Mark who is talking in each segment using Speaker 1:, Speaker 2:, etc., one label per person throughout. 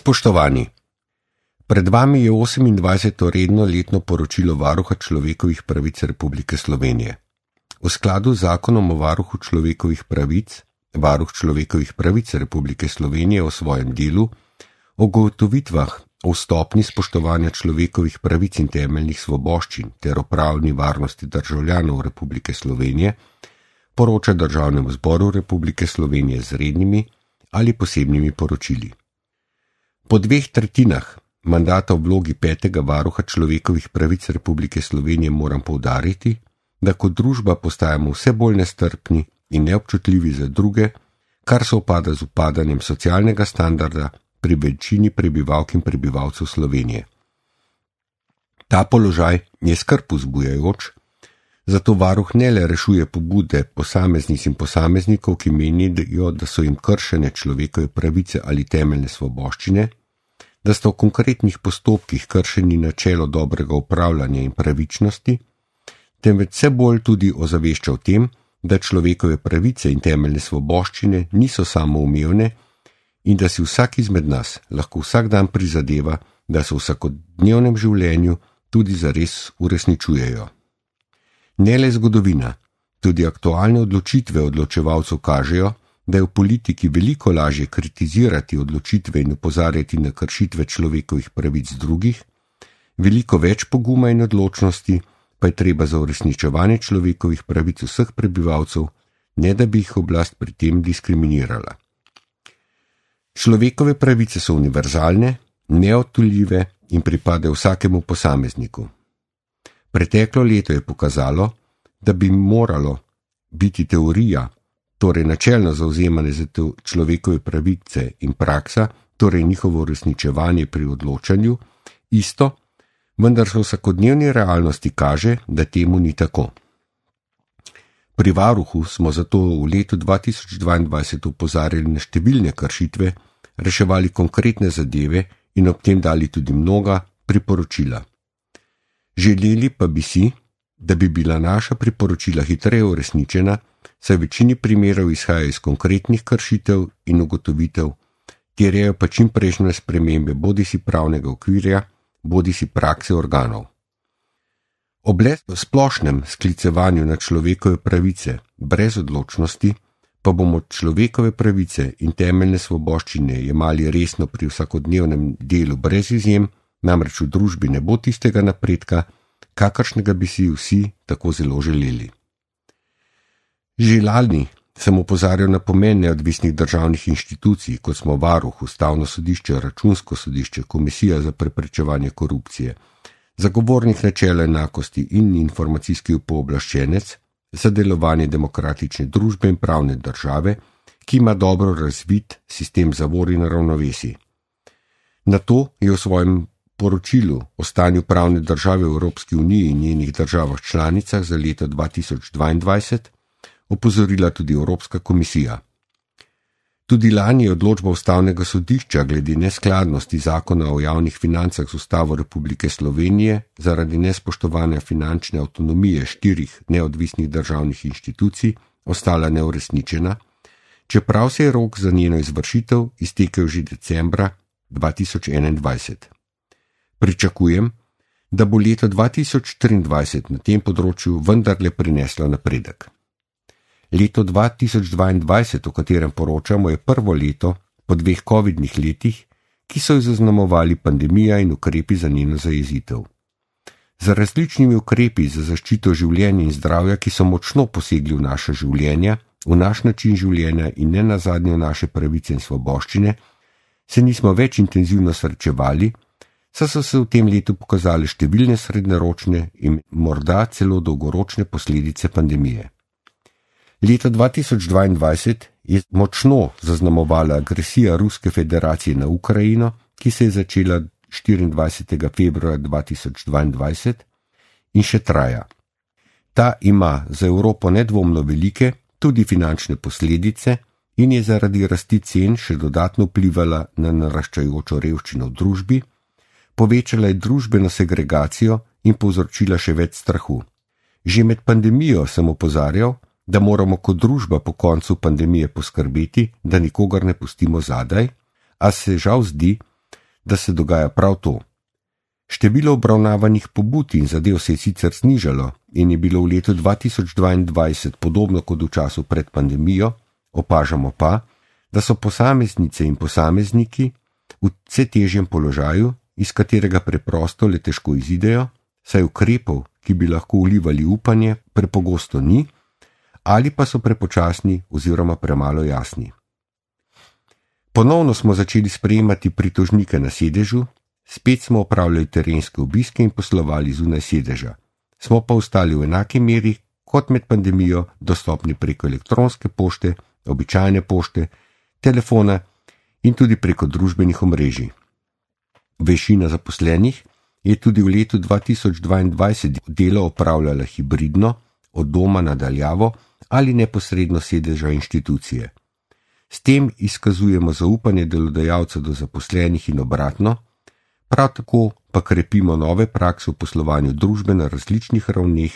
Speaker 1: Spoštovani, pred vami je 28. redno letno poročilo Varuha človekovih pravic Republike Slovenije. V skladu z zakonom o varuhu človekovih pravic, Varuh človekovih pravic Republike Slovenije o svojem delu, o ugotovitvah o stopnji spoštovanja človekovih pravic in temeljnih svoboščin ter o pravni varnosti državljanov Republike Slovenije, poroča Državnemu zboru Republike Slovenije z rednimi ali posebnimi poročili. Po 2/3 mandata v vlogi 5. varuha človekovih pravic Republike Slovenije moram poudariti, da kot družba postajamo vse bolj nestrpni in neobčutljivi za druge, kar se upada z upadanjem socialnega standarda pri večini prebivalk in prebivalcev Slovenije. Ta položaj je skrb vzbujajoč, zato varuh ne le rešuje pobude posameznic in posameznikov, ki menijo, da so jim kršene človekove pravice ali temeljne svoboščine, da sta v konkretnih postopkih kršeni načelo dobrega upravljanja in pravičnosti, temveč vse bolj tudi ozavešča o tem, da človekove pravice in temeljne svoboščine niso samoumevne in da si vsak izmed nas lahko vsak dan prizadeva, da se v vsakodnevnem življenju tudi zares uresničujejo. Ne le zgodovina, tudi aktualne odločitve odločevalcev kažejo, da je v politiki veliko lažje kritizirati odločitve in opozarjati na kršitve človekovih pravic drugih, veliko več poguma in odločnosti pa je treba za uresničevanje človekovih pravic vseh prebivalcev, ne da bi jih oblast pri tem diskriminirala. Človekove pravice so univerzalne, neodtujljive in pripadajo vsakemu posamezniku. Preteklo leto je pokazalo, da bi moralo biti teorija, torej načelno zauzemanje za človekove pravice in praksa, torej njihovo uresničevanje pri odločanju, isto, vendar se v vsakodnevni realnosti kaže, da temu ni tako. Pri varuhu smo zato v letu 2022 opozarjali na številne kršitve, reševali konkretne zadeve in ob tem dali tudi mnoga priporočila. Želeli pa bi si, da bi bila naša priporočila hitreje uresničena, saj v večini primerov izhajajo iz konkretnih kršitev in ugotovitev, terjajo pa čimprejšnje spremembe bodisi pravnega okvirja, bodisi prakse organov. Ob le splošnem sklicevanju na človekove pravice brez odločnosti pa bomo človekove pravice in temeljne svoboščine jemali resno pri vsakodnevnem delu brez izjem, namreč v družbi ne bo tistega napredka, kakršnega bi si vsi tako zelo želeli. Že lani sem opozarjal na pomen neodvisnih državnih inštitucij, kot smo Varuh, Ustavno sodišče, Računsko sodišče, Komisija za preprečevanje korupcije, zagovornik načela enakosti in informacijski pooblaščenec za delovanje demokratične družbe in pravne države, ki ima dobro razvit sistem zavor in ravnovesij. Na to je v svojem poročilu o stanju pravne države v Evropski uniji in njenih državah članicah za leto 2022 opozorila tudi Evropska komisija. Tudi lani je odločba Ustavnega sodišča glede neskladnosti zakona o javnih financah z Ustavo Republike Slovenije zaradi nespoštovanja finančne avtonomije 4 neodvisnih državnih inštitucij ostala neuresničena, čeprav se je rok za njeno izvršitev iztekel že decembra 2021. Pričakujem, da bo leto 2023 na tem področju vendarle prineslo napredek. Leto 2022, o katerem poročamo, je prvo leto po 2 covidnih letih, ki so jo zaznamovali pandemija in ukrepi za njeno zajezitev. Z različnimi ukrepi za zaščito življenja in zdravja, ki so močno posegli v naša življenja, v naš način življenja in ne nazadnje v naše pravice in svoboščine, se nismo več intenzivno srečevali, saj so se v tem letu pokazale številne srednjeročne in morda celo dolgoročne posledice pandemije. Leto 2022 je močno zaznamovala agresija Ruske federacije na Ukrajino, ki se je začela 24. februarja 2022 in še traja. Ta ima za Evropo nedvomno velike, tudi finančne posledice in je zaradi rasti cen še dodatno vplivala na naraščajočo revščino v družbi, povečala je družbeno segregacijo in povzročila še več strahu. Že med pandemijo sem opozarjal, da moramo kot družba po koncu pandemije poskrbeti, da nikogar ne pustimo zadaj, a se žal zdi, da se dogaja prav to. Število obravnavanih pobud in zadev se je sicer znižalo in je bilo v letu 2022 podobno kot v času pred pandemijo, opažamo pa, da so posameznice in posamezniki v vse težjem položaju, iz katerega preprosto le težko izidejo, saj ukrepov, ki bi lahko vlivali upanje, prepogosto ni, ali pa so prepočasni oziroma premalo jasni. Ponovno smo začeli sprejemati pritožnike na sedežu, spet smo opravljali terenske obiske in poslovali zunaj sedeža. Smo pa ostali v enaki meri kot med pandemijo dostopni preko elektronske pošte, običajne pošte, telefona in tudi preko družbenih omrežij. Večina zaposlenih je tudi v letu 2022 delo opravljala hibridno, od doma na daljavo ali neposredno sedeža inštitucije. S tem izkazujemo zaupanje delodajalca do zaposlenih in obratno, prav tako pa krepimo nove prakse v poslovanju družbe na različnih ravneh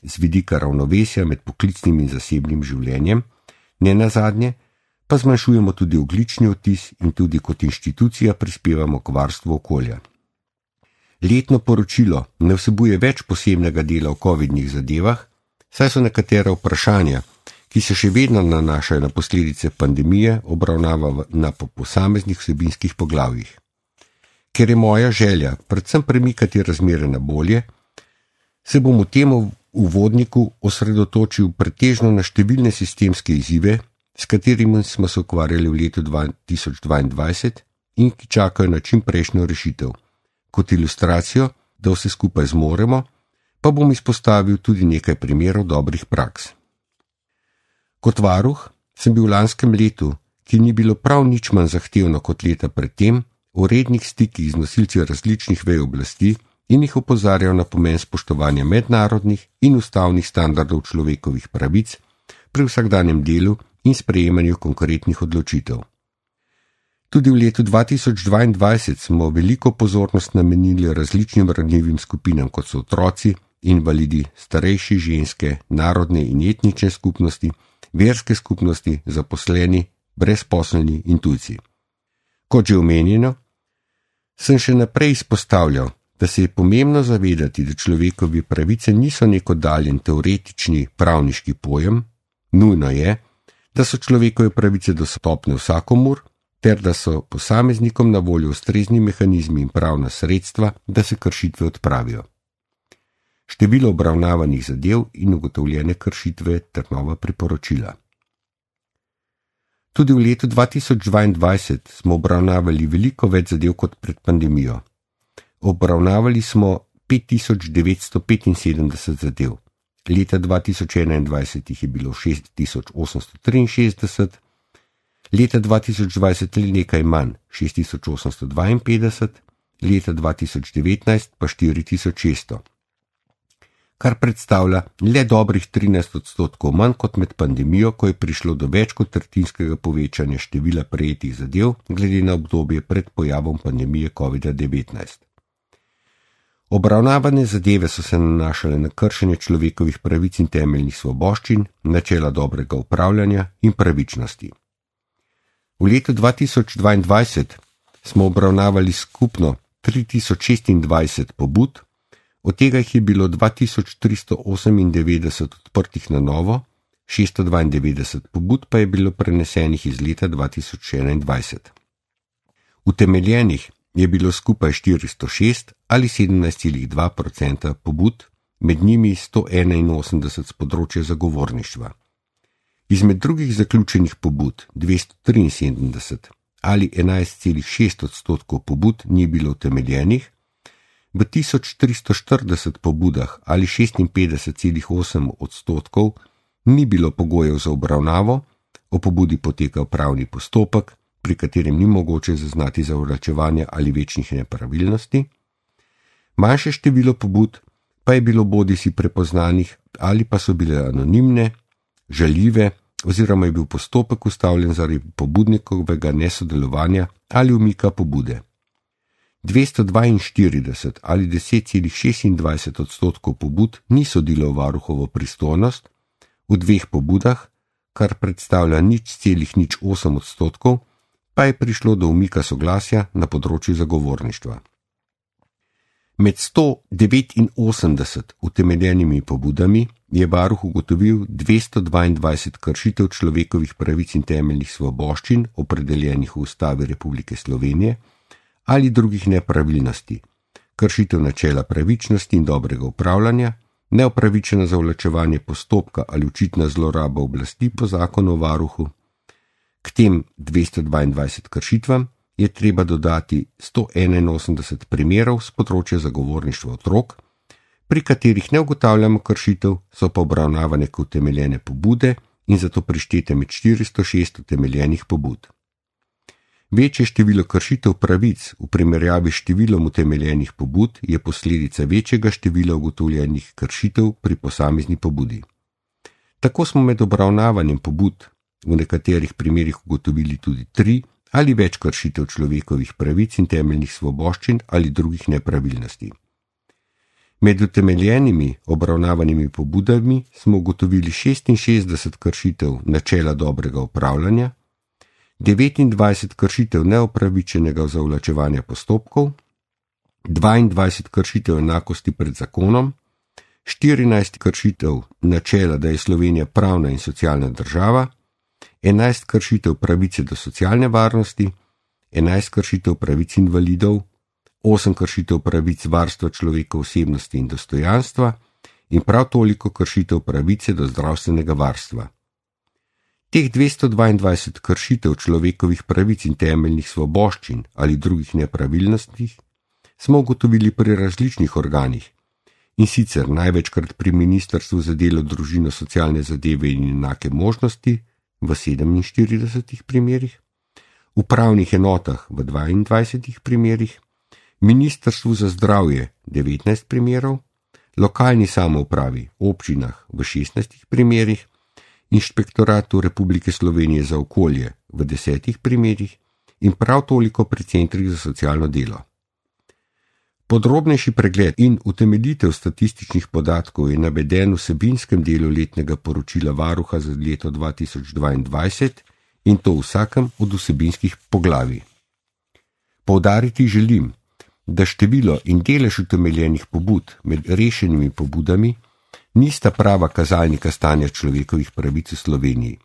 Speaker 1: z vidika ravnovesja med poklicnim in zasebnim življenjem, nenazadnje pa zmanjšujemo tudi ogljični odtis in tudi kot inštitucija prispevamo k varstvu okolja. Letno poročilo ne vsebuje več posebnega dela o covidnih zadevah, saj so nekatera vprašanja, ki se še vedno nanašajo na posledice pandemije, obravnava na posameznih vsebinskih poglavjih. Ker je moja želja predvsem premikati razmere na bolje, se bom v tem uvodniku osredotočil pretežno na številne sistemske izzive, s katerimi smo se ukvarjali v letu 2022 in ki čakajo na čim prejšnjo rešitev. Kot ilustracijo, da vse skupaj zmoremo, pa bom izpostavil tudi nekaj primerov dobrih praks. Kot varuh sem bil v lanskem letu, ki ni bilo prav nič manj zahtevno kot leta predtem, v rednih stikih z nosilci različnih vej oblasti in jih opozarjal na pomen spoštovanja mednarodnih in ustavnih standardov človekovih pravic pri vsakdanjem delu in sprejemanju konkretnih odločitev. Tudi v letu 2022 smo veliko pozornost namenili različnim ranljivim skupinam, kot so otroci, invalidi, starejši, ženske, narodne in etnične skupnosti, verske skupnosti, zaposleni, brezposelni in tujci. Kot že omenjeno, sem še naprej izpostavljal, da se je pomembno zavedati, da človekovi pravice niso nek oddaljen teoretični pravniški pojem, nujno je, da so človekove pravice dostopne vsakomur, ter da so posameznikom na voljo ustrezni mehanizmi in pravna sredstva, da se kršitve odpravijo. Število obravnavanih zadev in ugotovljene kršitve ter nova priporočila. Tudi v letu 2022 smo obravnavali veliko več zadev kot pred pandemijo. Obravnavali smo 5975 zadev. Leta 2021 jih je bilo 6863, leta 2020 le nekaj manj, 6852, leta 2019 pa 4600, kar predstavlja le dobrih 13% manj kot med pandemijo, ko je prišlo do več kot tretjinskega povečanja števila prejetih zadev glede na obdobje pred pojavom pandemije COVID-19. Obravnavane zadeve so se nanašale na kršenje človekovih pravic in temeljnih svoboščin, načela dobrega upravljanja in pravičnosti. V letu 2022 smo obravnavali skupno 3026 pobud, od tega jih je bilo 2398 odprtih na novo, 692 pobud pa je bilo prenesenih iz leta 2021. Utemeljenih je bilo skupaj 406 ali 17,2% pobud, med njimi 181 z področja zagovorništva. Izmed drugih zaključenih pobud 273 ali 11,6% pobud ni bilo utemeljenih, v 1340 pobudah ali 56,8% ni bilo pogojev za obravnavo, o pobudi poteka upravni postopek, pri katerem ni mogoče zaznati zavračevanja ali večnih nepravilnosti. Manjše število pobud pa je bilo bodisi prepoznanih ali pa so bile anonimne, žaljive oziroma je bil postopek ustavljen zaradi pobudnikovega nesodelovanja ali umika pobude. 242 ali 10,26% pobud ni sodilo v varuhovo pristojnost, v 2 pobudah, kar predstavlja 0,08%, pa je prišlo do umika soglasja na področju zagovorništva. Med 189 utemeljenimi pobudami je varuh ugotovil 222 kršitev človekovih pravic in temeljnih svoboščin, opredeljenih v Ustavi Republike Slovenije, ali drugih nepravilnosti, kršitev načela pravičnosti in dobrega upravljanja, neopravičeno zavlačevanje postopka ali očitna zloraba oblasti po zakonu o varuhu. K tem 222 kršitvam je treba dodati 181 primerov z področja zagovorništva otrok, pri katerih ne ugotavljamo kršitev, so pa obravnavane kot utemeljene pobude in zato prištete med 406 utemeljenih pobud. Večje število kršitev pravic v primerjavi s številom utemeljenih pobud je posledica večjega števila ugotovljenih kršitev pri posamezni pobudi. Tako smo med obravnavanjem pobud v nekaterih primerih ugotovili tudi 3 ali več kršitev človekovih pravic in temeljnih svoboščin ali drugih nepravilnosti. Med utemeljenimi obravnavanimi pobudami smo ugotovili 66 kršitev načela dobrega upravljanja, 29 kršitev neopravičenega zavlačevanja postopkov, 22 kršitev enakosti pred zakonom, 14 kršitev načela, da je Slovenija pravna in socialna država, 11 kršitev pravice do socialne varnosti, 11 kršitev pravic invalidov, 8 kršitev pravic varstva človekove osebnosti in dostojanstva in prav toliko kršitev pravice do zdravstvenega varstva. Teh 222 kršitev človekovih pravic in temeljnih svoboščin ali drugih nepravilnosti smo ugotovili pri različnih organih, in sicer največkrat pri Ministrstvu za delo, družino, socialne zadeve in enake možnosti v 47 primerih, upravnih enotah v 22 primerih, Ministrstvu za zdravje 19 primerov, lokalni samoupravi, občinah v 16 primerih, Inšpektoratu Republike Slovenije za okolje v 10 primerih in prav toliko pri centrih za socialno delo. Podrobnejši pregled in utemeljitev statističnih podatkov je naveden v vsebinskem delu letnega poročila varuha za leto 2022 in to v vsakem od vsebinskih poglavij. Poudariti želim, da število in delež utemeljenih pobud med rešenimi pobudami nista prava kazalnika stanja človekovih pravic v Sloveniji.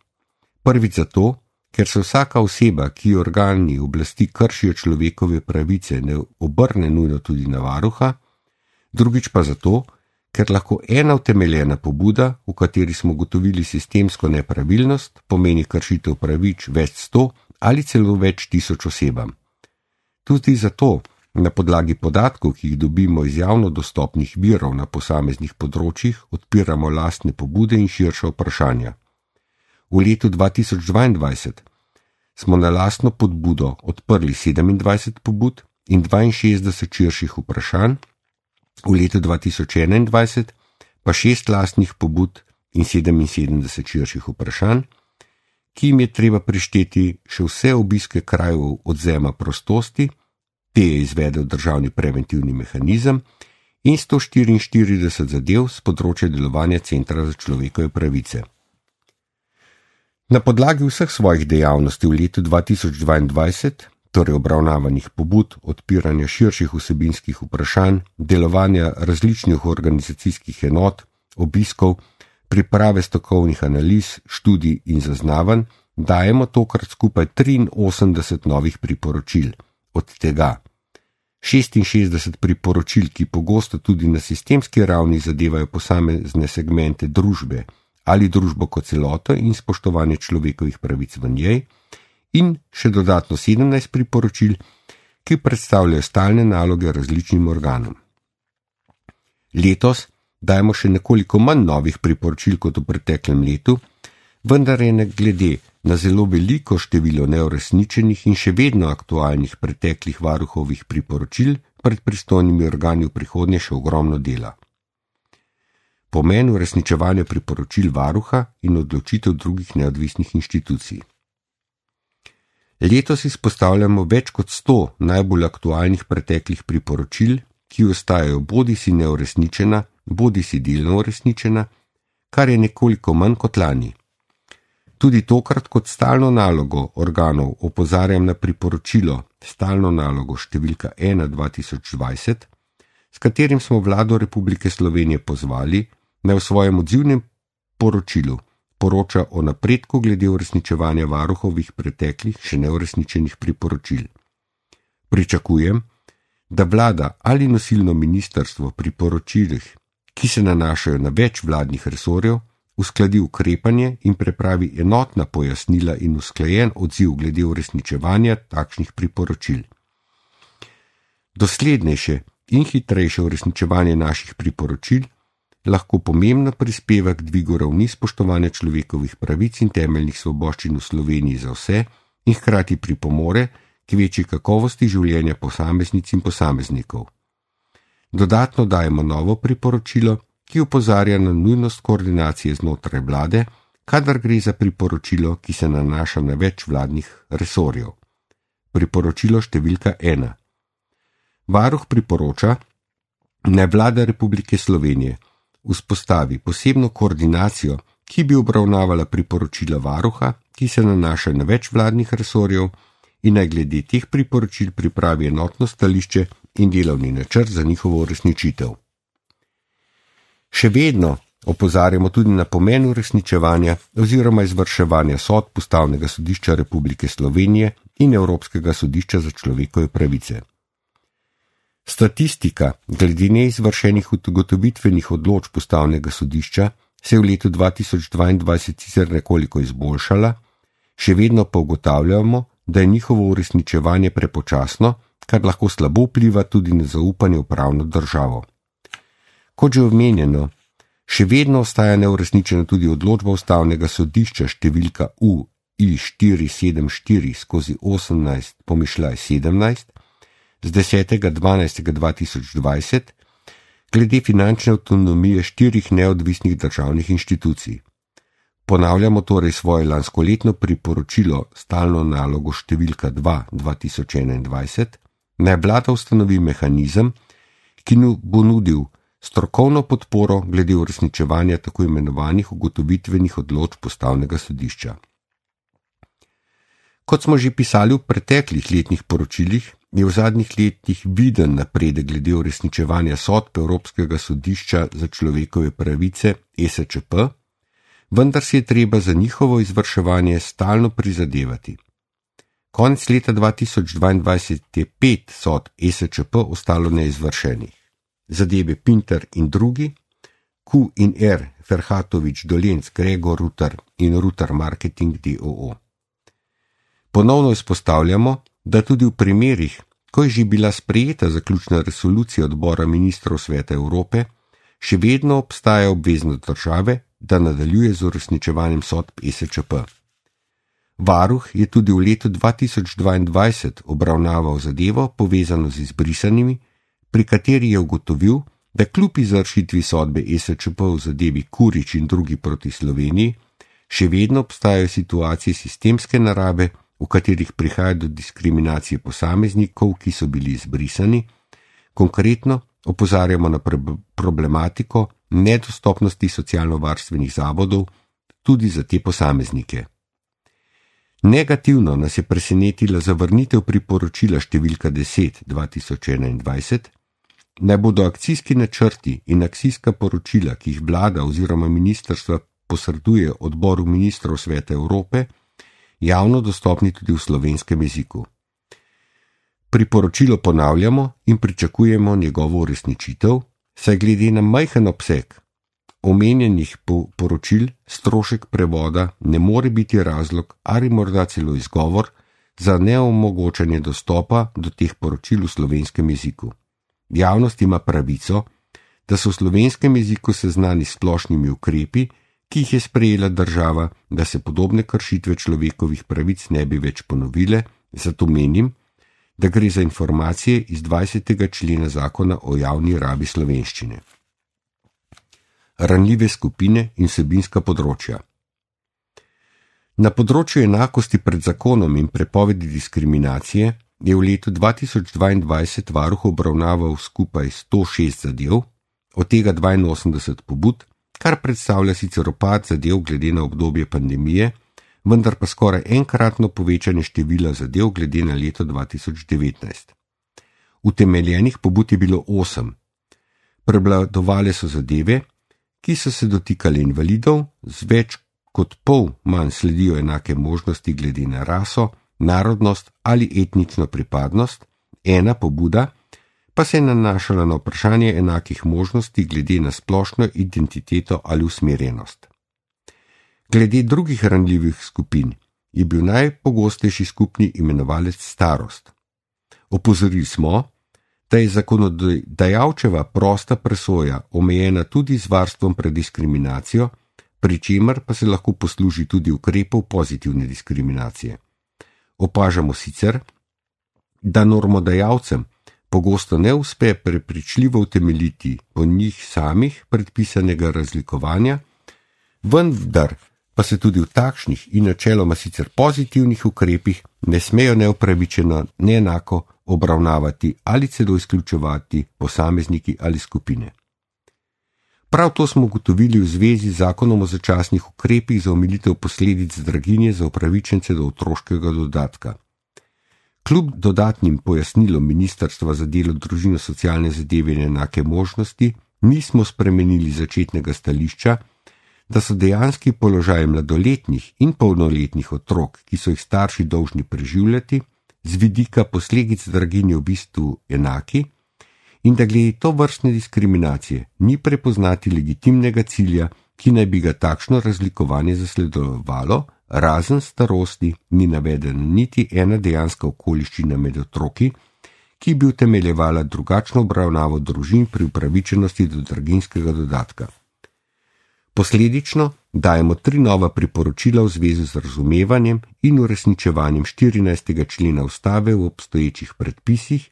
Speaker 1: Prvič zato, ker se vsaka oseba, ki organi oblasti kršijo človekove pravice, ne obrne nujno tudi na varuha, drugič pa zato, ker lahko ena utemeljena pobuda, v kateri smo ugotovili sistemsko nepravilnost, pomeni kršitev pravic več 100 ali celo več tisoč osebam. Tudi zato, na podlagi podatkov, ki jih dobimo iz javno dostopnih virov na posameznih področjih, odpiramo lastne pobude in širša vprašanja. V letu 2022 smo na lastno podbudo odprli 27 pobud in 62 širših vprašanj, v letu 2021 pa 6 lastnih pobud in 77 širših vprašanj, ki jim je treba prišteti še vse obiske krajev odvzema prostosti, te je izvedel državni preventivni mehanizem, in 144 zadev z področja delovanja Centra za človekove pravice. Na podlagi vseh svojih dejavnosti v letu 2022, torej obravnavanih pobud, odpiranja širših vsebinskih vprašanj, delovanja različnih organizacijskih enot, obiskov, priprave strokovnih analiz, študij in zaznavanj, dajemo tokrat skupaj 83 novih priporočil, od tega 66 priporočil, ki pogosto tudi na sistemski ravni zadevajo posamezne segmente družbe ali družbo kot celoto in spoštovanje človekovih pravic v njej, in še dodatno 17 priporočil, ki predstavljajo stalne naloge različnim organom. Letos dajemo še nekoliko manj novih priporočil kot v preteklem letu, vendar je glede na zelo veliko število neuresničenih in še vedno aktualnih preteklih varuhovih priporočil pred pristojnimi organi v prihodnje še ogromno dela. Pomen uresničevanja priporočil varuha in odločitev drugih neodvisnih inštitucij. Letos izpostavljamo več kot 100 najbolj aktualnih preteklih priporočil, ki ostajajo bodisi neuresničena, bodisi delno uresničena, kar je nekoliko manj kot lani. Tudi tokrat kot stalno nalogo organov opozarjam na priporočilo, stalno nalogo številka 1/2020, s katerim smo vlado Republike Slovenije pozvali, naj v svojem odzivnem poročilu poroča o napredku glede uresničevanja varuhovih preteklih še neuresničenih priporočil. Pričakujem, da vlada ali nosilno ministrstvo pri poročilih, ki se nanašajo na več vladnih resorjev, uskladi ukrepanje in pripravi enotna pojasnila in usklajen odziv glede uresničevanja takšnih priporočil. Doslednejše in hitrejše uresničevanje naših priporočil lahko pomembno prispeva k dvigu ravni spoštovanja človekovih pravic in temeljnih svoboščin v Sloveniji za vse in hkrati pripomore k večji kakovosti življenja posameznic in posameznikov. Dodatno dajemo novo priporočilo, ki opozarja na nujnost koordinacije znotraj vlade, kadar gre za priporočilo, ki se nanaša na več vladnih resorjev. Priporočilo številka 1. Varuh priporoča, naj vlada Republike Slovenije vzpostavi posebno koordinacijo, ki bi obravnavala priporočila varuha, ki se nanaša na več vladnih resorjev in naj glede teh priporočil pripravi enotno stališče in delovni načrt za njihovo uresničitev. Še vedno opozarjamo tudi na pomen uresničevanja oziroma izvrševanja sodb Ustavnega sodišča Republike Slovenije in Evropskega sodišča za človekove pravice. Statistika glede neizvršenih ugotovitvenih odločb Ustavnega sodišča se je v letu 2022 sicer nekoliko izboljšala, še vedno pa ugotavljamo, da je njihovo uresničevanje prepočasno, kar lahko slabo vpliva tudi na zaupanje v pravno državo. Kot že omenjeno, še vedno ostaja neuresničena tudi odločba Ustavnega sodišča številka UI-474/18/17 z 10.12.2020 glede finančne avtonomije 4 neodvisnih državnih inštitucij. Ponavljamo torej svoje lanskoletno priporočilo stalno nalogo številka 2/2021, naj vlada ustanovi mehanizem, ki bo nudil strokovno podporo glede uresničevanja tako imenovanih ugotovitvenih odločb Ustavnega sodišča. Kot smo že pisali v preteklih letnih poročilih, je v zadnjih letih viden napredek glede uresničevanja sodb Evropskega sodišča za človekove pravice ESČP, vendar si je treba za njihovo izvrševanje stalno prizadevati. Konec leta 2022 je 5 sodb ESČP ostalo neizvršenih. Zadeve Pinter in drugi, Q in R, Ferhatovič, Dolenc, Gregor Rutar in Rutar Marketing d.o.o. Ponovno izpostavljamo, da tudi v primerih, ko je že bila sprejeta zaključna resolucija odbora ministrov Sveta Evrope, še vedno obstaja obveznost države, da nadaljuje z uresničevanjem sodb ESČP. Varuh je tudi v letu 2022 obravnaval zadevo povezano z izbrisanimi, pri kateri je ugotovil, da kljub izvršitvi sodbe ESČP v zadevi Kurič in drugi proti Sloveniji, še vedno obstajajo situacije sistemske narave, v katerih prihaja do diskriminacije posameznikov, ki so bili izbrisani. Konkretno opozarjamo na problematiko nedostopnosti socialno-varstvenih zavodov tudi za te posameznike. Negativno nas je presenetila zavrnitev priporočila številka 10/2021, naj bodo akcijski načrti in akcijska poročila, ki jih vlada oziroma ministrstva posreduje odboru ministrov Sveta Evrope, javno dostopni tudi v slovenskem jeziku. Priporočilo ponavljamo in pričakujemo njegovo uresničitev, saj glede na majhen obseg omenjenih poročil strošek prevoda ne more biti razlog ali morda celo izgovor za neomogočanje dostopa do teh poročil v slovenskem jeziku. Javnost ima pravico, da so v slovenskem jeziku seznani s splošnimi ukrepi, ki jih je sprejela država, da se podobne kršitve človekovih pravic ne bi več ponovile, zato menim, da gre za informacije iz 20. člena Zakona o javni rabi slovenščine. Ranljive skupine in vsebinska področja. Na področju enakosti pred zakonom in prepovedi diskriminacije je v letu 2022 varuh obravnaval skupaj 106 zadev, od tega 82 pobud, kar predstavlja sicer upad zadev glede na obdobje pandemije, vendar pa skoraj enkratno povečanje števila zadev glede na leto 2019. Utemeljenih pobud je bilo 8. Prevladovale so zadeve, ki so se dotikali invalidov, z več kot pol manj sledijo enake možnosti glede na raso, narodnost ali etnično pripadnost, ena pobuda pa se je nanašala na vprašanje enakih možnosti glede na splošno identiteto ali usmerjenost. Glede drugih ranljivih skupin je bil najpogostejši skupni imenovalec starost. Opozorili smo, da je zakonodajalčeva prosta presoja omejena tudi z varstvom pred diskriminacijo, pri čemer pa se lahko posluži tudi ukrepov pozitivne diskriminacije. Opažamo sicer, da normodajalcem pogosto ne uspe prepričljivo utemeljiti po njih samih predpisanega razlikovanja, vendar pa se tudi v takšnih in načeloma sicer pozitivnih ukrepih ne smejo neupravičeno neenako obravnavati ali celo izključevati posamezniki ali skupine. Prav to smo ugotovili v zvezi z zakonom o začasnih ukrepih za omilitev posledic draginje za upravičence do otroškega dodatka. Kljub dodatnim pojasnilom Ministrstva za delo, družino, socialne zadeve in enake možnosti nismo spremenili začetnega stališča, da so dejanski položaj mladoletnih in polnoletnih otrok, ki so jih starši dolžni preživljati, z vidika posledic draginje v bistvu enaki in da glede to vrstne diskriminacije ni prepoznati legitimnega cilja, ki naj bi ga takšno razlikovanje zasledovalo, razen starosti ni navedena niti ena dejanska okoliščina med otroki, ki bi utemeljevala drugačno obravnavo družin pri upravičenosti do draginjskega dodatka. Posledično dajemo 3 nova priporočila v zvezi z razumevanjem in uresničevanjem 14. člena Ustave v obstoječih predpisih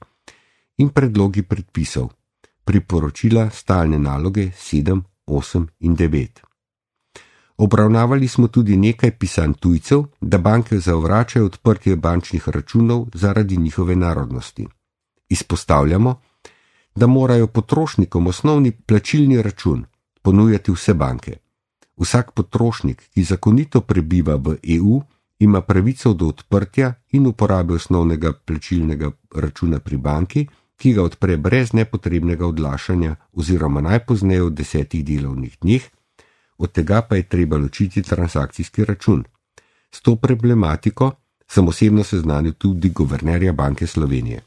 Speaker 1: in predlogi predpisov, priporočila stalne naloge 7, 8 in 9. Obravnavali smo tudi nekaj pisanj tujcev, da banke zavračajo odprtje bančnih računov zaradi njihove narodnosti. Izpostavljamo, da morajo potrošnikom osnovni plačilni račun ponujati vse banke. Vsak potrošnik, ki zakonito prebiva v EU, ima pravico do odprtja in uporabe osnovnega plačilnega računa pri banki, ki ga odpre brez nepotrebnega odlašanja oziroma najpozneje v 10 delovnih dneh, od tega pa je treba ločiti transakcijski račun. S to problematiko sem osebno seznanil tudi guvernerja Banke Slovenije.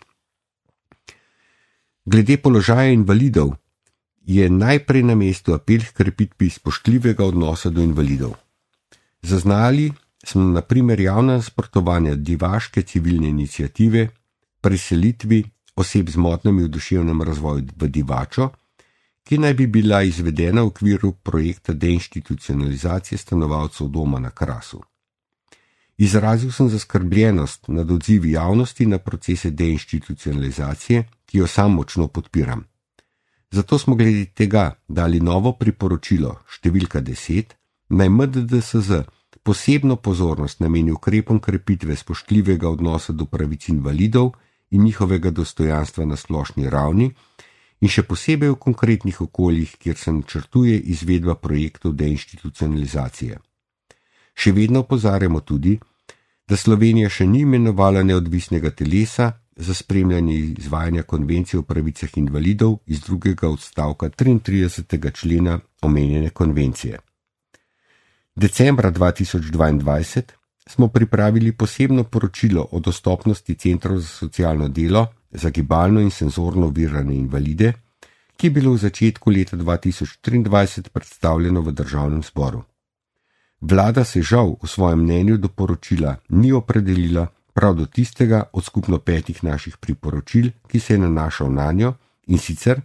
Speaker 1: Glede položaja invalidov je najprej na mestu apel k krepitvi spoštljivega odnosa do invalidov. Zaznali smo na primer javna nasprotovanja divaške civilne iniciative preselitvi oseb z motnjami v duševnem razvoju v Divačo, ki naj bi bila izvedena v okviru projekta deinstitucionalizacije stanovalcev doma na Krasu. Izrazil sem zaskrbljenost nad odzivi javnosti na procese deinstitucionalizacije, ki jo sam močno podpiram. Zato smo glede tega dali novo priporočilo številka 10, naj MDDSZ posebno pozornost nameni ukrepom krepitve spoštljivega odnosa do pravic invalidov in njihovega dostojanstva na splošni ravni in še posebej v konkretnih okoljih, kjer se načrtuje izvedba projektov deinstitucionalizacije. Še vedno opozarjamo tudi, da Slovenija še ni imenovala neodvisnega telesa za spremljanje izvajanja konvencije o pravicah invalidov iz 2. odstavka 33. člena omenjene konvencije. Decembra 2022 smo pripravili posebno poročilo o dostopnosti centrov za socialno delo za gibalno in senzorno ovirane invalide, ki je bilo v začetku leta 2023 predstavljeno v Državnem zboru. Vlada se žal v svojem mnenju do poročila ni opredelila prav do tistega od skupno 5 naših priporočil, ki se je nanašal nanjo, in sicer,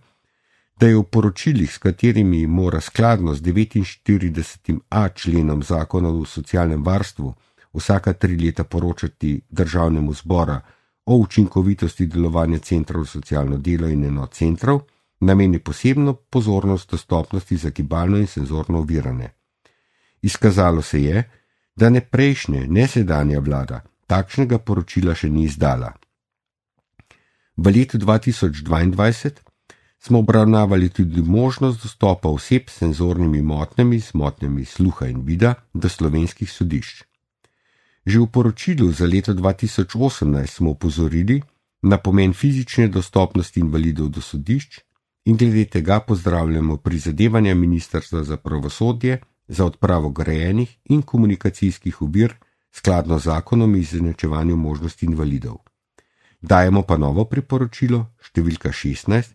Speaker 1: da je v poročilih, s katerimi mora skladno z 49a členom Zakona o socialnem varstvu vsaka 3 leta poročati Državnemu zboru o učinkovitosti delovanja centrov za socialno delo in enot centrov, nameni posebno pozornost dostopnosti za gibalno in senzorno ovirane. Izkazalo se je, da ne prejšnje, ne sedanja vlada takšnega poročila še ni izdala. V letu 2022 smo obravnavali tudi možnost dostopa oseb s senzornimi motnjami, s motnjami sluha in vida do slovenskih sodišč. Že v poročilu za leto 2018 smo opozorili na pomen fizične dostopnosti invalidov do sodišč in glede tega pozdravljamo prizadevanja Ministrstva za pravosodje za odpravo grajenih in komunikacijskih ovir skladno z zakonom o izenačevanju možnosti invalidov. Dajemo pa novo priporočilo, številka 16,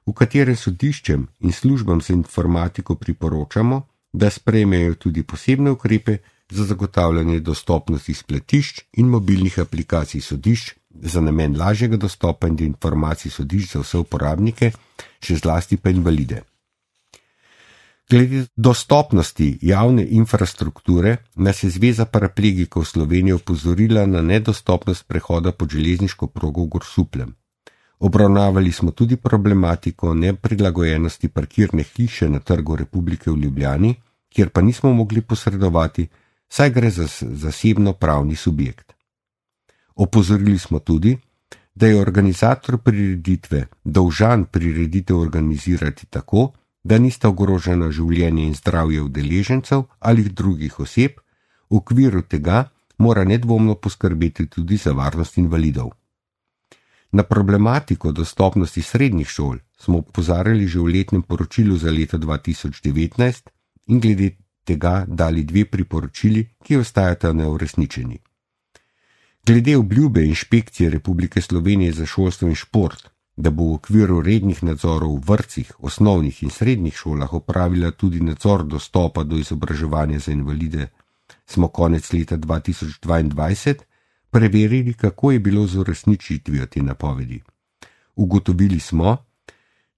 Speaker 1: v katerem sodiščem in službam za informatiko priporočamo, da sprejmejo tudi posebne ukrepe za zagotavljanje dostopnosti spletišč in mobilnih aplikacij sodišč za namen lažjega dostopa do informacij sodišč za vse uporabnike, še zlasti pa invalide. Glede dostopnosti javne infrastrukture nas je Zveza paraplegikov Slovenije opozorila na nedostopnost prehoda pod železniško progo v Grosupljem. Obravnavali smo tudi problematiko neprilagojenosti parkirne hiše na Trgu Republike v Ljubljani, kjer pa nismo mogli posredovati, saj gre za zasebno pravni subjekt. Opozorili smo tudi, da je organizator prireditve dolžan prireditev organizirati tako, da nista ogrožena življenje in zdravje udeležencev ali drugih oseb, v okviru tega mora nedvomno poskrbeti tudi za varnost invalidov. Na problematiko dostopnosti srednjih šol smo opozarjali že v letnem poročilu za leto 2019 in glede tega dali 2 priporočili, ki ostajata neuresničeni. Glede obljube Inšpekcije Republike Slovenije za šolstvo in šport, da bo v okviru rednih nadzorov v vrtcih, osnovnih in srednjih šolah opravila tudi nadzor dostopa do izobraževanja za invalide, smo konec leta 2022 preverili, kako je bilo z uresničitvijo te napovedi. Ugotovili smo,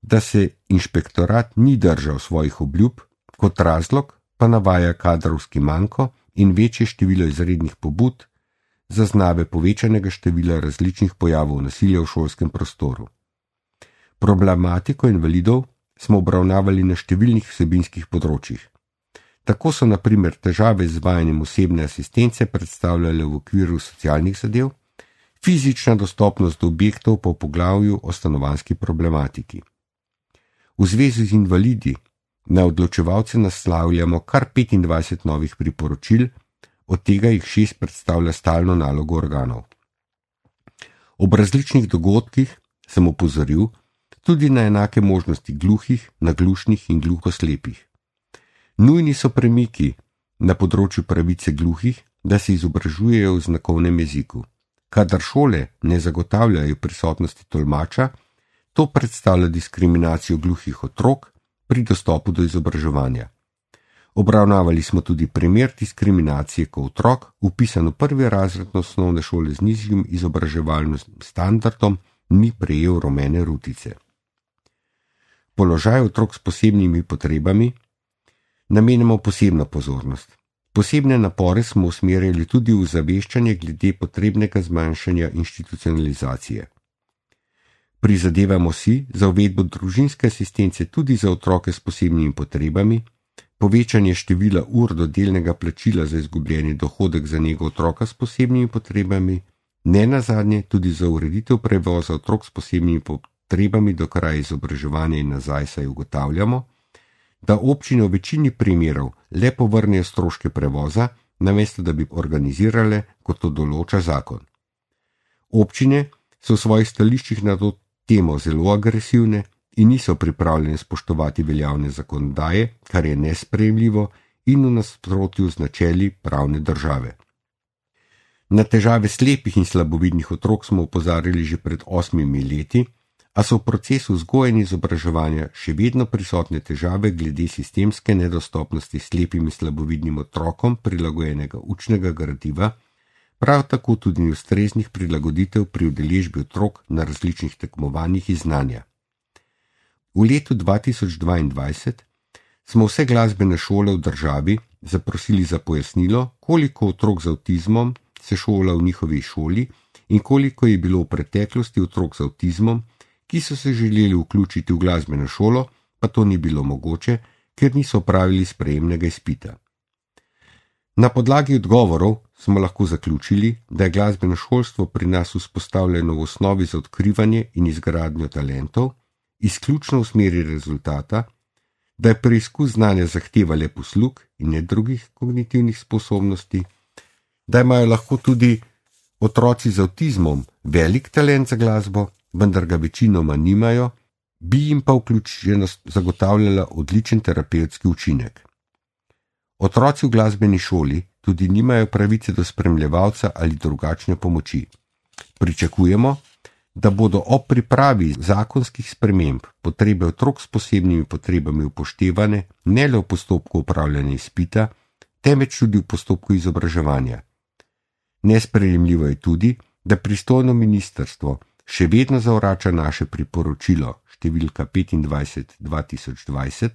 Speaker 1: da se inšpektorat ni držal svojih obljub, kot razlog pa navaja kadrovski manko in večje število izrednih pobud, zaznave povečanega števila različnih pojavov nasilja v šolskem prostoru. Problematiko invalidov smo obravnavali na številnih vsebinskih področjih. Tako so na primer težave z izvajanjem osebne asistence predstavljale v okviru socialnih zadev, fizična dostopnost do objektov pa v poglavju o stanovanjski problematiki. V zvezi z invalidi na odločevalce naslavljamo kar 25 novih priporočil, od tega jih 6 predstavlja stalno nalogo organov. Ob različnih dogodkih sem opozoril tudi na enake možnosti gluhih, naglušnih in gluhoslepih. Nujni so premiki na področju pravice gluhih, da se izobražujejo v znakovnem jeziku. Kadar šole ne zagotavljajo prisotnosti tolmača, to predstavlja diskriminacijo gluhih otrok pri dostopu do izobraževanja. Obravnavali smo tudi primer diskriminacije, ko otrok, vpisan v 1. razred osnovne šole z nižjim izobraževalnim standardom, ni prejel rumene rutice. Položaj otrok s posebnimi potrebami namenjamo posebno pozornost. Posebne napore smo usmerjali tudi v zaveščanje glede potrebnega zmanjšanja institucionalizacije. Prizadevamo si za uvedbo družinske asistence tudi za otroke s posebnimi potrebami, povečanje števila ur do delnega plačila za izgubljeni dohodek za nego otroka s posebnimi potrebami, ne nazadnje tudi za ureditev prevoza otrok s posebnimi potrebami do kraja izobraževanja in nazaj, saj ugotavljamo, da občine v večini primerov le povrnejo stroške prevoza, namesto da bi organizirale, kot to določa zakon. Občine so v svojih stališčih na to temo zelo agresivne in niso pripravljene spoštovati veljavne zakonodaje, kar je nesprejemljivo in v nasprotju z načeli pravne države. Na težave slepih in slabovidnih otrok smo opozarjali že pred 8 leti, a so v procesu vzgoje in izobraževanja še vedno prisotne težave glede sistemske nedostopnosti slepim in slabovidnim otrokom prilagojenega učnega gradiva, prav tako tudi ustreznih prilagoditev pri udeležbi otrok na različnih tekmovanjih iz znanja. V letu 2022 smo vse glasbene šole v državi zaprosili za pojasnilo, koliko otrok z avtizmom se šola v njihovi šoli in koliko je bilo v preteklosti otrok z avtizmom, ki so se želeli vključiti v glasbeno šolo, pa to ni bilo mogoče, ker niso opravili sprejemnega izpita. Na podlagi odgovorov smo lahko zaključili, da je glasbeno šolstvo pri nas vzpostavljeno v osnovi za odkrivanje in izgradnjo talentov, izključno v smeri rezultata, da je preizkus znanja zahteva le poslug in ne drugih kognitivnih sposobnosti, da imajo lahko tudi otroci z avtizmom velik talent za glasbo, vendar ga večinoma nimajo, bi jim pa vključenost zagotavljala odličen terapevtski učinek. Otroci v glasbeni šoli tudi nimajo pravice do spremljevalca ali drugačne pomoči. Pričakujemo, da bodo ob pripravi zakonskih sprememb potrebe otrok s posebnimi potrebami upoštevane ne le v postopku upravljanja izpita, temveč tudi v postopku izobraževanja. Nesprejemljivo je tudi, da pristojno ministrstvo še vedno zavrača naše priporočilo številka 25/2020,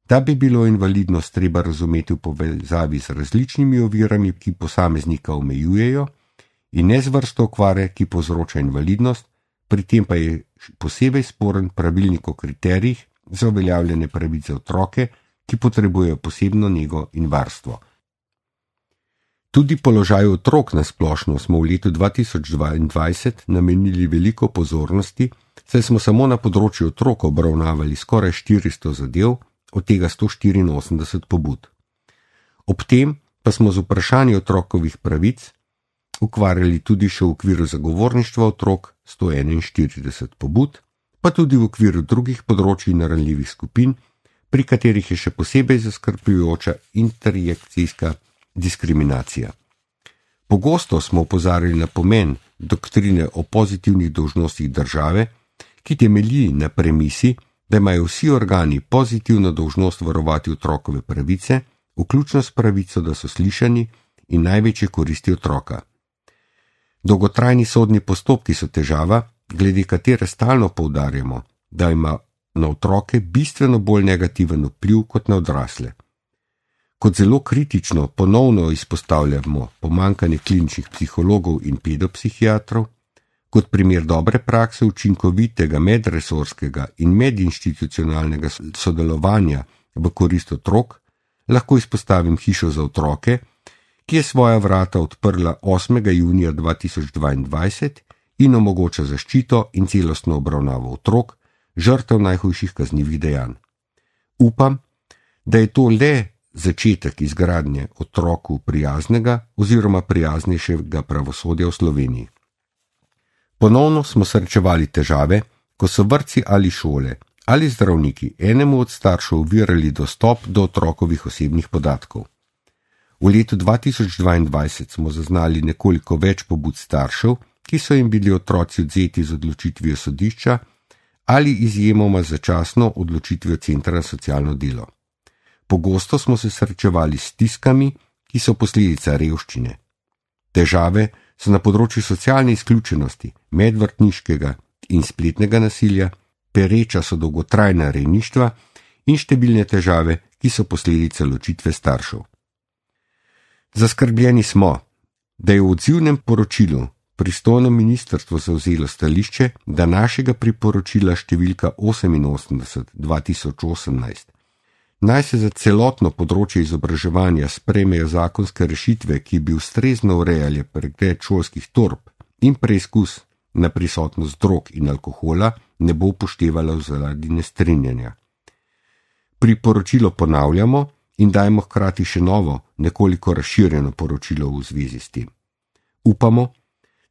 Speaker 1: da bi bilo invalidnost treba razumeti v povezavi z različnimi ovirami, ki posameznika omejujejo, in ne z vrsto okvare, ki povzroča invalidnost, pri tem pa je posebej sporen pravilnik o kriterijih za uveljavljanje pravic za otroke, ki potrebujejo posebno nego in varstvo. Tudi položaju otrok na splošno smo v letu 2022 namenili veliko pozornosti, saj smo samo na področju otrok obravnavali skoraj 400 zadev, od tega 184 pobud. Ob tem pa smo z vprašanji otrokovih pravic ukvarjali tudi še v okviru zagovorništva otrok 141 pobud, pa tudi v okviru drugih področij in ranljivih skupin, pri katerih je še posebej zaskrbljujoča interjekcijska diskriminacija. Pogosto smo opozarjali na pomen doktrine o pozitivnih dolžnostih države, ki temelji na premisi, da imajo vsi organi pozitivno dolžnost varovati otrokove pravice, vključno s pravico, da so slišani in največje koristi otroka. Dolgotrajni sodni postopki so težava, glede katere stalno poudarjamo, da ima na otroke bistveno bolj negativen vpliv kot na odrasle. Kot zelo kritično ponovno izpostavljamo pomanjkanje kliničnih psihologov in pedopsihiatrov, kot primer dobre prakse učinkovitega medresorskega in medinstitucionalnega sodelovanja v korist otrok, lahko izpostavim Hišo za otroke, ki je svoja vrata odprla 8. junija 2022 in omogoča zaščito in celostno obravnavo otrok, žrtev najhujših kaznivih dejanj. Upam, da je to le začetek izgradnje otroku prijaznega oziroma prijaznejšega pravosodja v Sloveniji. Ponovno smo srečevali težave, ko so vrtci ali šole ali zdravniki enemu od staršev ovirali dostop do otrokovih osebnih podatkov. V letu 2022 smo zaznali nekoliko več pobud staršev, ki so jim bili otroci odvzeti z odločitvijo sodišča ali izjemoma začasno odločitvijo centra za socialno delo. Pogosto smo se srečevali s stiskami, ki so posledica revščine. Težave so na področju socialne izključenosti, medvrtniškega in spletnega nasilja, pereča so dolgotrajna rejništva in številne težave, ki so posledica ločitve staršev. Zaskrbljeni smo, da je v odzivnem poročilu pristojno ministrstvo zavzelo stališče, da našega priporočila številka 88/2018 naj se za celotno področje izobraževanja sprejmejo zakonske rešitve, ki bi ustrezno urejali pregled šolskih torb in preizkus na prisotnost drog in alkohola, ne bo upoštevala zaradi nestrinjanja. Priporočilo ponavljamo in dajemo hkrati še novo, nekoliko razširjeno poročilo v zvezi s tem. Upamo,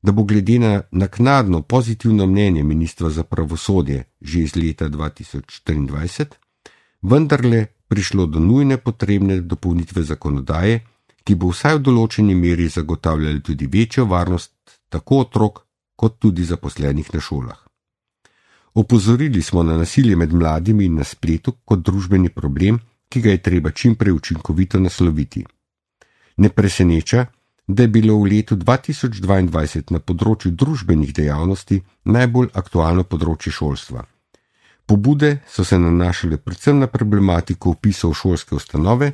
Speaker 1: da bo glede na naknadno pozitivno mnenje ministra za pravosodje že iz leta 2024, vendarle prišlo do nujne potrebne dopolnitve zakonodaje, ki bo vsaj v določeni meri zagotavljala tudi večjo varnost tako otrok kot tudi zaposlenih na šolah. Opozorili smo na nasilje med mladimi in na spletu kot družbeni problem, ki ga je treba čim prej učinkovito nasloviti. Ne preseneča, da je bilo v letu 2022 na področju družbenih dejavnosti najbolj aktualno področje šolstva. Pobude so se nanašale predvsem na problematiko vpisov v šolske ustanove,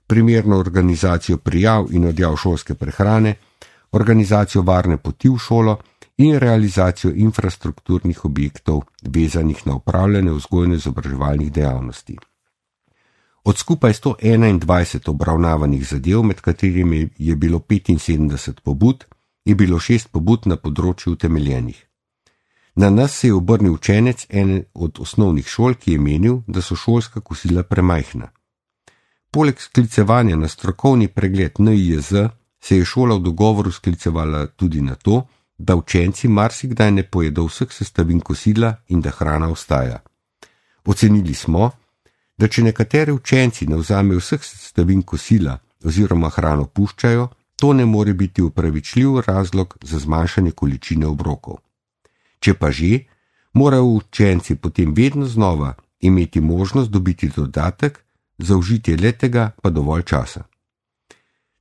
Speaker 1: primerno organizacijo prijav in odjav šolske prehrane, organizacijo varne poti v šolo in realizacijo infrastrukturnih objektov vezanih na upravljanje vzgojno-izobraževalnih dejavnosti. Od skupaj 121 obravnavanih zadev, med katerimi je bilo 75 pobud, je bilo 6 pobud na področju utemeljenih. Na nas se je obrnil učenec ene od osnovnih šol, ki je menil, da so šolska kosila premajhna. Poleg sklicevanja na strokovni pregled NIJZ se je šola v dogovoru sklicevala tudi na to, da učenci marsikdaj ne pojedo vseh sestavin kosila in da hrana ostaja. Ocenili smo, da če nekateri učenci ne vzamejo vseh sestavin kosila oziroma hrano puščajo, to ne more biti upravičljiv razlog za zmanjšanje količine obrokov. Če pa že, morajo učenci potem vedno znova imeti možnost dobiti dodatek, za užitje letega pa dovolj časa.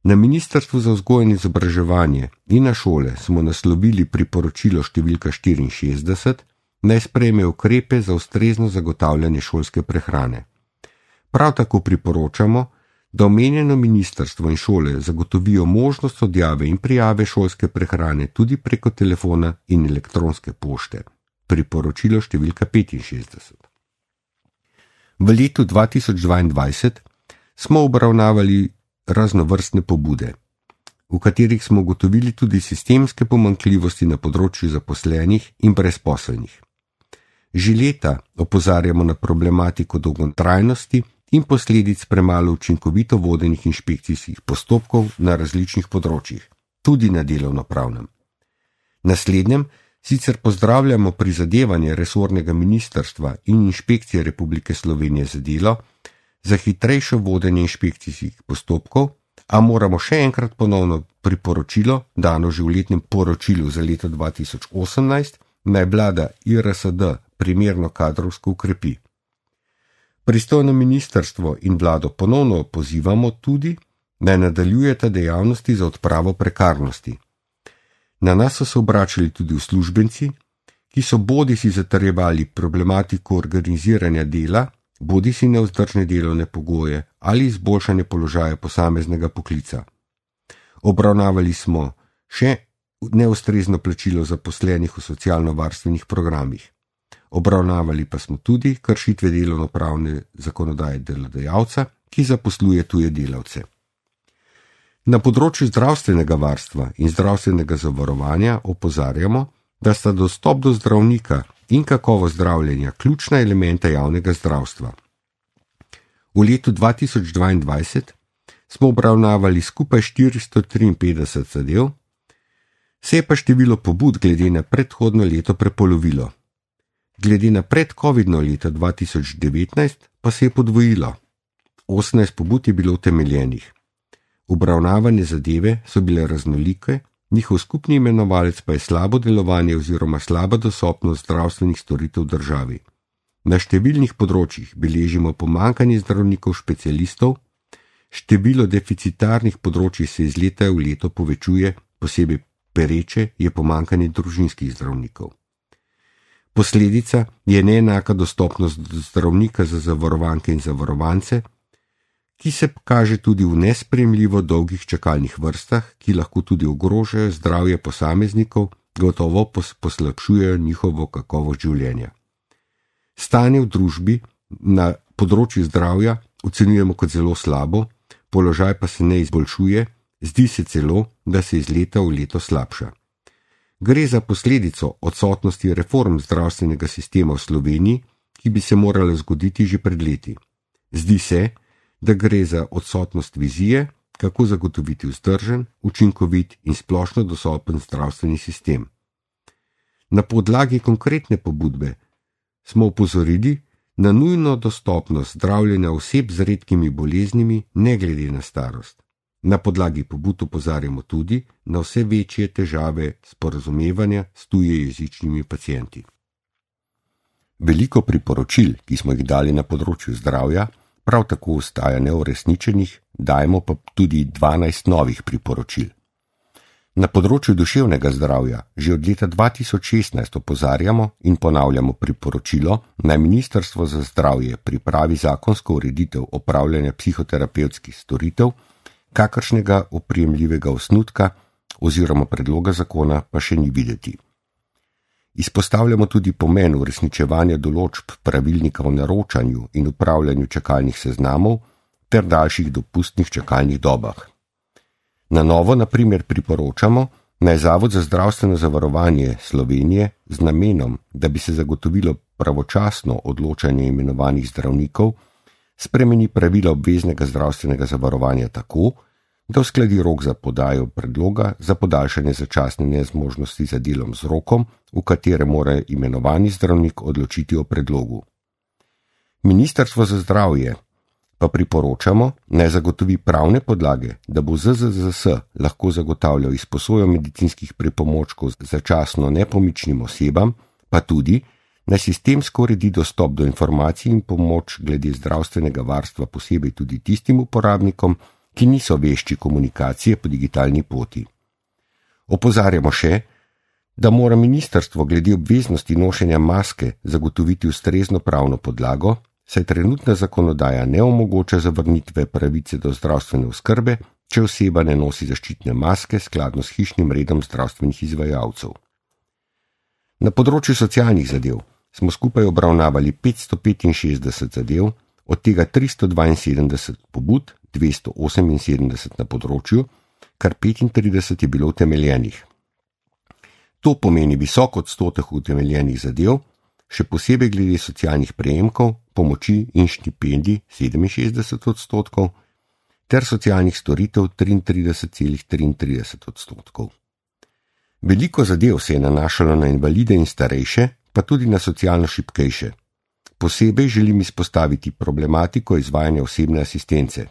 Speaker 1: Na Ministrstvu za vzgojo in izobraževanje in na šole smo naslovili priporočilo številka 64, naj sprejme ukrepe za ustrezno zagotavljanje šolske prehrane. Prav tako priporočamo, da omenjeno ministrstvo in šole zagotovijo možnost odjave in prijave šolske prehrane tudi preko telefona in elektronske pošte. Priporočilo številka 65. V letu 2022 smo obravnavali raznovrstne pobude, v katerih smo ugotovili tudi sistemske pomanjkljivosti na področju zaposlenih in brezposelnih. Že leta opozarjamo na problematiko dolgotrajnosti in posledic premalo učinkovito vodenih inšpekcijskih postopkov na različnih področjih, tudi na delovnopravnem. Naslednjem sicer pozdravljamo prizadevanje resornega ministrstva in inšpekcije Republike Slovenije za delo za hitrejšo vodenje inšpekcijskih postopkov, a moramo še enkrat ponovno priporočilo, dano že v letnem poročilu za leto 2018, naj vlada IRSD primerno kadrovsko ukrepi. Pristojno ministrstvo in vlado ponovno pozivamo tudi, naj nadaljujeta dejavnosti za odpravo prekarnosti. Na nas so se obračali tudi uslužbenci, ki so bodisi zatrjevali problematiko organiziranja dela, bodisi nevzdržne delovne pogoje ali izboljšanje položaja posameznega poklica. Obravnavali smo še neustrezno plačilo zaposlenih v socialno-varstvenih programih. Obravnavali pa smo tudi kršitve delovnopravne zakonodaje delodajalca, ki zaposluje tuje delavce. Na področju zdravstvenega varstva in zdravstvenega zavarovanja opozarjamo, da sta dostop do zdravnika in kakovost zdravljenja ključna elementa javnega zdravstva. V letu 2022 smo obravnavali skupaj 453 zadev, se je pa število pobud glede na predhodno leto prepolovilo. Glede na predcovidno leto 2019 pa se je podvojilo. 18 pobud je bilo utemeljenih. Obravnavane zadeve so bile raznolike, njihov skupni imenovalec pa je slabo delovanje oziroma slaba dostopnost zdravstvenih storitev v državi. Na številnih področjih beležimo pomanjkanje zdravnikov specialistov, število deficitarnih področij se iz leta v leto povečuje, posebej pereče je pomanjkanje družinskih zdravnikov. Posledica je neenaka dostopnost zdravnika za zavarovanke in zavarovance, ki se kaže tudi v nesprejemljivo dolgih čakalnih vrstah, ki lahko tudi ogrožajo zdravje posameznikov, gotovo poslabšujejo njihovo kakovost življenja. Stanje v družbi na področju zdravja ocenjujemo kot zelo slabo, položaj pa se ne izboljšuje, zdi se celo, da se iz leta v leto slabša. Gre za posledico odsotnosti reform zdravstvenega sistema v Sloveniji, ki bi se morala zgoditi že pred leti. Zdi se, da gre za odsotnost vizije, kako zagotoviti vzdržen, učinkovit in splošno dostopen zdravstveni sistem. Na podlagi konkretne pobudbe smo opozorili na nujno dostopnost zdravljenja oseb z redkimi boleznimi, ne glede na starost. Na podlagi pobud opozarjamo tudi na vse večje težave sporazumevanja s tujejezičnimi pacienti. Veliko priporočil, ki smo jih dali na področju zdravja, prav tako ostaja neuresničenih, dajemo pa tudi 12 novih priporočil. Na področju duševnega zdravja že od leta 2016 opozarjamo in ponavljamo priporočilo, naj Ministrstvo za zdravje pripravi zakonsko ureditev opravljanja psihoterapevtskih storitev, kakršnega oprijemljivega osnutka oziroma predloga zakona pa še ni videti. Izpostavljamo tudi pomen uresničevanja določb pravilnika o naročanju in upravljanju čakalnih seznamov ter daljših dopustnih čakalnih dobah. Na novo, na primer, priporočamo, naj Zavod za zdravstveno zavarovanje Slovenije z namenom, da bi se zagotovilo pravočasno odločanje imenovanih zdravnikov, spremeni pravila obveznega zdravstvenega zavarovanja tako, da uskladi rok za podajo predloga za podaljšanje začasne nezmožnosti za delom z rokom, v katerem mora imenovani zdravnik odločiti o predlogu. Ministrstvo za zdravje pa priporočamo, naj zagotovi pravne podlage, da bo ZZZS lahko zagotavljal izposojo medicinskih pripomočkov začasno nepomičnim osebam, pa tudi naj sistemsko uredi dostop do informacij in pomoč glede zdravstvenega varstva posebej tudi tistim uporabnikom, ki niso vešči komunikacije po digitalni poti. Opozarjamo še, da mora ministrstvo glede obveznosti nošenja maske zagotoviti ustrezno pravno podlago, saj trenutna zakonodaja ne omogoča zavrnitve pravice do zdravstvene oskrbe, če oseba ne nosi zaščitne maske skladno s hišnim redom zdravstvenih izvajalcev. Na področju socialnih zadev smo skupaj obravnavali 565 zadev, od tega 372 pobud, 278 na področju, kar 35 je bilo utemeljenih. To pomeni visok odstotek utemeljenih zadev, še posebej glede socialnih prejemkov, pomoči in štipendij 67%, ter socialnih storitev 33,33%. Veliko zadev se je nanašalo na invalide in starejše, pa tudi na socialno šibkejše. Posebej želim izpostaviti problematiko izvajanja osebne asistence.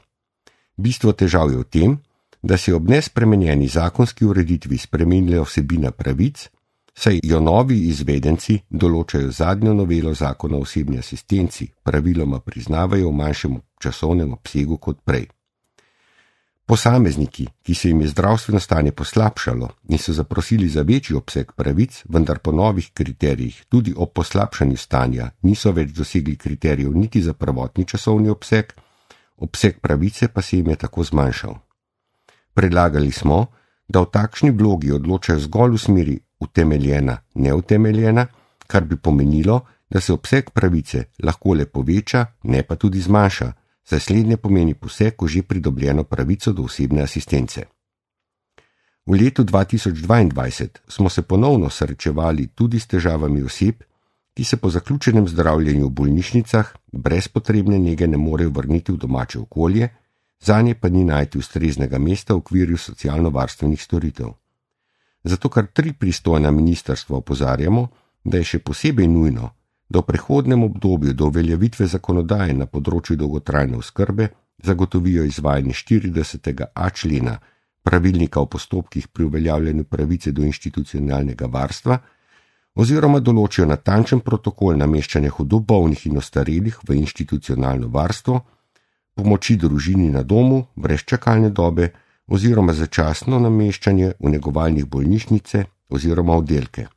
Speaker 1: Bistvo težav je v tem, da se je ob nespremenjeni zakonski ureditvi spremenila vsebina pravic, saj jo novi izvedenci določajo zadnjo novelo zakona o osebni asistenci, praviloma priznavajo v manjšem časovnem obsegu kot prej. Posamezniki, ki se jim je zdravstveno stanje poslabšalo in so zaprosili za večji obseg pravic, vendar po novih kriterijih tudi ob poslabšanju stanja niso več dosegli kriterijev niti za prvotni časovni obseg pravice pa se jim je tako zmanjšal. Predlagali smo, da v takšni vlogi odločajo zgolj v smeri utemeljena, neutemeljena, kar bi pomenilo, da se obseg pravice lahko le poveča, ne pa tudi zmanjša, saj slednje pomeni poseg v že pridobljeno pravico do osebne asistence. V letu 2022 smo se ponovno srečevali tudi s težavami oseb, ki se po zaključenem zdravljenju v bolnišnicah brez potrebne nege ne morejo vrniti v domače okolje, zanje pa ni najti ustreznega mesta v okviru socialno-varstvenih storitev. Zato kar 3 pristojna ministrstva opozarjamo, da je še posebej nujno, da v prehodnem obdobju do uveljavitve zakonodaje na področju dolgotrajne oskrbe zagotovijo izvajanje 40.a člena pravilnika o postopkih pri uveljavljanju pravice do institucionalnega varstva oziroma določijo natančen protokol nameščanja hudo bolnih in ostarelih v institucionalno varstvo, pomoči družini na domu brez čakalne dobe oziroma začasno nameščanje v negovalnih bolnišnice oziroma oddelke.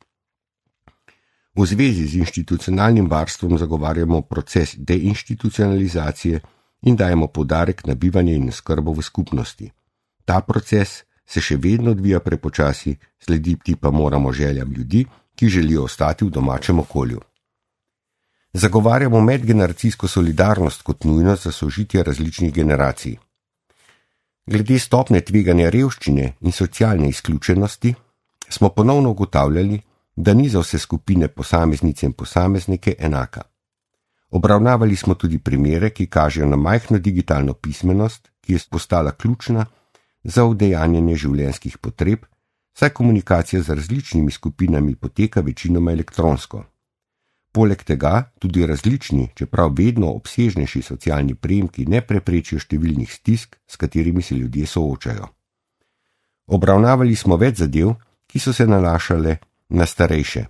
Speaker 1: V zvezi z institucionalnim varstvom zagovarjamo proces deinstitucionalizacije in dajemo poudarek na bivanje in oskrbo v skupnosti. Ta proces se še vedno odvija prepočasi, slediti pa moramo željam ljudi, ki želijo ostati v domačem okolju. Zagovarjamo medgeneracijsko solidarnost kot nujnost za sožitje različnih generacij. Glede stopnje tveganja revščine in socialne izključenosti smo ponovno ugotavljali, da ni za vse skupine posameznice in posameznike enaka. Obravnavali smo tudi primere, ki kažejo na majhno digitalno pismenost, ki je postala ključna za udejanjanje življenjskih potreb, saj komunikacija z različnimi skupinami poteka večinoma elektronsko. Poleg tega tudi različni, čeprav vedno obsežnejši socialni prejemki ne preprečijo številnih stisk, s katerimi se ljudje soočajo. Obravnavali smo več zadev, ki so se nanašale na starejše.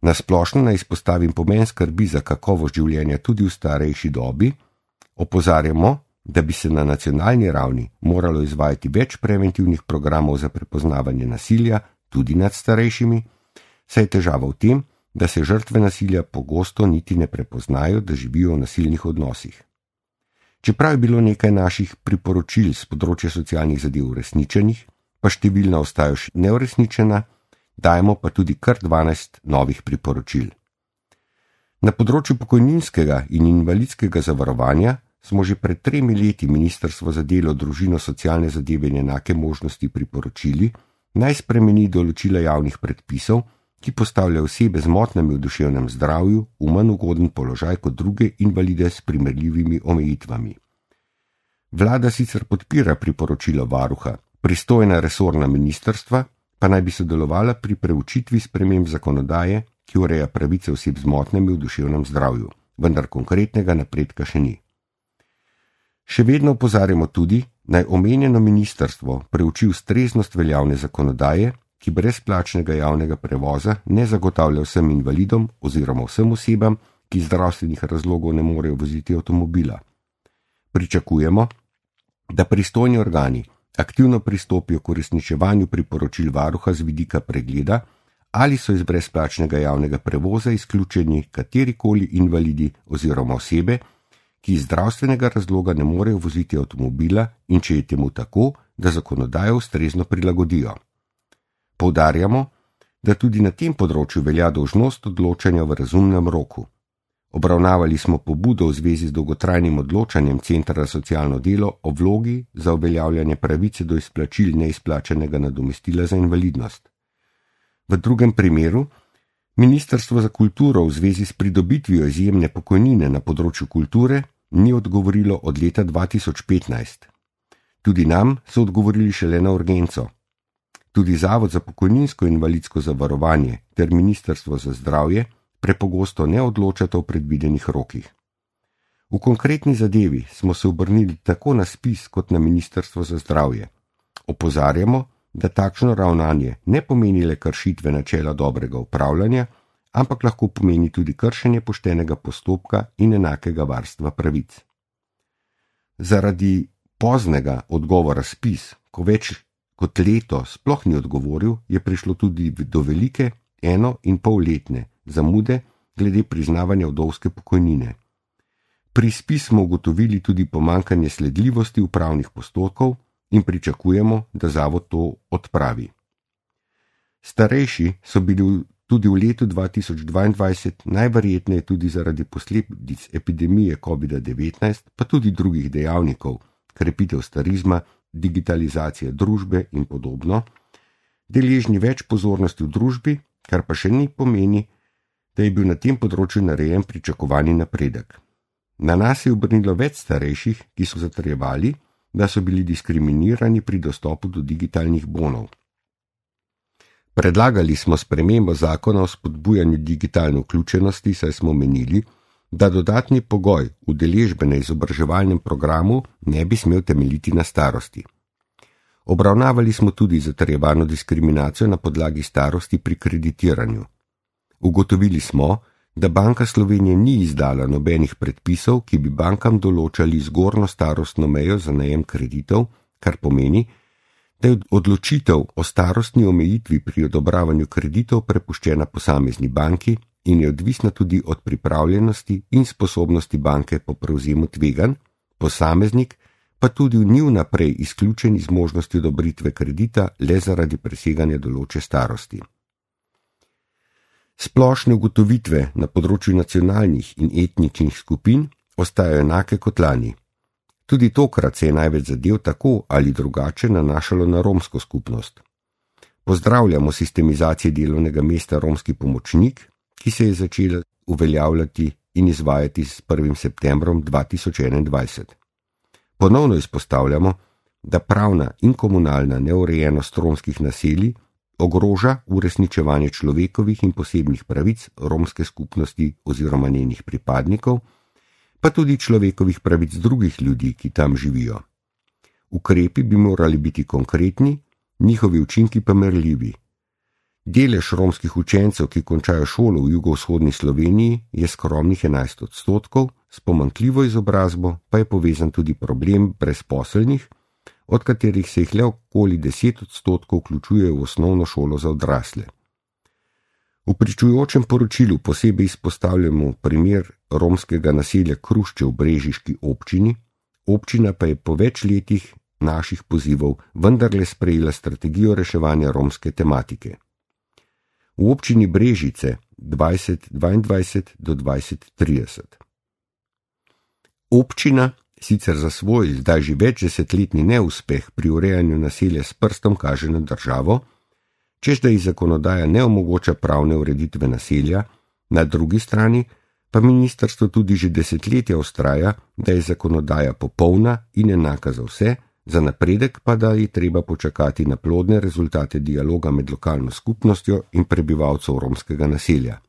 Speaker 1: Na splošno naj izpostavim pomen skrbi za kakovost življenja tudi v starejši dobi, opozarjamo, da bi se na nacionalni ravni moralo izvajati več preventivnih programov za prepoznavanje nasilja tudi nad starejšimi, saj je težava v tem, da se žrtve nasilja pogosto niti ne prepoznajo, da živijo v nasilnih odnosih. Čeprav je bilo nekaj naših priporočil z področja socialnih zadev uresničenih, pa številna ostajajo še neuresničena, dajemo pa tudi kar 12 novih priporočil. Na področju pokojninskega in invalidskega zavarovanja smo že pred 3 leti Ministrstvo za delo, družino, socialne zadeve in enake možnosti priporočili, naj spremeni določila javnih predpisov, ki postavljajo osebe z motnjami v duševnem zdravju v manj ugoden položaj kot druge invalide s primerljivimi omejitvami. Vlada sicer podpira priporočilo varuha, pristojna resorna ministrstva pa naj bi sodelovala pri preučitvi sprememb zakonodaje, ki ureja pravice oseb z motnjami v duševnem zdravju, vendar konkretnega napredka še ni. Še vedno opozarjamo tudi, naj omenjeno ministrstvo preuči ustreznost veljavne zakonodaje, ki brezplačnega javnega prevoza ne zagotavlja vsem invalidom oziroma vsem osebam, ki iz zdravstvenih razlogov ne morejo voziti avtomobila. Pričakujemo, da pristojni organi aktivno pristopijo k uresničevanju priporočil varuha z vidika pregleda, ali so iz brezplačnega javnega prevoza izključeni katerikoli invalidi oziroma osebe, ki iz zdravstvenega razloga ne morejo voziti avtomobila in če je temu tako, da zakonodajo ustrezno prilagodijo. Poudarjamo, da tudi na tem področju velja dolžnost odločanja v razumnem roku. Obravnavali smo pobudo v zvezi z dolgotrajnim odločanjem Centra za socialno delo o vlogi za uveljavljanje pravice do izplačil neizplačanega nadomestila za invalidnost. V drugem primeru, Ministrstvo za kulturo v zvezi s pridobitvijo izjemne pokojnine na področju kulture ni odgovorilo od leta 2015. Tudi nam so odgovorili šele na urgenco. Tudi Zavod za pokojninsko in invalidsko zavarovanje ter Ministrstvo za zdravje prepogosto ne odločata v predvidenih rokih. V konkretni zadevi smo se obrnili tako na ZPIZ kot na Ministrstvo za zdravje. Opozarjamo, da takšno ravnanje ne pomeni le kršitve načela dobrega upravljanja, ampak lahko pomeni tudi kršenje poštenega postopka in enakega varstva pravic. Zaradi poznega odgovora ZPIZ, ko več kot leto sploh ni odgovoril, je prišlo tudi do velike 1,5-letne zamude glede priznavanja vdovske pokojnine. Pri ZPIZ smo ugotovili tudi pomanjkanje sledljivosti upravnih postopkov in pričakujemo, da zavod to odpravi. Starejši so bili tudi v letu 2022 najverjetneje tudi zaradi posledic epidemije COVID-19, pa tudi drugih dejavnikov, krepitev starizma, digitalizacije družbe in podobno, deležni več pozornosti v družbi, kar pa še ni pomeni, da je bil na tem področju narejen pričakovani napredek. Na nas je obrnilo več starejših, ki so zatrjevali, da so bili diskriminirani pri dostopu do digitalnih bonov. Predlagali smo spremembo zakona o spodbujanju digitalne vključenosti, saj smo menili, da dodatni pogoj udeležbe na izobraževalnem programu ne bi smel temeljiti na starosti. Obravnavali smo tudi zatrjevano diskriminacijo na podlagi starosti pri kreditiranju. Ugotovili smo, da Banka Slovenije ni izdala nobenih predpisov, ki bi bankam določali zgornjo starostno mejo za najem kreditov, kar pomeni, da je odločitev o starostni omejitvi pri odobravanju kreditov prepuščena posamezni banki in je odvisna tudi od pripravljenosti in sposobnosti banke po prevzemu tveganj, posameznik pa tudi ni vnaprej izključen iz možnosti odobritve kredita le zaradi preseganja določene starosti. Splošne ugotovitve na področju nacionalnih in etničnih skupin ostajajo enake kot lani. Tudi tokrat se je največ zadev tako ali drugače nanašalo na romsko skupnost. Pozdravljamo sistemizacijo delovnega mesta romski pomočnik, ki se je začela uveljavljati in izvajati s 1. septembrom 2021. Ponovno izpostavljamo, da pravna in komunalna neurejenost romskih naselij ogroža uresničevanje človekovih in posebnih pravic romske skupnosti oziroma njenih pripadnikov, pa tudi človekovih pravic drugih ljudi, ki tam živijo. Ukrepi bi morali biti konkretni, njihovi učinki pa merljivi. Delež romskih učencev, ki končajo šolo v jugovzhodni Sloveniji, je skromnih 11%, s pomanjkljivo izobrazbo pa je povezan tudi problem brezposelnih, od katerih se jih le okoli 10% vključujejo v osnovno šolo za odrasle. V pričujočem poročilu posebej izpostavljamo primer romskega naselja Krušče v brežiški občini, občina pa je po več letih naših pozivov vendarle sprejela strategijo reševanja romske tematike. V občini Brežice 2022 do 2030. Občina sicer za svoj zdaj že več desetletni neuspeh pri urejanju naselja s prstom kaže na državo, čež da ji zakonodaja ne omogoča pravne ureditve naselja, na drugi strani pa ministrstvo tudi že desetletja vztraja, da je zakonodaja popolna in enaka za vse, za napredek pa da je treba počakati na plodne rezultate dialoga med lokalno skupnostjo in prebivalcev romskega naselja.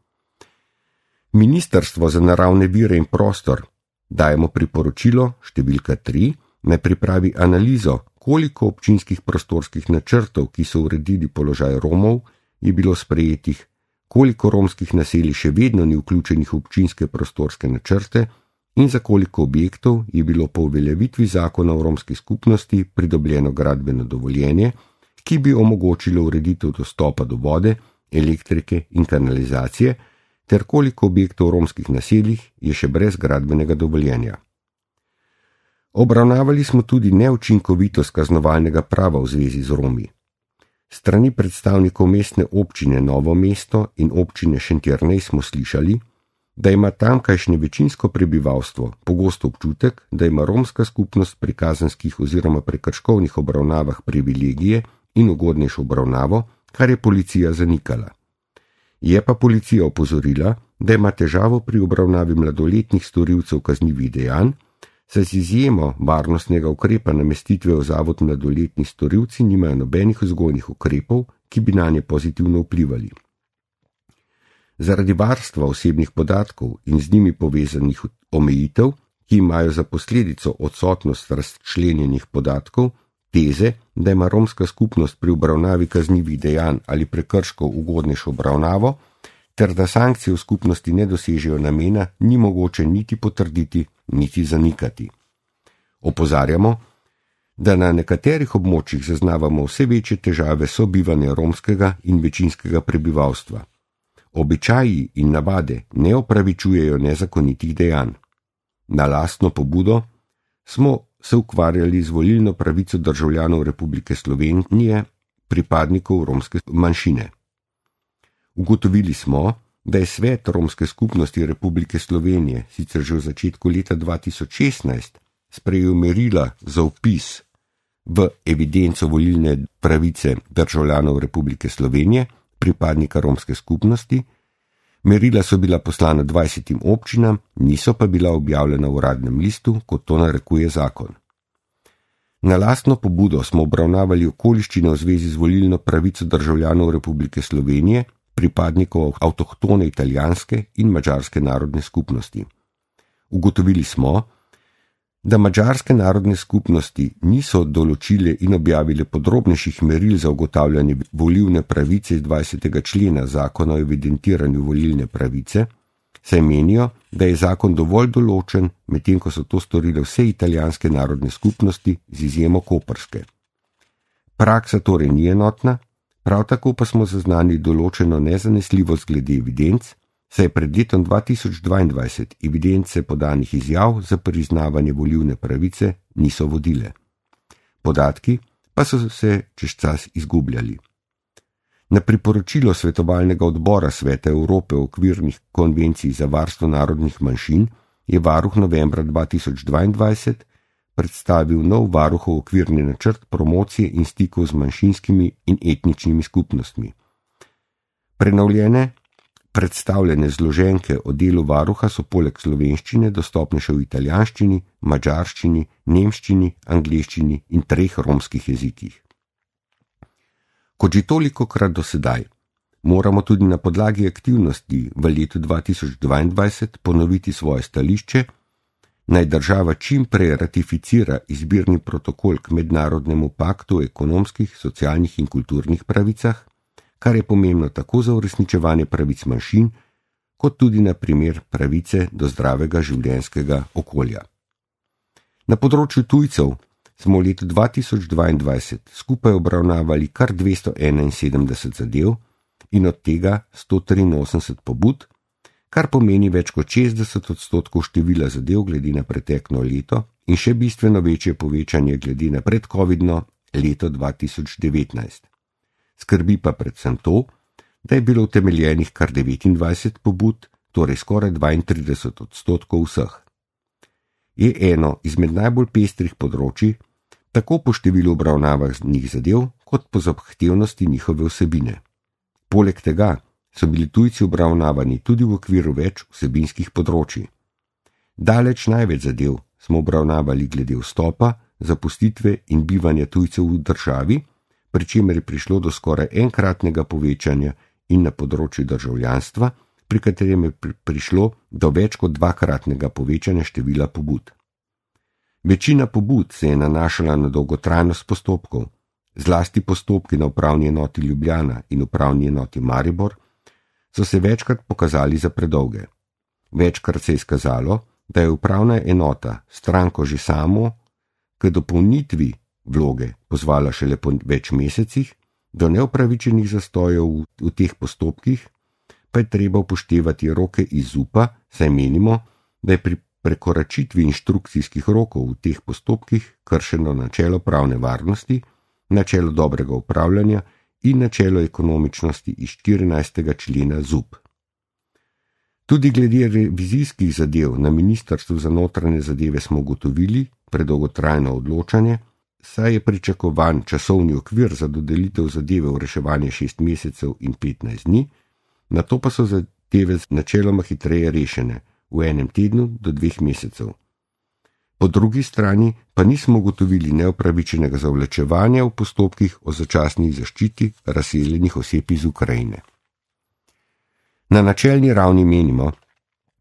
Speaker 1: Ministrstvo za naravne vire in prostor dajemo priporočilo številka 3, naj pripravi analizo, koliko občinskih prostorskih načrtov, ki so uredili položaj Romov, je bilo sprejetih, koliko romskih naselij še vedno ni vključenih v občinske prostorske načrte in za koliko objektov je bilo po uveljavitvi zakona o romski skupnosti pridobljeno gradbeno dovoljenje, ki bi omogočilo ureditev dostopa do vode, elektrike in kanalizacije, ter koliko objektov v romskih naseljih je še brez gradbenega dovoljenja. Obravnavali smo tudi neučinkovitost kaznovalnega prava v zvezi z Romi. Strani predstavnikov mestne občine Novo mesto in občine Šentjernej smo slišali, da ima tamkajšnje večinsko prebivalstvo pogosto občutek, da ima romska skupnost pri kazenskih oziroma prekrškovnih obravnavah privilegije in ugodnejšo obravnavo, kar je policija zanikala. Je pa policija opozorila, da ima težavo pri obravnavi mladoletnih storilcev kaznivih dejanj, saj z izjemo varnostnega ukrepa namestitve v zavod mladoletni storilci nimajo nobenih vzgojnih ukrepov, ki bi nanje pozitivno vplivali. Zaradi varstva osebnih podatkov in z njimi povezanih omejitev, ki imajo za posledico odsotnost razčlenjenih podatkov, teze, da ima romska skupnost pri obravnavi kaznivih dejanj ali prekrškov ugodnejšo obravnavo, ter da sankcije v skupnosti ne dosežejo namena, ni mogoče niti potrditi, niti zanikati. Opozarjamo, da na nekaterih območjih zaznavamo vse večje težave sobivanja romskega in večinskega prebivalstva. Običaji in navade ne opravičujejo nezakonitih dejanj. Na lastno pobudo smo se ukvarjali z volilno pravico državljanov Republike Slovenije, pripadnikov romske manjšine. Ugotovili smo, da je Svet romske skupnosti Republike Slovenije sicer že v začetku leta 2016 sprejel merila za vpis v evidenco volilne pravice državljanov Republike Slovenije, pripadnika romske skupnosti. Merila so bila poslana 20 občinam, niso pa bila objavljena v uradnem listu, kot to narekuje zakon. Na lastno pobudo smo obravnavali okoliščine v zvezi z volilno pravico državljanov Republike Slovenije, pripadnikov avtohtone italijanske in madžarske narodne skupnosti. Ugotovili smo, da madžarske narodne skupnosti niso določile in objavile podrobnejših meril za ugotavljanje volilne pravice iz 20. člena zakona o evidentiranju volilne pravice, saj menijo, da je zakon dovolj določen, medtem ko so to storile vse italijanske narodne skupnosti z izjemo koprske. Praksa torej ni enotna, prav tako pa smo zaznali določeno nezanesljivost glede evidenc, saj pred letom 2022 evidence podanih izjav za priznavanje volilne pravice niso vodile. Podatki pa so se čez čas izgubljali. Na priporočilo svetovalnega odbora Sveta Evrope o okvirnih konvencij za varstvo narodnih manjšin je varuh novembra 2022 predstavil nov varuhov okvirni načrt promocije in stikov z manjšinskimi in etničnimi skupnostmi. Prenovljene predstavljene zloženke o delu varuha so poleg slovenščine dostopne še v italijanščini, madžarščini, nemščini, angleščini in 3 romskih jezikih. Kot že tolikokrat do sedaj, moramo tudi na podlagi aktivnosti v letu 2022 ponoviti svoje stališče, naj država čim prej ratificira izbirni protokol k mednarodnemu paktu o ekonomskih, socialnih in kulturnih pravicah, kar je pomembno tako za uresničevanje pravic manjšin, kot tudi na primer pravice do zdravega življenjskega okolja. Na področju tujcev smo v letu 2022 skupaj obravnavali kar 271 zadev in od tega 183 pobud, kar pomeni več kot 60% števila zadev glede na preteklo leto in še bistveno večje povečanje glede na predcovidno leto 2019. Skrbi pa predvsem to, da je bilo utemeljenih kar 29 pobud, torej skoraj 32% vseh. Je eno izmed najbolj pestrih področij, tako po številu obravnavanih zadev, kot po zahtevnosti njihove vsebine. Poleg tega so bili tujci obravnavani tudi v okviru več vsebinskih področji. Daleč največ zadev smo obravnavali glede vstopa, zapustitve in bivanja tujcev v državi, pri čemer je prišlo do skoraj enkratnega povečanja in na področju državljanstva, pri katerem je prišlo do več kot dvakratnega povečanja števila pobud. Večina pobud se je nanašala na dolgotrajnost postopkov, zlasti postopki na upravni enoti Ljubljana in upravni enoti Maribor, so se večkrat pokazali za predolge. Večkrat se je izkazalo, da je upravna enota stranko že samo k dopolnitvi vloge pozvala šele po več mesecih, do neupravičenih zastojev v teh postopkih pa je treba upoštevati roke iz ZUP-a, saj menimo, da je pri prekoračitvi inštrukcijskih rokov v teh postopkih kršeno načelo pravne varnosti, načelo dobrega upravljanja in načelo ekonomičnosti iz 14. člena ZUP. Tudi glede revizijskih zadev na Ministrstvu za notranje zadeve smo ugotovili predolgotrajno odločanje, saj je pričakovan časovni okvir za dodelitev zadeve v reševanje 6 mesecev in 15 dni, nato pa so zadeve načeloma hitreje rešene, v enem tednu do 2 mesecev. Po drugi strani pa nismo ugotovili neupravičenega zavlačevanja v postopkih o začasni zaščiti razseljenih oseb iz Ukrajine. Na načelni ravni menimo,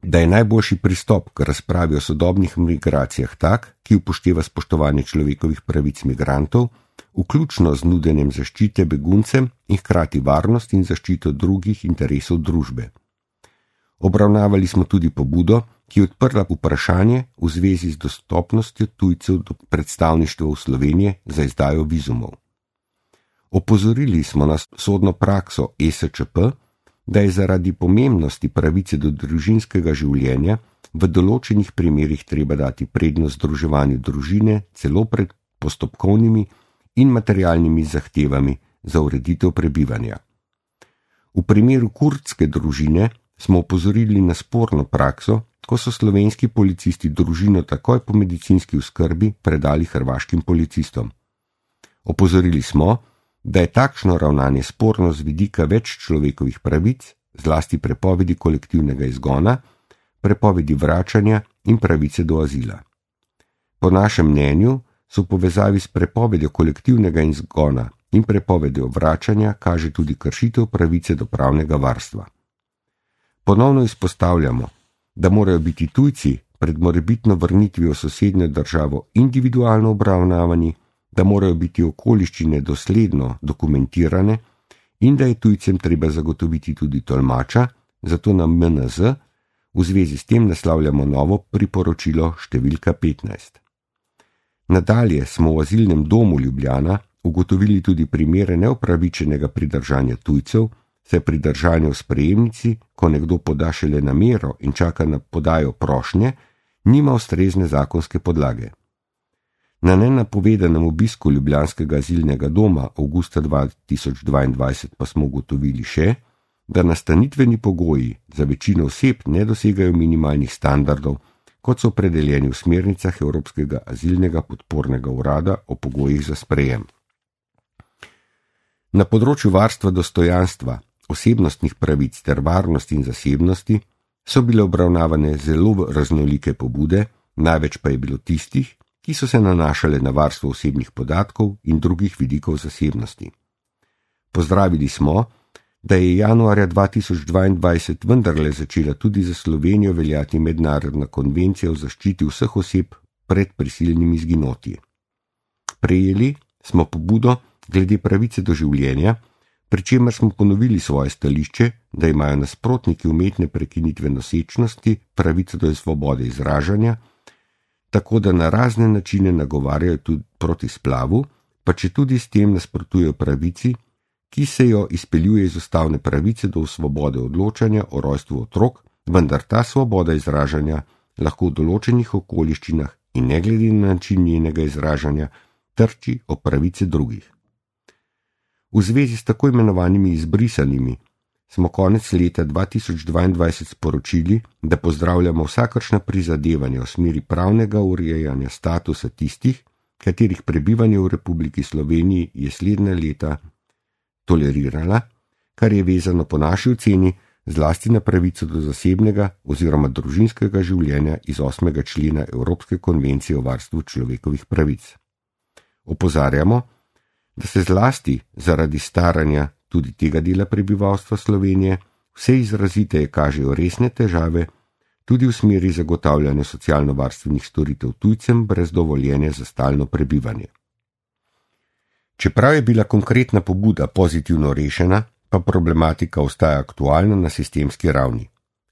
Speaker 1: da je najboljši pristop k razpravi o sodobnih migracijah tak, ki upošteva spoštovanje človekovih pravic migrantov, vključno z nudenjem zaščite beguncem in hkrati varnost in zaščito drugih interesov družbe. Obravnavali smo tudi pobudo, ki je odprla vprašanje v zvezi z dostopnostjo tujcev do predstavništva v Sloveniji za izdajo vizumov. Opozorili smo na sodno prakso ESČP, da je zaradi pomembnosti pravice do družinskega življenja v določenih primerih treba dati prednost združevanju družine celo pred postopkovnimi in materialnimi zahtevami za ureditev prebivanja. V primeru kurdske družine smo opozorili na sporno prakso, ko so slovenski policisti družino takoj po medicinski oskrbi predali hrvaškim policistom. Opozorili smo, da je takšno ravnanje sporno z vidika več človekovih pravic, zlasti prepovedi kolektivnega izgona, prepovedi vračanja in pravice do azila. Po našem mnenju so v povezavi s prepovedjo kolektivnega izgona in prepovedjo vračanja kaže tudi kršitev pravice do pravnega varstva. Ponovno izpostavljamo, da morajo biti tujci pred morebitno vrnitvijo v sosednjo državo individualno obravnavani, da morajo biti okoliščine dosledno dokumentirane in da je tujcem treba zagotoviti tudi tolmača, zato na MNZ v zvezi s tem naslavljamo novo priporočilo številka 15. Nadalje smo v azilnem domu Ljubljana ugotovili tudi primere neupravičenega pridržanja tujcev, saj pri držanju v sprejemnici, ko nekdo poda šele namero in čaka na podajo prošnje, nima ustrezne zakonske podlage. Na nenapovedanem obisku ljubljanskega azilnega doma avgusta 2022 pa smo ugotovili še, da nastanitveni pogoji za večino oseb ne dosegajo minimalnih standardov, kot so opredeljeni v smernicah Evropskega azilnega podpornega urada o pogojih za sprejem. Na področju varstva dostojanstva, osebnostnih pravic ter varnosti in zasebnosti so bile obravnavane zelo raznolike pobude, največ pa je bilo tistih, ki so se nanašale na varstvo osebnih podatkov in drugih vidikov zasebnosti. Pozdravili smo, da je januarja 2022 vendarle začela tudi za Slovenijo veljati mednarodna konvencija o zaščiti vseh oseb pred prisilnimi izginotji. Prejeli smo pobudo glede pravice do življenja, pri čemer smo ponovili svoje stališče, da imajo nasprotniki umetne prekinitve nosečnosti pravico do svobode izražanja, tako da na razne načine nagovarjajo tudi proti splavu, pa če tudi s tem nasprotujejo pravici, ki se jo izpeljuje iz ustavne pravice do svobode odločanja o rojstvu otrok, vendar ta svoboda izražanja lahko v določenih okoliščinah in ne glede na način njenega izražanja trči o pravice drugih. V zvezi s tako imenovanimi izbrisanimi smo konec leta 2022 sporočili, da pozdravljamo vsakršna prizadevanja v smeri pravnega urejanja statusa tistih, katerih prebivanje v Republiki Sloveniji je slednja leta tolerirala, kar je vezano po naši oceni zlasti na pravico do zasebnega oziroma družinskega življenja iz 8. člena Evropske konvencije o varstvu človekovih pravic. Opozarjamo, da se zlasti zaradi staranja tudi tega dela prebivalstva Slovenije vse izraziteje kažejo resne težave tudi v smeri zagotavljanja socialno-varstvenih storitev tujcem brez dovoljenja za stalno prebivanje. Čeprav je bila konkretna pobuda pozitivno rešena, pa problematika ostaja aktualna na sistemski ravni.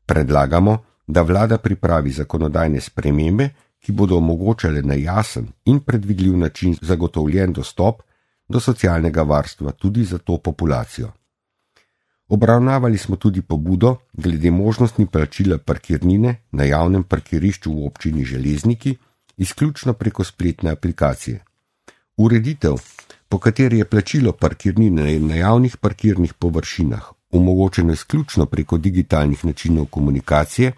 Speaker 1: Predlagamo, da vlada pripravi zakonodajne spremembe, ki bodo omogočale na jasen in predvidljiv način zagotovljen dostop do socialnega varstva tudi za to populacijo. Obravnavali smo tudi pobudo glede možnosti plačila parkirnine na javnem parkirišču v občini Železniki, izključno preko spletne aplikacije. Ureditev, po kateri je plačilo parkirnine na javnih parkirnih površinah omogočeno izključno preko digitalnih načinov komunikacije,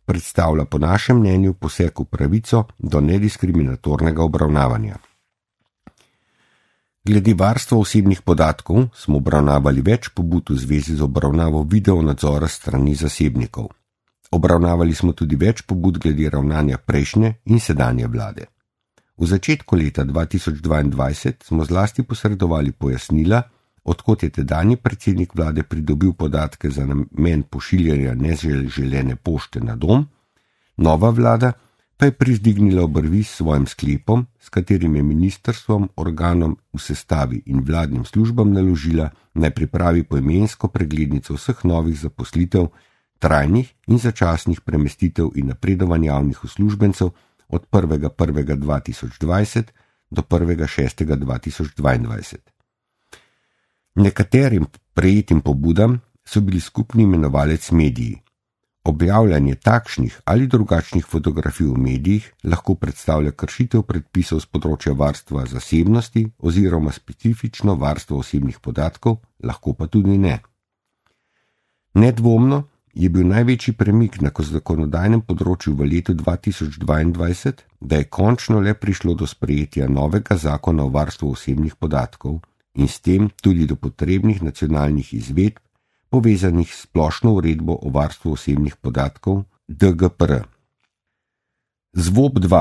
Speaker 1: predstavlja po našem mnenju poseg v pravico do nediskriminatornega obravnavanja. Glede varstva osebnih podatkov smo obravnavali več pobud v zvezi z obravnavo videonadzora strani zasebnikov. Obravnavali smo tudi več pobud glede ravnanja prejšnje in sedanje vlade. V začetku leta 2022 smo zlasti posredovali pojasnila, odkot je tedanji predsednik vlade pridobil podatke za namen pošiljanja neželene pošte na dom, nova vlada pa je privzdignila obrvi s svojim sklepom, s katerim je ministrstvom, organom v sestavi in vladnim službam naložila, naj pripravi poimensko preglednico vseh novih zaposlitev, trajnih in začasnih premestitev in napredovanj javnih uslužbencev od 1.1.2020 do 1.6.2022. Nekaterim prejetim pobudam so bili skupni imenovalec mediji. Objavljanje takšnih ali drugačnih fotografij v medijih lahko predstavlja kršitev predpisov z področja varstva zasebnosti oziroma specifično varstvo osebnih podatkov, lahko pa tudi ne. Nedvomno je bil največji premik na zakonodajnem področju v letu 2022, da je končno le prišlo do sprejetja novega zakona o varstvu osebnih podatkov in s tem tudi do potrebnih nacionalnih izvedb, povezanih s splošno uredbo o varstvu osebnih podatkov DGPR. ZVOP-2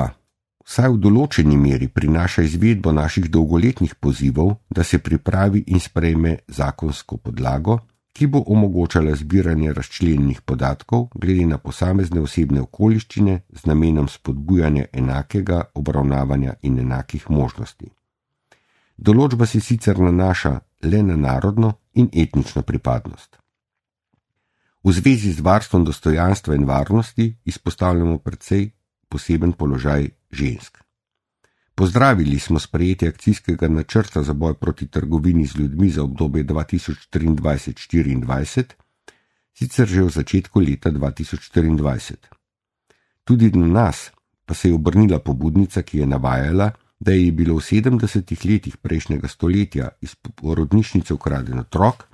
Speaker 1: vsaj v določeni meri prinaša izvedbo naših dolgoletnih pozivov, da se pripravi in sprejme zakonsko podlago, ki bo omogočala zbiranje razčlenjenih podatkov glede na posamezne osebne okoliščine z namenom spodbujanja enakega obravnavanja in enakih možnosti. Določba se sicer nanaša le na narodno in etnično pripadnost. V zvezi z varstvom dostojanstva in varnosti izpostavljamo precej poseben položaj žensk. Pozdravili smo sprejetje akcijskega načrta za boj proti trgovini z ljudmi za obdobje 2023-2024, sicer že v začetku leta 2024. Tudi na nas pa se je obrnila pobudnica, ki je navajala, da je bilo v 70 letih prejšnjega stoletja iz porodnišnice ukraden otrok,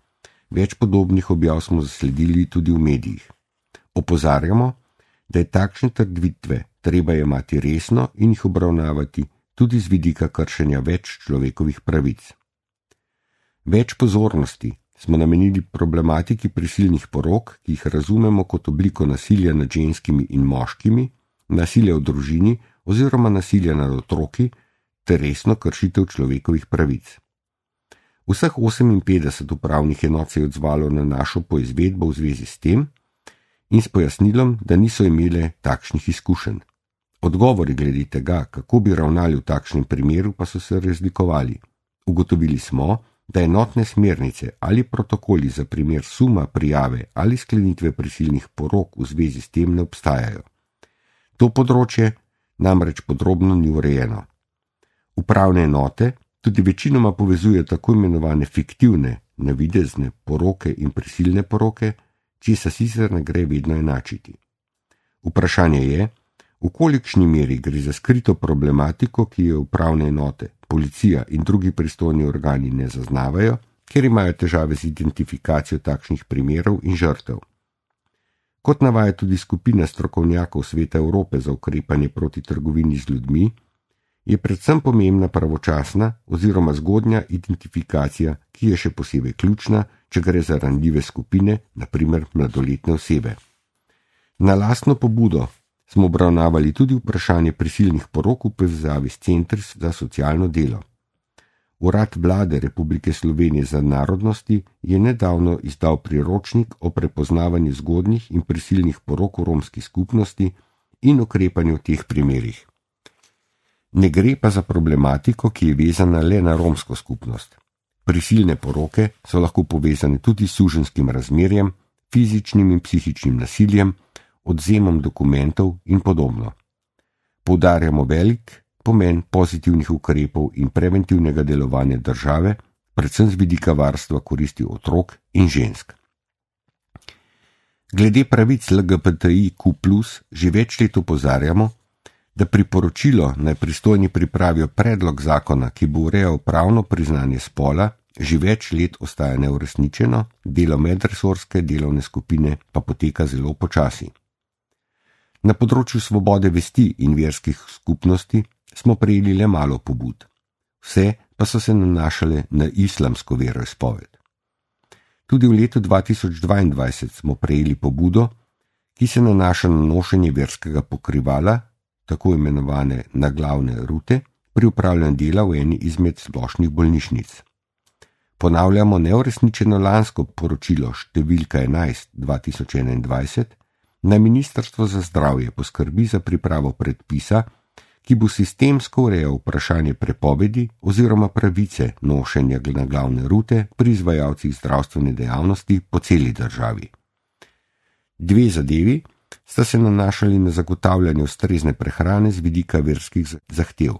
Speaker 1: več podobnih objav smo zasledili tudi v medijih. Opozarjamo, da je takšne trditve treba jemati resno in jih obravnavati tudi z vidika kršenja več človekovih pravic. Več pozornosti smo namenili problematiki prisilnih porok, ki jih razumemo kot obliko nasilja nad ženskimi in moškimi, nasilja v družini oziroma nasilja nad otroki ter resno kršitev človekovih pravic. Vseh 58 upravnih enot se je odzvalo na našo poizvedbo v zvezi s tem in s pojasnilom, da niso imele takšnih izkušenj. Odgovori glede tega, kako bi ravnali v takšnem primeru, pa so se razlikovali. Ugotovili smo, da enotne smernice ali protokoli za primer suma prijave ali sklenitve prisilnih porok v zvezi s tem ne obstajajo. To področje namreč podrobno ni urejeno. Upravne enote tudi večinoma povezujejo tako imenovane fiktivne, navidezne poroke in prisilne poroke, česar sicer ne gre vedno enačiti. Vprašanje je, v kolikšni meri gre za skrito problematiko, ki jo upravne enote, policija in drugi pristojni organi ne zaznavajo, ker imajo težave z identifikacijo takšnih primerov in žrtev. Kot navaja tudi skupina strokovnjakov Sveta Evrope za ukrepanje proti trgovini z ljudmi, je predvsem pomembna pravočasna oziroma zgodnja identifikacija, ki je še posebej ključna, če gre za ranljive skupine, naprimer mladoletne osebe. Na lastno pobudo smo obravnavali tudi vprašanje prisilnih porok v povezavi s centri za socialno delo. Urad Vlade Republike Slovenije za narodnosti je nedavno izdal priročnik o prepoznavanju zgodnjih in prisilnih porok v romski skupnosti in ukrepanju v teh primerih. Ne gre pa za problematiko, ki je vezana le na romsko skupnost. Prisilne poroke so lahko povezane tudi s suženskim razmerjem, fizičnim in psihičnim nasiljem, odvzemom dokumentov in podobno. Poudarjamo velik pomen pozitivnih ukrepov in preventivnega delovanja države, predvsem z vidika varstva koristi otrok in žensk. Glede pravic LGBTIQ+, že več let opozarjamo, da priporočilo naj pristojni pripravijo predlog zakona, ki bo urejal pravno priznanje spola, že več let ostaja neuresničeno, delo medresorske delovne skupine pa poteka zelo počasi. Na področju svobode vesti in verskih skupnosti smo prejeli le malo pobud. Vse pa so se nanašale na islamsko veroizpoved. Tudi v letu 2022 smo prejeli pobudo, ki se nanaša na nošenje verskega pokrivala, tako imenovane naglavne rute, pri upravljanju dela v eni izmed splošnih bolnišnic. Ponavljamo neuresničeno lansko poročilo številka 11/2021, na Ministrstvo za zdravje poskrbi za pripravo predpisa, ki bo sistemsko urejal vprašanje prepovedi oziroma pravice nošenja naglavne rute pri izvajalcih zdravstvene dejavnosti po celi državi. Dve zadevi sta se nanašali na zagotavljanje ustrezne prehrane z vidika verskih zahtev.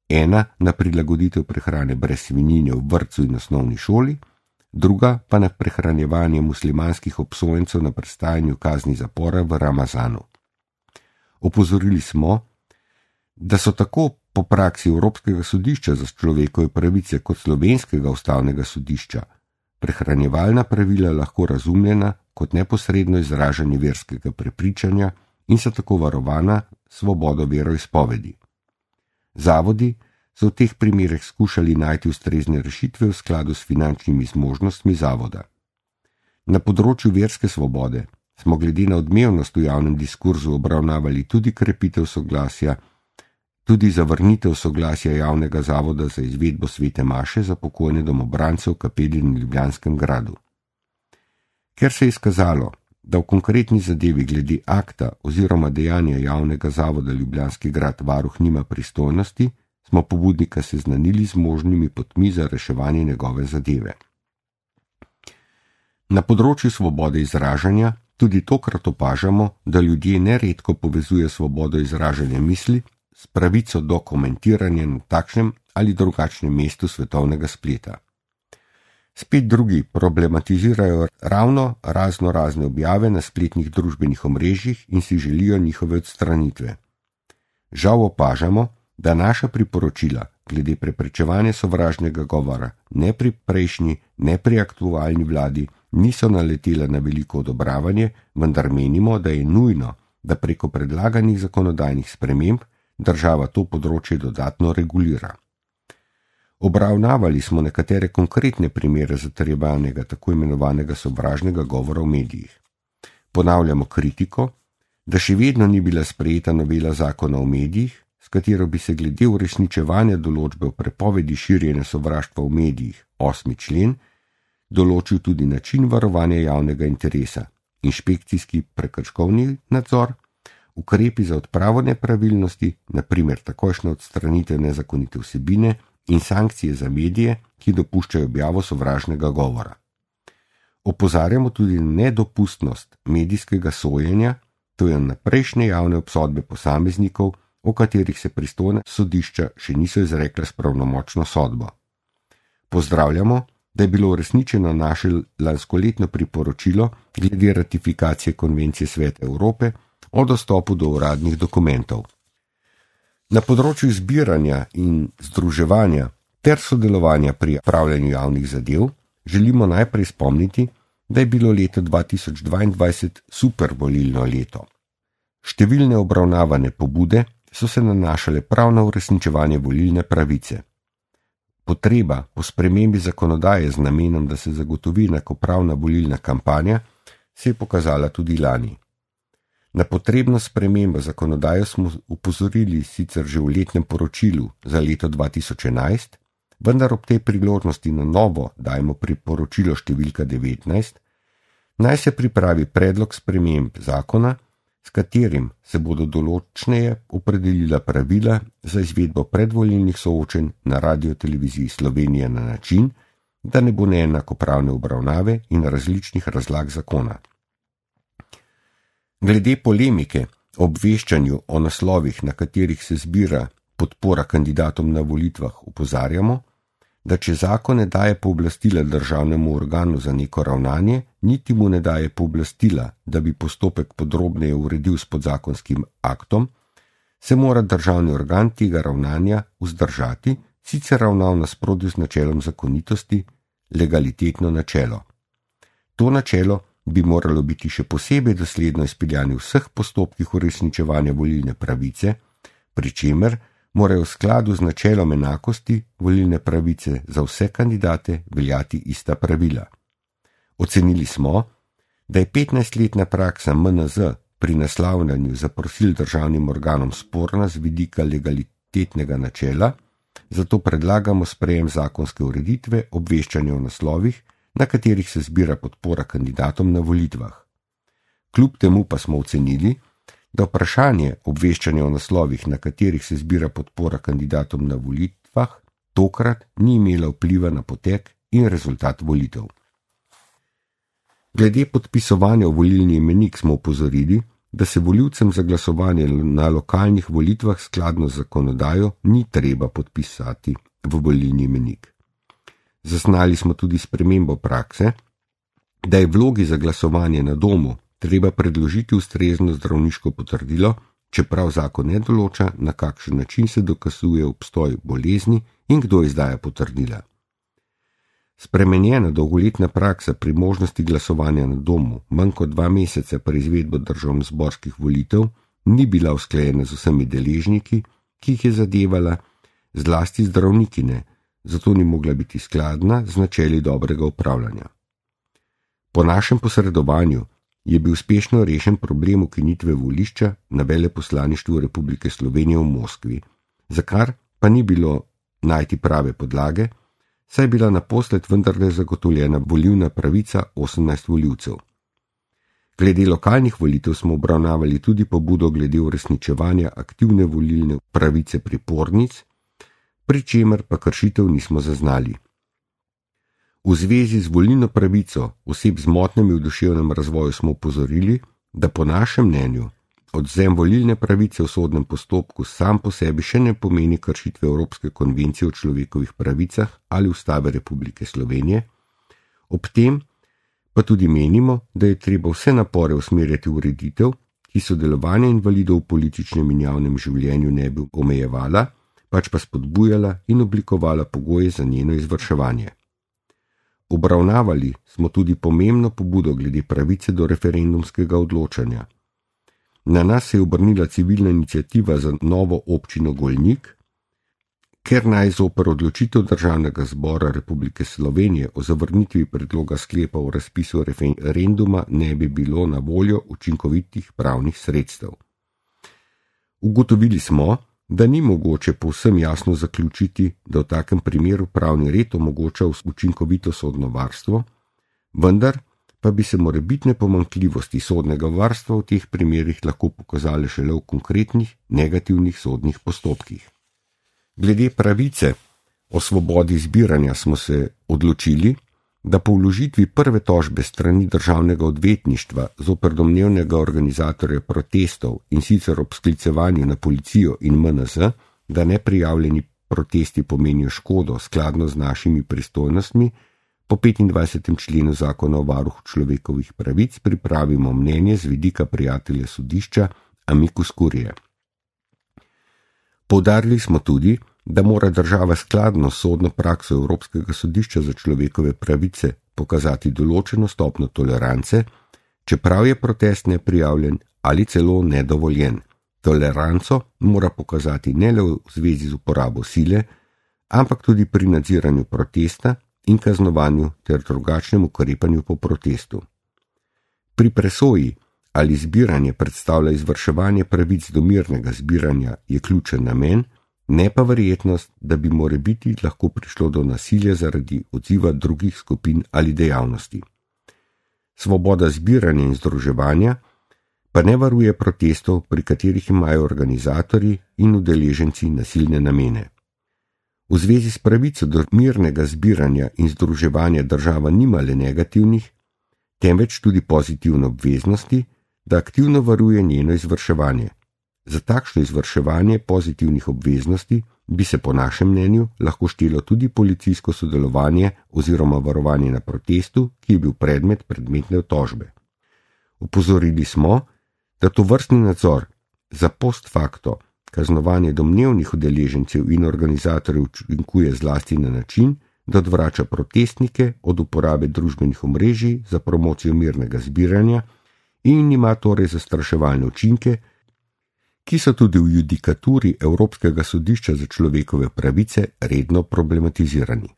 Speaker 1: Ena na prilagoditev prehrane brez svinjine v vrtcu in osnovni šoli, druga pa na prehranjevanje muslimanskih obsojencev na prestajanju kazni zapora v Ramazanu. Opozorili smo, da so tako po praksi Evropskega sodišča za človekove pravice kot Slovenskega ustavnega sodišča prehranjevalna pravila lahko razumljena kot neposredno izražanje verskega prepričanja in so tako varovana svobodo veroizpovedi. Zavodi so v teh primerih skušali najti ustrezne rešitve v skladu s finančnimi zmožnostmi zavoda. Na področju verske svobode smo glede na odmevnost v javnem diskurzu obravnavali tudi krepitev soglasja, tudi zavrnitev soglasja javnega zavoda za izvedbo svete maše za pokojne domobrance v kapeli na Ljubljanskem gradu. Ker se je izkazalo, da v konkretni zadevi glede akta oziroma dejanja javnega zavoda Ljubljanski grad varuh nima pristojnosti, smo pobudnika seznanili z možnimi potmi za reševanje njegove zadeve. Na področju svobode izražanja tudi tokrat opažamo, da ljudje neredko povezuje svobodo izražanja misli s pravico do komentiranja na takšnem ali drugačnem mestu svetovnega spleta. Spet drugi problematizirajo ravno razne objave na spletnih družbenih omrežjih in si želijo njihove odstranitve. Žal opažamo, da naša priporočila glede preprečevanja sovražnega govora ne pri prejšnji, ne pri aktualni vladi niso naletela na veliko odobravanje, vendar menimo, da je nujno, da preko predlaganih zakonodajnih sprememb država to področje dodatno regulira. Obravnavali smo nekatere konkretne primere zatrjevanega tako imenovanega sovražnega govora v medijih. Ponavljamo kritiko, da še vedno ni bila sprejeta novela zakona o medijih, s katero bi se glede uresničevanja določbe o prepovedi širjenja sovraštva v medijih, 8. člen, določil tudi način varovanja javnega interesa, inšpekcijski prekrškovni nadzor, ukrepi za odpravo nepravilnosti, na primer takojšnja odstranitev nezakonite vsebine in sankcije za medije, ki dopuščajo objavo sovražnega govora. Opozarjamo tudi na nedopustnost medijskega sojenja, to je naprejšnje javne obsodbe posameznikov, o katerih se pristojna sodišča še niso izrekla s pravnomočno sodbo. Pozdravljamo, da je bilo uresničeno naše lanskoletno priporočilo glede ratifikacije Konvencije Sveta Evrope o dostopu do uradnih dokumentov. Na področju zbiranja in združevanja ter sodelovanja pri upravljanju javnih zadev želimo najprej spomniti, da je bilo leto 2022 super volilno leto. Številne obravnavane pobude so se nanašale prav na uresničevanje volilne pravice. Potreba po spremembi zakonodaje z namenom, da se zagotovi enakopravna volilna kampanja, se je pokazala tudi lani. Na potrebno spremembo zakonodaje smo upozorili sicer že v letnem poročilu za leto 2011, vendar ob tej priložnosti na novo dajemo priporočilo številka 19, naj se pripravi predlog sprememb zakona, s katerim se bodo določneje opredelila pravila za izvedbo predvolilnih soočenj na Radioteleviziji Slovenije na način, da ne bo neenakopravne obravnave in različnih razlag zakona. Glede polemike o obveščanju o naslovih, na katerih se zbira podpora kandidatom na volitvah, opozarjamo, da če zakon ne daje pooblastila državnemu organu za neko ravnanje, niti mu ne daje pooblastila, da bi postopek podrobneje uredil s podzakonskim aktom, se mora državni organ tega ravnanja vzdržati, sicer ravna v nasprotju z načelom zakonitosti, legalitetno načelo. To načelo bi moralo biti še posebej dosledno izpeljano v vseh postopkih uresničevanja volilne pravice, pri čemer morajo v skladu z načelom enakosti volilne pravice za vse kandidate veljati ista pravila. Ocenili smo, da je 15-letna praksa MNZ pri naslavljanju zaprosil državnim organom sporna z vidika legalitetnega načela, zato predlagamo sprejem zakonske ureditve obveščanja o naslovih, na katerih se zbira podpora kandidatom na volitvah. Kljub temu pa smo ocenili, da vprašanje obveščanja o naslovih, na katerih se zbira podpora kandidatom na volitvah, tokrat ni imela vpliva na potek in rezultat volitev. Glede podpisovanja v volilni imenik smo opozorili, da se volivcem za glasovanje na lokalnih volitvah skladno z zakonodajo ni treba podpisati v volilni imenik. Zaznali smo tudi spremembo prakse, da je vlogi za glasovanje na domu treba predložiti ustrezno zdravniško potrdilo, čeprav zakon ne določa, na kakšen način se dokazuje obstoj bolezni in kdo izdaja potrdila. Spremenjena dolgoletna praksa pri možnosti glasovanja na domu manj kot 2 meseca pred izvedbo državnozborskih volitev ni bila usklajena z vsemi deležniki, ki jih je zadevala, zlasti zdravnikine, zato ni mogla biti skladna z načeli dobrega upravljanja. Po našem posredovanju je bil uspešno rešen problem ukinitve volišča na veleposlaništvu Republike Slovenije v Moskvi, za kar pa ni bilo najti prave podlage, saj je bila naposled vendarle zagotovljena volilna pravica 18 volivcev. Glede lokalnih volitev smo obravnavali tudi pobudo glede uresničevanja aktivne volilne pravice pripornic, pri čemer pa kršitev nismo zaznali. V zvezi z volilno pravico oseb z motnjami v duševnem razvoju smo opozorili, da po našem mnenju odvzem volilne pravice v sodnem postopku sam po sebi še ne pomeni kršitve Evropske konvencije o človekovih pravicah ali Ustave Republike Slovenije, ob tem pa tudi menimo, da je treba vse napore usmerjati v ureditev, ki sodelovanje invalidov v političnem in javnem življenju ne bi omejevala, pač pa spodbujala in oblikovala pogoje za njeno izvrševanje. Obravnavali smo tudi pomembno pobudo glede pravice do referendumskega odločanja. Na nas se je obrnila civilna iniciativa za novo občino Golnik, ker naj zoper odločitev Državnega zbora Republike Slovenije o zavrnitvi predloga sklepa o razpisu referenduma ne bi bilo na voljo učinkovitih pravnih sredstev. Ugotovili smo, da ni mogoče povsem jasno zaključiti, da v takem primeru pravni red omogoča učinkovito sodno varstvo, vendar pa bi se morebitne pomanjkljivosti sodnega varstva v teh primerih lahko pokazale šele v konkretnih negativnih sodnih postopkih. Glede pravice o svobodi zbiranja smo se odločili, da po vložitvi prve tožbe strani državnega odvetništva zoper domnevnega organizatorja protestov in sicer ob sklicevanju na policijo in MNZ, da neprijavljeni protesti pomenijo škodo skladno z našimi pristojnostmi, po 25. členu Zakona o varuhu človekovih pravic pripravimo mnenje z vidika prijatelja sodišča Amicus Curiae. Poudarili smo tudi, da mora država skladno s sodno prakso Evropskega sodišča za človekove pravice pokazati določeno stopnjo tolerance, čeprav je protest neprijavljen ali celo nedovoljen. Toleranco mora pokazati ne le v zvezi z uporabo sile, ampak tudi pri nadziranju protesta in kaznovanju ter drugačnem ukrepanju po protestu. Pri presoji, ali zbiranje predstavlja izvrševanje pravic do mirnega zbiranja, je ključen namen, ne pa verjetnost, da bi morebiti lahko prišlo do nasilja zaradi odziva drugih skupin ali dejavnosti. Svoboda zbiranja in združevanja pa ne varuje protestov, pri katerih imajo organizatorji in udeleženci nasilne namene. V zvezi s pravico do mirnega zbiranja in združevanja država nima le negativnih, temveč tudi pozitivne obveznosti, da aktivno varuje njeno izvrševanje. Za takšno izvrševanje pozitivnih obveznosti bi se po našem mnenju lahko štelo tudi policijsko sodelovanje oziroma varovanje na protestu, ki je bil predmetne tožbe. Opozorili smo, da tovrstni nadzor za post facto kaznovanje domnevnih udeležencev in organizatorjev učinkuje zlasti na način, da odvrača protestnike od uporabe družbenih omrežij za promocijo mirnega zbiranja in ima torej zastraševalne učinke, ki so tudi v judikaturi Evropskega sodišča za človekove pravice redno problematizirani.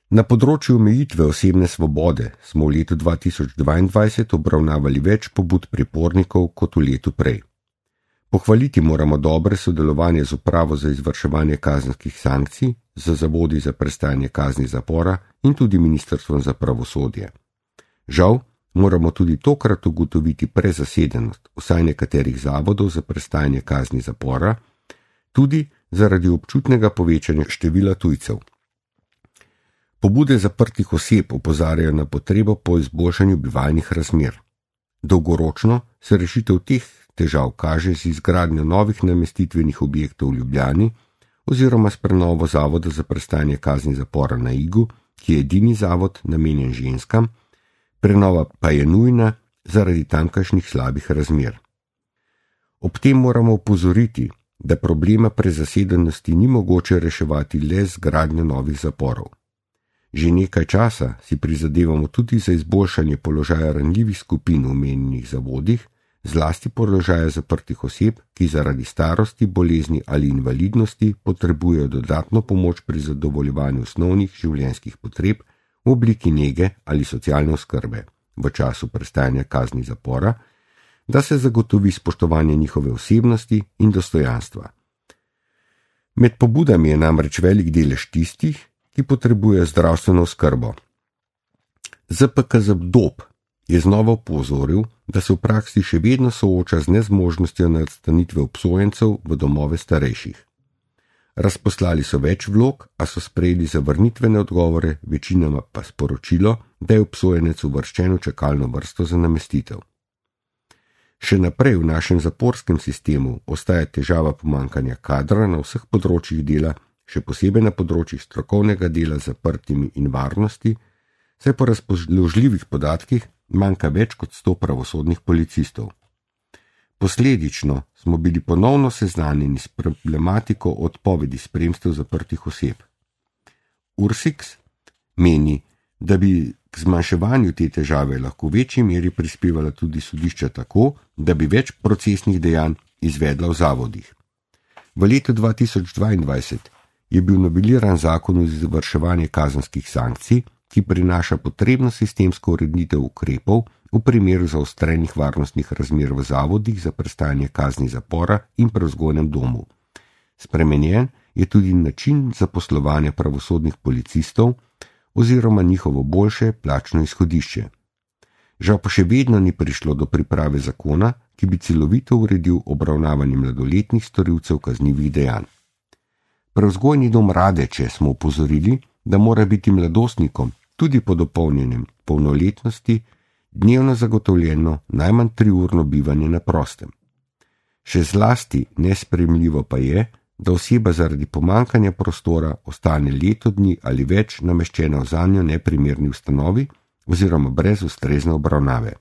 Speaker 1: Na področju omejitve osebne svobode smo v letu 2022 obravnavali več pobud pripornikov kot v letu prej. Pohvaliti moramo dobre sodelovanje z Upravo za izvrševanje kazenskih sankcij, z zavodi za prestajanje kazni zapora in tudi Ministrstvom za pravosodje. Žal, moramo tudi tokrat ugotoviti prezasedenost vsaj nekaterih zavodov za prestajanje kazni zapora, tudi zaradi občutnega povečanja števila tujcev. Pobude zaprtih oseb opozarjajo na potrebo po izboljšanju bivalnih razmer. Dolgoročno se rešitev teh težav kaže z izgradnjo novih namestitvenih objektov v Ljubljani oziroma s prenovo Zavoda za prestajanje kazni zapora na Igu, ki je edini zavod namenjen ženskam, prenova pa je nujna zaradi tamkajšnjih slabih razmer. Ob tem moramo opozoriti, da problema prezasedenosti ni mogoče reševati le z gradnjo novih zaporov. Že nekaj časa si prizadevamo tudi za izboljšanje položaja ranljivih skupin v omenjenih zavodih, zlasti položaja zaprtih oseb, ki zaradi starosti, bolezni ali invalidnosti potrebujejo dodatno pomoč pri zadovoljevanju osnovnih življenjskih potreb v obliki nege ali socialne oskrbe v času prestajanja kazni zapora, da se zagotovi spoštovanje njihove osebnosti in dostojanstva. Med pobudami je namreč velik delež tistih, ki potrebujejo zdravstveno oskrbo. ZPKZ-DOP je znova opozoril, da se v praksi še vedno sooča z nezmožnostjo nastanitve obsojencev v domove starejših. Razposlali so več vlog, a so sprejeli zavrnitvene odgovore, večinoma pa sporočilo, da je obsojenec uvrščen v čakalno vrsto za namestitev. Še naprej v našem zaporskem sistemu ostaja težava pomanjkanja kadra na vseh področjih dela, še posebej na področjih strokovnega dela z zaprtimi in varnosti, saj po razpoložljivih podatkih manjka več kot 100 pravosodnih policistov. Posledično smo bili ponovno seznanjeni s problematiko odpovedi spremstev zaprtih oseb. Ursix meni, da bi k zmanjševanju te težave lahko v večji meri prispevala tudi sodišča tako, da bi več procesnih dejanj izvedla v zavodih. V letu 2022 je bil noveliran zakon o izvrševanju kazenskih sankcij, ki prinaša potrebno sistemsko ureditev ukrepov v primeru zaostrenih varnostnih razmer v zavodih za prestajanje kazni zapora in prevzgojnem domu. Spremenjen je tudi način zaposlovanja pravosodnih policistov oziroma njihovo boljše plačno izhodišče. Žal pa še vedno ni prišlo do priprave zakona, ki bi celovito uredil obravnavanje mladoletnih storilcev kaznivih dejanj. Prevzgojni dom Radeče smo opozorili, da mora biti mladostnikom tudi po dopolnjenem polnoletnosti dnevno zagotovljeno najmanj 3-urno bivanje na prostem. Še zlasti nesprejemljivo pa je, da oseba zaradi pomanjkanja prostora ostane leto dni ali več nameščena v zanjo neprimerni ustanovi oziroma brez ustrezne obravnave.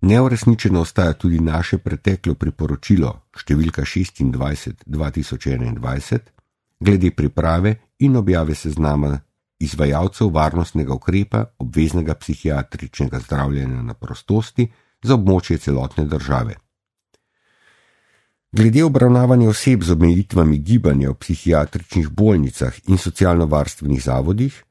Speaker 1: Neuresničeno ostaja tudi naše preteklo priporočilo številka 26/2021 glede priprave in objave seznama izvajalcev varnostnega ukrepa obveznega psihiatričnega zdravljenja na prostosti za območje celotne države. Glede obravnavanja oseb z omejitvami gibanja v psihiatričnih bolnicah in socialno-varstvenih zavodih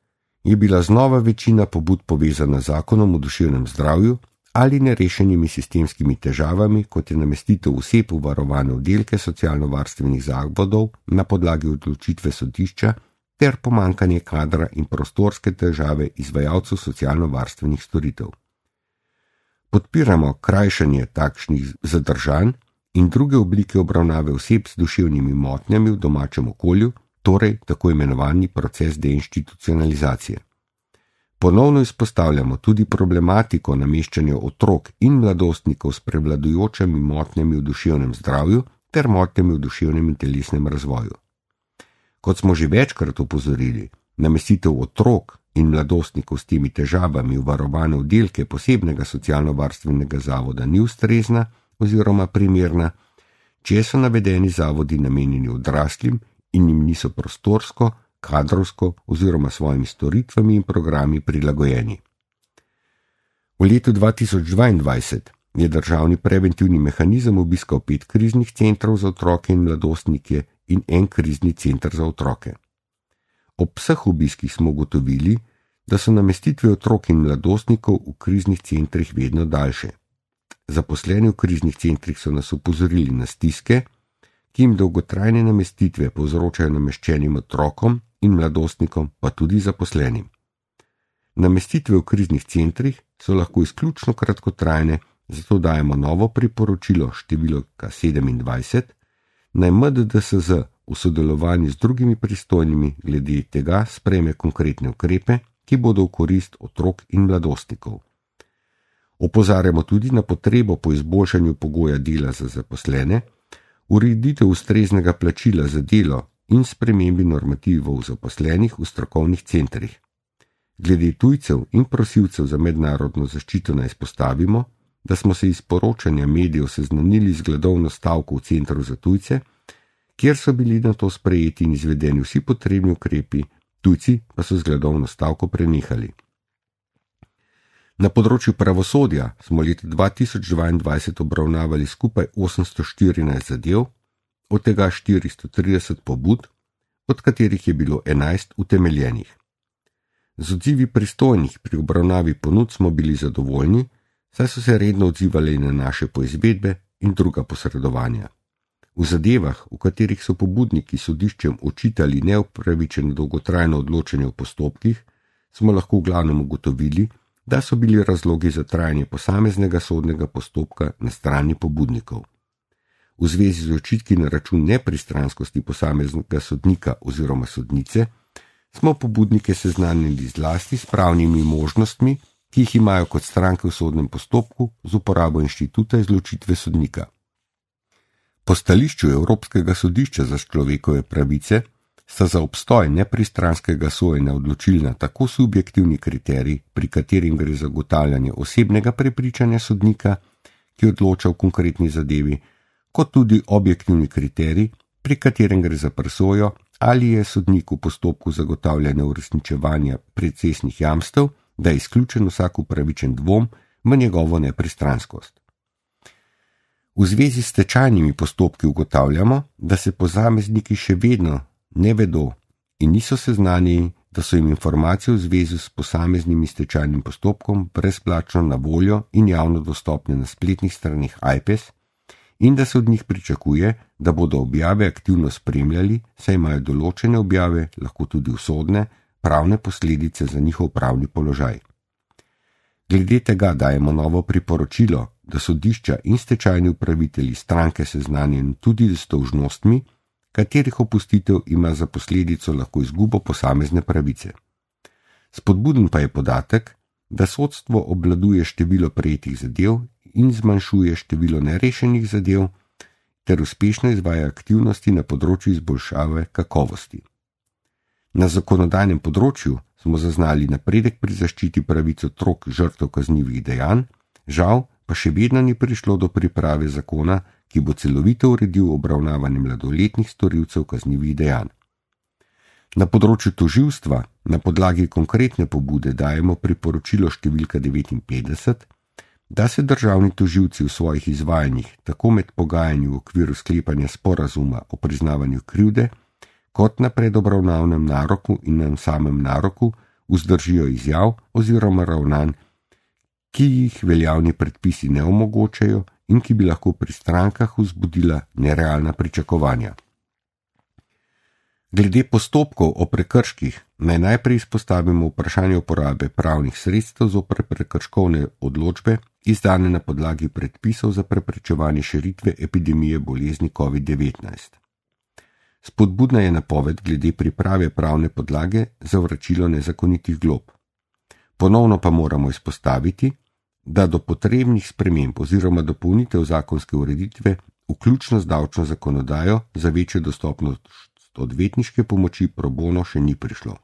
Speaker 1: je bila znova večina pobud povezana z zakonom o duševnem zdravju ali nerešenimi sistemskimi težavami, kot je namestitev oseb v varovane oddelke socialno-varstvenih zavodov na podlagi odločitve sodišča ter pomanjkanje kadra in prostorske težave izvajalcev socialno-varstvenih storitev. Podpiramo krajšanje takšnih zadržanj in druge oblike obravnave oseb s duševnimi motnjami v domačem okolju, torej tako imenovani proces deinstitucionalizacije. Ponovno izpostavljamo tudi problematiko nameščanja otrok in mladostnikov s prevladujočimi motnjami v duševnem zdravju ter motnjami v duševnem in telesnem razvoju. Kot smo že večkrat opozorili, namestitev otrok in mladostnikov s temi težavami v varovane oddelke posebnega socialno-varstvenega zavoda ni ustrezna oziroma primerna, če so navedeni zavodi namenjeni odraslim in jim niso prostorsko, kadrovsko oziroma svojimi storitvami in programi prilagojeni. V letu 2022 je državni preventivni mehanizem obiskal 5 kriznih centrov za otroke in mladostnike in 1 krizni center za otroke. Ob vseh obiskih smo ugotovili, da so namestitve otrok in mladostnikov v kriznih centrih vedno daljše. Zaposleni v kriznih centrih so nas opozorili na stiske, ki jim dolgotrajne namestitve povzročajo nameščenim otrokom in mladostnikom, pa tudi zaposlenim. Namestitve v kriznih centrih so lahko izključno kratkotrajne, zato dajemo novo priporočilo številka 27, naj MDDSZ v sodelovanju z drugimi pristojnimi glede tega sprejme konkretne ukrepe, ki bodo v korist otrok in mladostnikov. Opozarjamo tudi na potrebo po izboljšanju pogoja dela za zaposlene, ureditev ustreznega plačila za delo in spremembi normativov zaposlenih v strokovnih centrih. Glede tujcev in prosilcev za mednarodno zaščito naj izpostavimo, da smo se iz poročanja medijev seznanili z gladovno stavko v centru za tujce, kjer so bili na to sprejeti in izvedeni vsi potrebni ukrepi, tujci pa so z gladovno stavko prenehali. Na področju pravosodja smo leta 2022 obravnavali skupaj 814 zadev, od tega 430 pobud, od katerih je bilo 11 utemeljenih. Z odzivi pristojnih pri obravnavi ponud smo bili zadovoljni, saj so se redno odzivali na naše poizvedbe in druga posredovanja. V zadevah, v katerih so pobudniki sodiščem očitali neupravičeno dolgotrajno odločanje v postopkih, smo lahko v glavnem ugotovili, da so bili razlogi za trajanje posameznega sodnega postopka na strani pobudnikov. V zvezi z očitki na račun nepristranskosti posameznega sodnika oziroma sodnice smo pobudnike seznanili zlasti s pravnimi možnostmi, ki jih imajo kot stranke v sodnem postopku z uporabo inštituta izločitve sodnika. Po stališču Evropskega sodišča za človekove pravice sta za obstoj nepristranskega sojenja odločilna tako subjektivni kriterij, pri katerim gre za ugotavljanje osebnega prepričanja sodnika, ki odloča v konkretni zadevi, kot tudi objektivni kriterij, pri katerem gre za presojo, ali je sodnik v postopku zagotavljanja uresničevanja procesnih jamstev, da je izključen vsak upravičen dvom v njegovo nepristranskost. V zvezi s stečajnimi postopki ugotavljamo, da se posamezniki še vedno ne vedo in niso seznanjeni, da so jim informacije v zvezi s posameznim stečajnim postopkom brezplačno na voljo in javno dostopne na spletnih straneh AJPES in da se od njih pričakuje, da bodo objave aktivno spremljali, saj imajo določene objave lahko tudi usodne, pravne posledice za njihov pravni položaj. Glede tega dajemo novo priporočilo, da sodišča in stečajni upravitelji stranke seznanjeni tudi s dolžnostmi, katerih opustitev ima za posledico lahko izgubo posamezne pravice. Spodbuden pa je podatek, da sodstvo obvladuje število prejetih zadev in zmanjšuje število nerešenih zadev ter uspešno izvaja aktivnosti na področju izboljšave kakovosti. Na zakonodajnem področju smo zaznali napredek pri zaščiti pravic otrok žrtev kaznivih dejanj, žal pa še vedno ni prišlo do priprave zakona, ki bo celovito uredil obravnavanje mladoletnih storilcev kaznivih dejanj. Na področju tožilstva na podlagi konkretne pobude dajemo priporočilo številka 59, da se državni tožilci v svojih izvajanjih, tako med pogajanji v okviru sklepanja sporazuma o priznavanju krivde, kot na predobravnavnem naroku in na samem naroku, vzdržijo izjav oziroma ravnanj, ki jih veljavni predpisi ne omogočajo in ki bi lahko pri strankah vzbudila nerealna pričakovanja. Glede postopkov o prekrških naj najprej izpostavimo vprašanje uporabe pravnih sredstev zoper prekrškovne odločbe, izdane na podlagi predpisov za preprečevanje širitve epidemije bolezni COVID-19. Spodbudna je napoved glede priprave pravne podlage za vračilo nezakonitih glob. Ponovno pa moramo izpostaviti, da do potrebnih sprememb oziroma dopolnitev zakonske ureditve, vključno z davčno zakonodajo, za večjo dostopnost odvetniške pomoči pro bono še ni prišlo.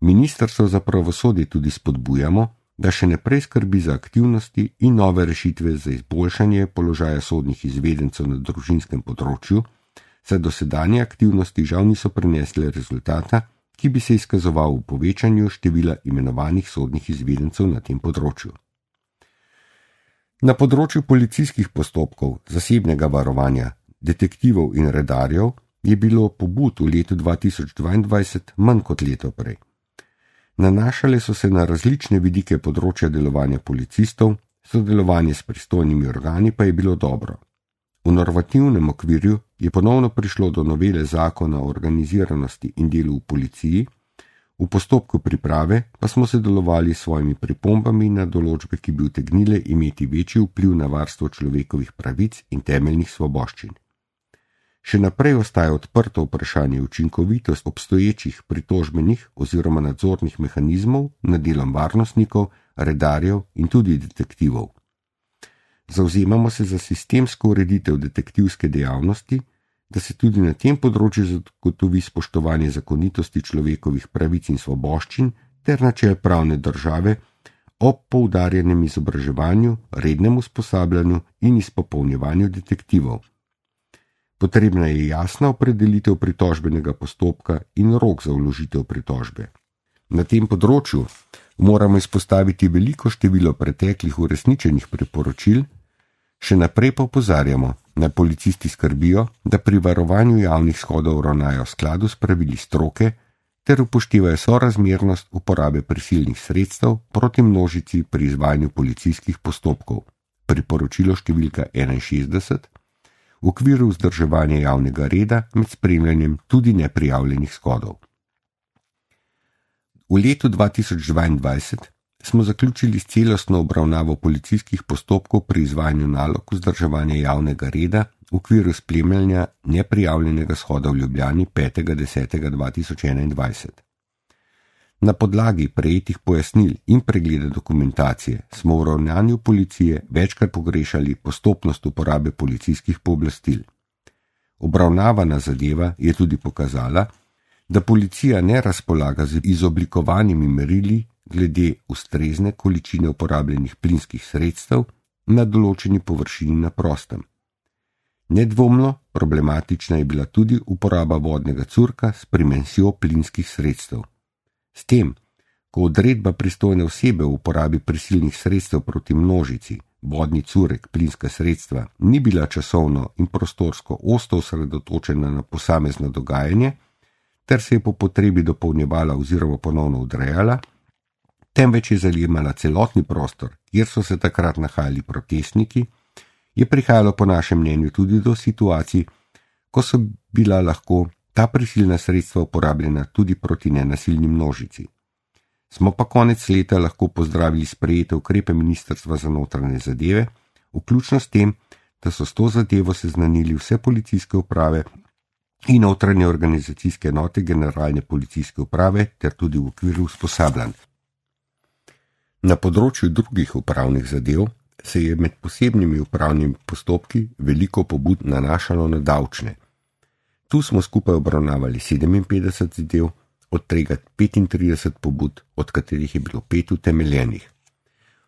Speaker 1: Ministrstvo za pravosodje tudi spodbujamo, da še naprej skrbi za aktivnosti in nove rešitve za izboljšanje položaja sodnih izvedencev na družinskem področju, saj dosedanje aktivnosti žal niso prinesle rezultata, ki bi se izkazoval v povečanju števila imenovanih sodnih izvedencev na tem področju. Na področju policijskih postopkov, zasebnega varovanja, detektivov in redarjev je bilo pobud v letu 2022 manj kot leto prej. Nanašale so se na različne vidike področja delovanja policistov, sodelovanje s pristojnimi organi pa je bilo dobro. V normativnem okvirju je ponovno prišlo do novele zakona o organiziranosti in delu v policiji, v postopku priprave pa smo sodelovali s svojimi pripombami na določbe, ki bi utegnile imeti večji vpliv na varstvo človekovih pravic in temeljnih svoboščin. Še naprej ostaja odprto vprašanje učinkovitosti obstoječih pritožbenih oziroma nadzornih mehanizmov nad delom varnostnikov, redarjev in tudi detektivov. Zavzemamo se za sistemsko ureditev detektivske dejavnosti, da se tudi na tem področju zagotovi spoštovanje zakonitosti človekovih pravic in svoboščin ter načel pravne države ob poudarjenem izobraževanju, rednem usposabljanju in izpopolnjevanju detektivov. Potrebna je jasna opredelitev pritožbenega postopka in rok za vložitev pritožbe. Na tem področju moramo izpostaviti veliko število preteklih uresničenih priporočil, še naprej pa opozarjamo, naj policisti skrbijo, da pri varovanju javnih shodov ravnajo v skladu s pravili stroke ter upoštevajo sorazmernost uporabe prisilnih sredstev proti množici pri izvajanju policijskih postopkov. Priporočilo številka 61. V okviru vzdrževanja javnega reda med spremljanjem tudi neprijavljenih shodov. V letu 2022 smo zaključili s celostno obravnavo policijskih postopkov pri izvajanju nalog vzdrževanja javnega reda v okviru spremljanja neprijavljenega shoda v Ljubljani 5.10.2021. Na podlagi prejetih pojasnil in pregleda dokumentacije smo v ravnanju policije večkrat pogrešali postopnost uporabe policijskih pooblastil. Obravnavana zadeva je tudi pokazala, da policija ne razpolaga z izoblikovanimi merili glede ustrezne količine uporabljenih plinskih sredstev na določeni površini na prostem. Nedvomno problematična je bila tudi uporaba vodnega curka s primensjo plinskih sredstev. S tem, ko odredba pristojne osebe v uporabi prisilnih sredstev proti množici, vodni curek, plinska sredstva, ni bila časovno in prostorsko ostro osredotočena na posamezno dogajanje, ter se je po potrebi dopolnjevala oziroma ponovno odrejala, temveč je zajemala celotni prostor, kjer so se takrat nahajali protestniki, je prihajalo po našem mnenju tudi do situacij, ko so bila lahko ta prisilna sredstva uporabljena tudi proti nenasilni množici. Smo pa konec leta lahko pozdravili sprejete ukrepe Ministrstva za notranje zadeve, vključno s tem, da so s to zadevo seznanili vse policijske uprave in notranje organizacijske enote generalne policijske uprave ter tudi v okviru usposabljanj. Na področju drugih upravnih zadev se je med posebnimi upravnimi postopki veliko pobud nanašalo na davčne. Tu smo skupaj obravnavali 57 zadev, od tega 35 pobud, od katerih je bilo 5 utemeljenih.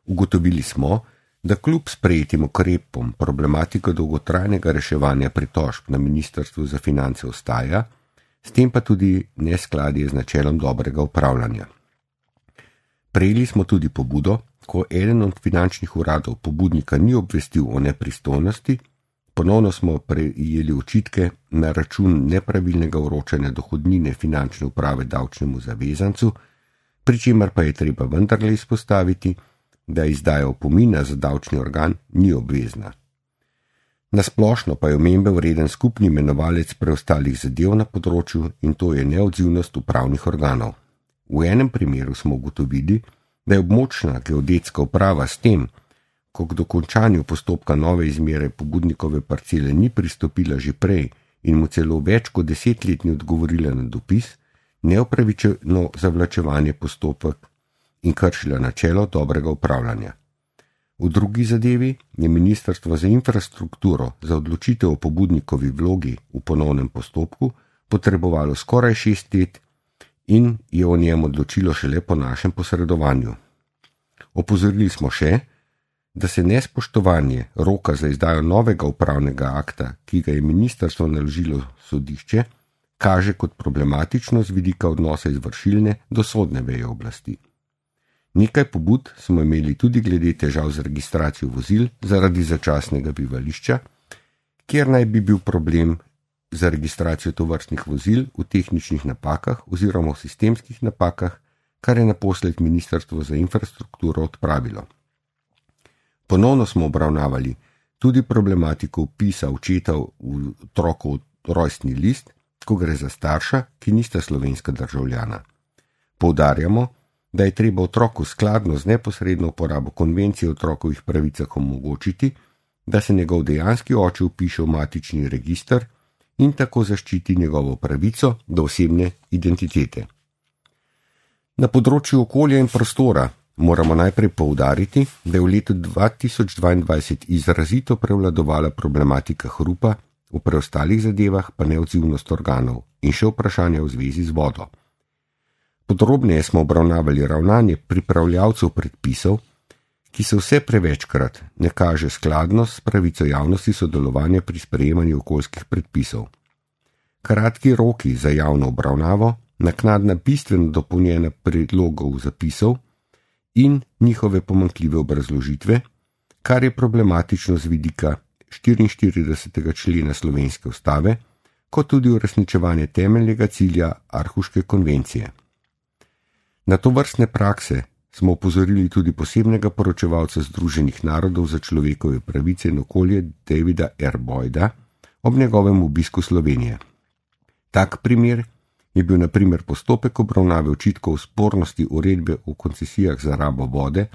Speaker 1: Ugotovili smo, da kljub sprejetim ukrepom problematika dolgotrajnega reševanja pritožb na Ministrstvu za finance ostaja, s tem pa tudi neskladje z načelom dobrega upravljanja. Prejeli smo tudi pobudo, ko eden od finančnih uradov pobudnika ni obvestil o nepristojnosti, ponovno smo prejeli očitke na račun nepravilnega vročanja dohodnine finančne uprave davčnemu zavezancu, pri čemer pa je treba vendarle izpostaviti, da izdaja opomina za davčni organ ni obvezna. Nasplošno pa je omembe vreden skupni imenovalec preostalih zadev na področju in to je neodzivnost upravnih organov. V enem primeru smo ugotovili, da je območna geodetska uprava s tem, ko k dokončanju postopka nove izmere pobudnikove parcele ni pristopila že prej in mu celo več kot 10 let ni odgovorila na dopis, neupravičeno zavlačevanje postopek in kršila načelo dobrega upravljanja. V drugi zadevi je Ministrstvo za infrastrukturo za odločitev o pobudnikovi vlogi v ponovnem postopku potrebovalo skoraj 6 let in je o njem odločilo šele po našem posredovanju. Opozorili smo še, da se nespoštovanje roka za izdajo novega upravnega akta, ki ga je ministrstvo naložilo sodišče, kaže kot problematično z vidika odnosa izvršilne do sodne veje oblasti. Nekaj pobud smo imeli tudi glede težav z registracijo vozil zaradi začasnega bivališča, kjer naj bi bil problem za registracijo tovrstnih vozil v tehničnih napakah oziroma v sistemskih napakah, kar je naposled Ministrstvo za infrastrukturo odpravilo. Ponovno smo obravnavali tudi problematiko vpisa očeta v otrokov rojstni list, ko gre za starša, ki nista slovenska državljana. Poudarjamo, da je treba otroku skladno z neposredno uporabo konvencije o otrokovih pravicah omogočiti, da se njegov dejanski oče vpiše v matični register in tako zaščiti njegovo pravico do osebne identitete. Na področju okolja in prostora moramo najprej poudariti, da je v letu 2022 izrazito prevladovala problematika hrupa, v preostalih zadevah pa neodzivnost organov in še vprašanja v zvezi z vodo. Podrobneje smo obravnavali ravnanje pripravljavcev predpisov, ki se vse prevečkrat ne kaže skladnost s pravico javnosti sodelovanja pri sprejemanju okoljskih predpisov. Kratki roki za javno obravnavo, naknadna bistveno dopolnjena predlogov zapisov in njihove pomanjkljive obrazložitve, kar je problematično z vidika 44. člena Slovenske ustave, kot tudi uresničevanje temeljnega cilja Arhuške konvencije. Na tovrstne prakse smo opozorili tudi posebnega poročevalca Združenih narodov za človekove pravice in okolje Davida R. Boyda ob njegovem obisku Slovenije. Tak primer je bil na primer postopek obravnave očitkov spornosti uredbe o koncesijah za rabo vode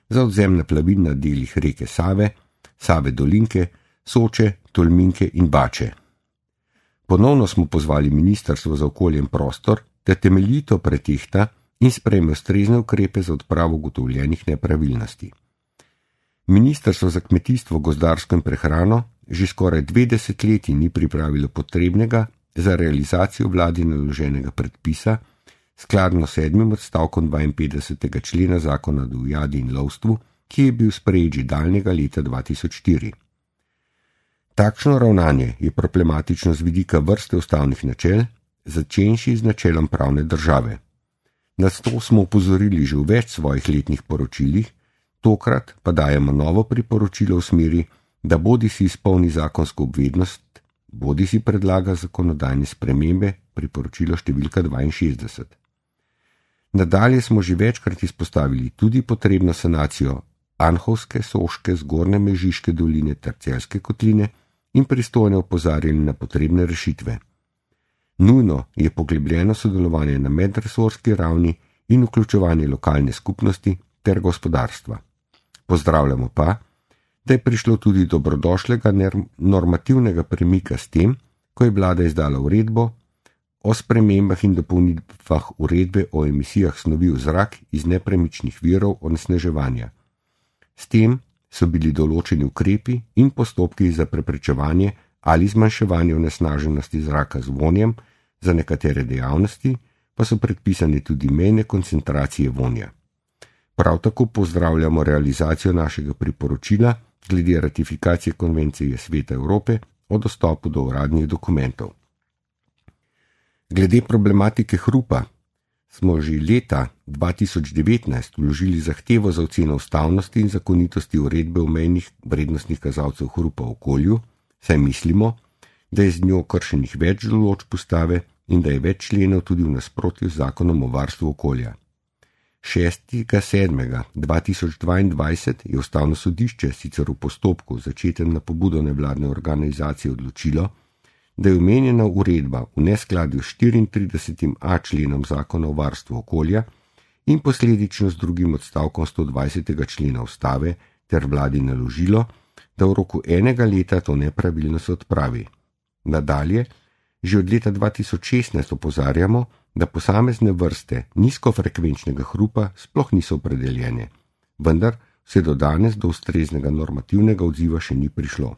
Speaker 1: za odzemne plavin na delih reke Save, Save Dolinke, Soče, Tolminke in Bače. Ponovno smo pozvali Ministrstvo za okolje in prostor, da temeljito pretehta in sprejme ustrezne ukrepe za odpravo ugotovljenih nepravilnosti. Ministrstvo za kmetijstvo, gozdarstvo in prehrano že skoraj 2 desetletji ni pripravilo potrebnega za realizacijo vladi naloženega predpisa, skladno 7. odstavkom 52. člena Zakona o divjadi in lovstvu, ki je bil sprejet že daljnega leta 2004. Takšno ravnanje je problematično z vidika vrste ustavnih načel, začenši z načelom pravne države. Na to smo upozorili že v več svojih letnih poročilih, tokrat pa dajemo novo priporočilo v smeri, da bodisi izpolni zakonsko obveznost, bodisi predlaga zakonodajne spremembe, priporočilo številka 62. Nadalje smo že večkrat izpostavili tudi potrebno sanacijo Anhovske, Soške, Zgornje Mežiške doline ter Celjske kotline in pristojne opozarjali na potrebne rešitve. Nujno je poglobljeno sodelovanje na medresorski ravni in vključevanje lokalne skupnosti ter gospodarstva. Pozdravljamo pa, da je prišlo tudi dobrodošlega normativnega premika s tem, ko je vlada izdala uredbo o spremembah in dopolnitvah uredbe o emisijah snovi v zrak iz nepremičnih virov onesnaževanja. S tem so bili določeni ukrepi in postopki za preprečevanje ali zmanjševanje onesnaženosti zraka z vonjem, za nekatere dejavnosti pa so predpisane tudi mejne koncentracije vonja. Prav tako pozdravljamo realizacijo našega priporočila glede ratifikacije Konvencije Sveta Evrope o dostopu do uradnih dokumentov. Glede problematike hrupa smo že leta 2019 vložili zahtevo za oceno ustavnosti in zakonitosti uredbe o mejnih vrednostnih kazalcev hrupa v okolju, saj mislimo, da je z njo kršenih več določb ustave in da je več členov tudi v nasprotju z zakonom o varstvu okolja. 6.7.2022 je ustavno sodišče sicer v postopku, začetem na pobudo nevladne organizacije, odločilo, da je omenjena uredba v neskladju s 34a členom zakona o varstvu okolja in posledično z drugim odstavkom 120. člena ustave ter vladi naložilo, da v roku 1 leta to nepravilnost odpravi. Nadalje, že od leta 2016 opozarjamo, da posamezne vrste nizkofrekvenčnega hrupa sploh niso opredeljene, vendar vse do danes do ustreznega normativnega odziva še ni prišlo.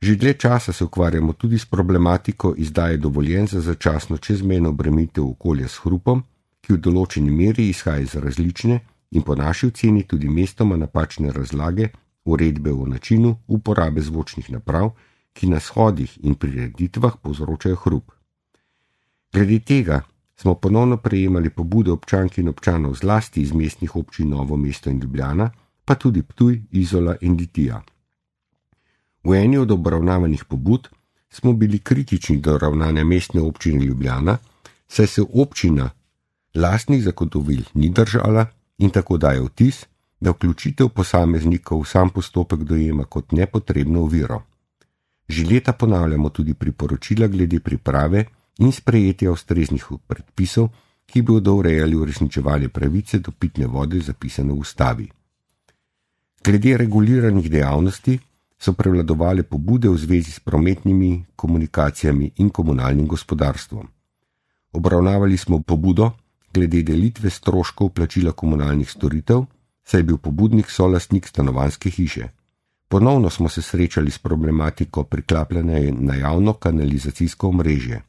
Speaker 1: Že dlje časa se ukvarjamo tudi s problematiko izdaje dovoljenj za začasno čezmejno obremenitev okolja s hrupom, ki v določeni meri izhaja iz različne in po naši oceni tudi mestoma napačne razlage uredbe o načinu uporabe zvočnih naprav, ki na shodih in prireditvah povzročajo hrup. Glede tega smo ponovno prejemali pobude občank in občanov zlasti iz mestnih občin Novo mesto in Ljubljana, pa tudi Ptuj, Izola in Litija. V eni od obravnavanih pobud smo bili kritični do ravnanja mestne občine Ljubljana, saj se občina lastnih zagotovil ni držala in tako daje vtis, da vključitev posameznikov v sam postopek dojema kot nepotrebno oviro. Že leta ponavljamo tudi priporočila glede priprave in sprejetja ustreznih predpisov, ki bodo urejali uresničevanje pravice do pitne vode zapisane v ustavi. Glede reguliranih dejavnosti so prevladovale pobude v zvezi s prometnimi komunikacijami in komunalnim gospodarstvom. Obravnavali smo pobudo glede delitve stroškov plačila komunalnih storitev, saj je bil pobudnik solastnik stanovanjske hiše. Ponovno smo se srečali s problematiko priklapljanja na javno kanalizacijsko omrežje.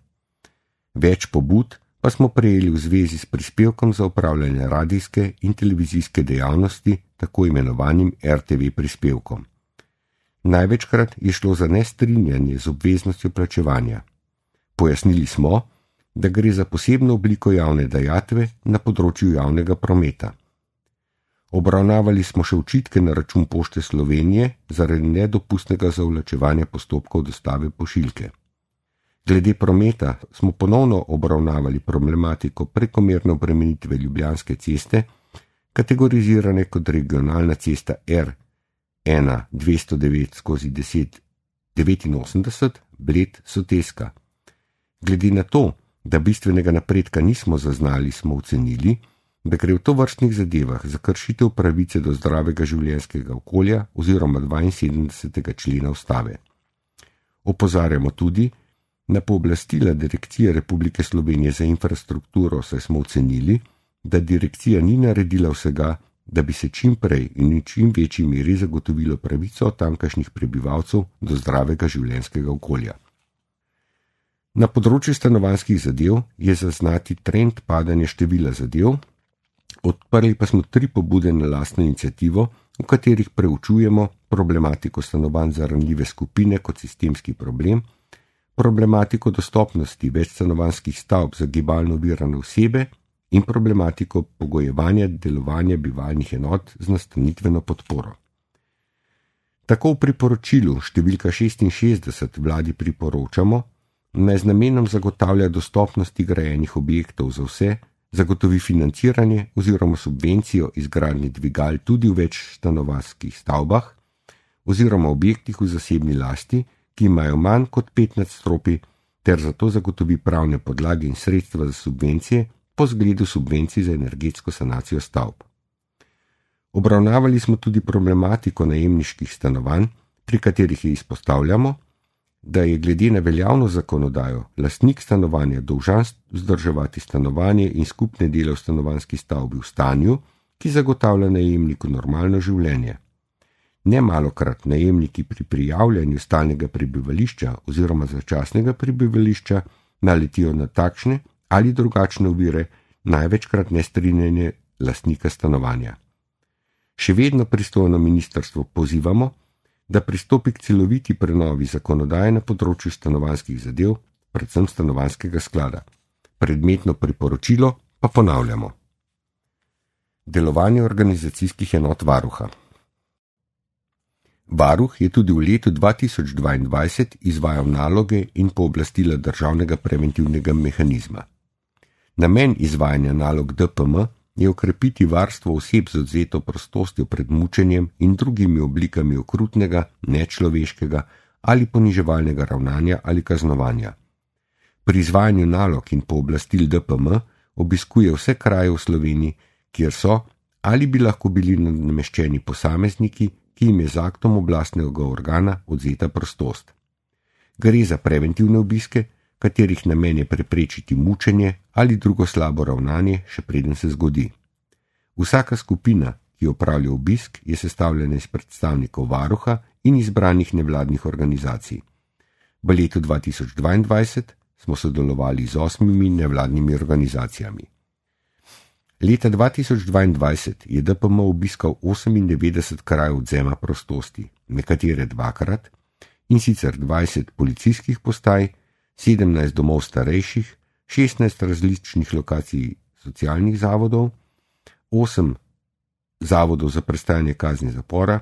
Speaker 1: Več pobud pa smo prejeli v zvezi s prispevkom za upravljanje radijske in televizijske dejavnosti, tako imenovanim RTV prispevkom. Največkrat je šlo za nestrinjanje z obveznostjo plačevanja. Pojasnili smo, da gre za posebno obliko javne dajatve na področju javnega prometa. Obravnavali smo še očitke na račun Pošte Slovenije zaradi nedopustnega zavlačevanja postopkov dostave pošiljke. Glede prometa smo ponovno obravnavali problematiko prekomerne obremenitve Ljubljanske ceste, kategorizirane kot regionalna cesta R1-209/1089 Bled-Soteska. Glede na to, da bistvenega napredka nismo zaznali, smo ocenili, da gre v tovrstnih zadevah za kršitev pravice do zdravega življenjskega okolja oziroma 72. člena ustave. Opozarjamo tudi na pooblastila Direkcije Republike Slovenije za infrastrukturo, saj smo ocenili, da direkcija ni naredila vsega, da bi se čim prej in v čim večji meri zagotovilo pravico tamkajšnjih prebivalcev do zdravega življenjskega okolja. Na področju stanovanjskih zadev je zaznati trend padanja števila zadev, odprli pa smo 3 pobude na lastno iniciativo, v katerih preučujemo problematiko stanovanj za ranljive skupine kot sistemski problem, problematiko dostopnosti večstanovanjskih stavb za gibalno ovirane osebe in problematiko pogojevanja delovanja bivalnih enot z nastanitveno podporo. Tako v priporočilu številka 66 vladi priporočamo, naj z namenom zagotavlja dostopnosti grajenih objektov za vse, zagotovi financiranje oziroma subvencijo izgradnje dvigal tudi v večstanovanjskih stavbah oziroma objektih v zasebni lasti, ki imajo manj kot 5 nadstropij, ter zato zagotovi pravne podlage in sredstva za subvencije po zgledu subvencij za energetsko sanacijo stavb. Obravnavali smo tudi problematiko najemniških stanovanj, pri katerih izpostavljamo, da je glede na veljavno zakonodajo lastnik stanovanja dolžan vzdrževati stanovanje in skupne dele v stanovanjski stavbi v stanju, ki zagotavlja najemniku normalno življenje. Nemalokrat najemniki pri prijavljanju stalnega prebivališča oziroma začasnega prebivališča naletijo na takšne ali drugačne ovire, največkrat nestrinjanje lastnika stanovanja. Še vedno pristojno ministrstvo pozivamo, da pristopi k celoviti prenovi zakonodaje na področju stanovanjskih zadev, predvsem stanovanjskega sklada. Predmetno priporočilo pa ponavljamo. Delovanje organizacijskih enot varuha. Varuh je tudi v letu 2022 izvajal naloge in pooblastila državnega preventivnega mehanizma. Namen izvajanja nalog DPM je okrepiti varstvo oseb z odvzeto prostostjo pred mučenjem in drugimi oblikami okrutnega, nečloveškega ali poniževalnega ravnanja ali kaznovanja. Pri izvajanju nalog in pooblastil DPM obiskuje vse kraje v Sloveniji, kjer so ali bi lahko bili nameščeni posamezniki, ki jim je z aktom oblastnega organa odvzeta prostost. Gre za preventivne obiske, katerih namen je preprečiti mučenje ali drugo slabo ravnanje, še preden se zgodi. Vsaka skupina, ki opravlja obisk, je sestavljena iz predstavnikov varuha in izbranih nevladnih organizacij. V letu 2022 smo sodelovali z 8 nevladnimi organizacijami. Leta 2022 je DPM obiskal 98 krajev odvzema prostosti, nekatere dvakrat, in sicer 20 policijskih postaj, 17 domov starejših, 16 različnih lokacij socialnih zavodov, 8 zavodov za prestajanje kazni zapora,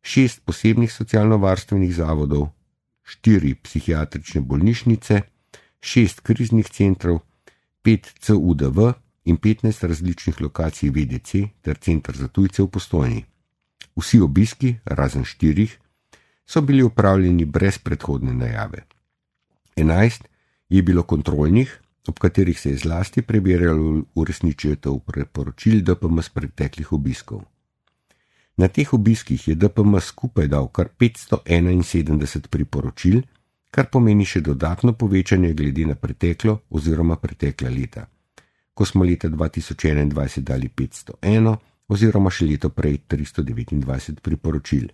Speaker 1: 6 posebnih socialno-varstvenih zavodov, 4 psihiatrične bolnišnice, 6 kriznih centrov, 5 CUDV in 15 različnih lokacij VDC ter Center za tujce v Postojni. Vsi obiski, razen 4, so bili opravljeni brez predhodne najave. 11 je bilo kontrolnih, ob katerih se je zlasti preverjalo uresničitev priporočil DPM z preteklih obiskov. Na teh obiskih je DPM skupaj dal kar 571 priporočil, kar pomeni še dodatno povečanje glede na preteklo oziroma pretekla leta, ko smo leta 2021 dali 501 oziroma še leto prej 329 priporočil.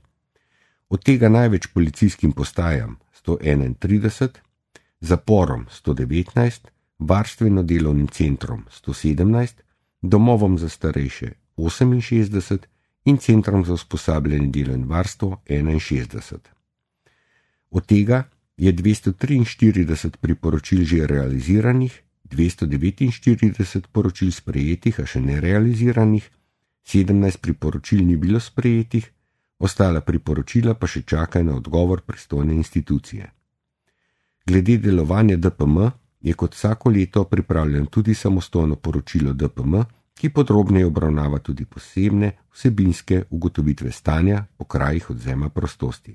Speaker 1: Od tega največ policijskim postajam 131, zaporom 119, varstveno-delovnim centrom 117, domovom za starejše 68 in centrom za usposabljanje delo in varstvo 61. Od tega je 243 priporočil že realiziranih, 249 poročil sprejetih, a še nerealiziranih, 17 priporočil ni bilo sprejetih, ostala priporočila pa še čakajo na odgovor pristojne institucije. Glede delovanja DPM je kot vsako leto pripravljeno tudi samostojno poročilo DPM, ki podrobneje obravnava tudi posebne vsebinske ugotovitve stanja po krajih odvzema prostosti.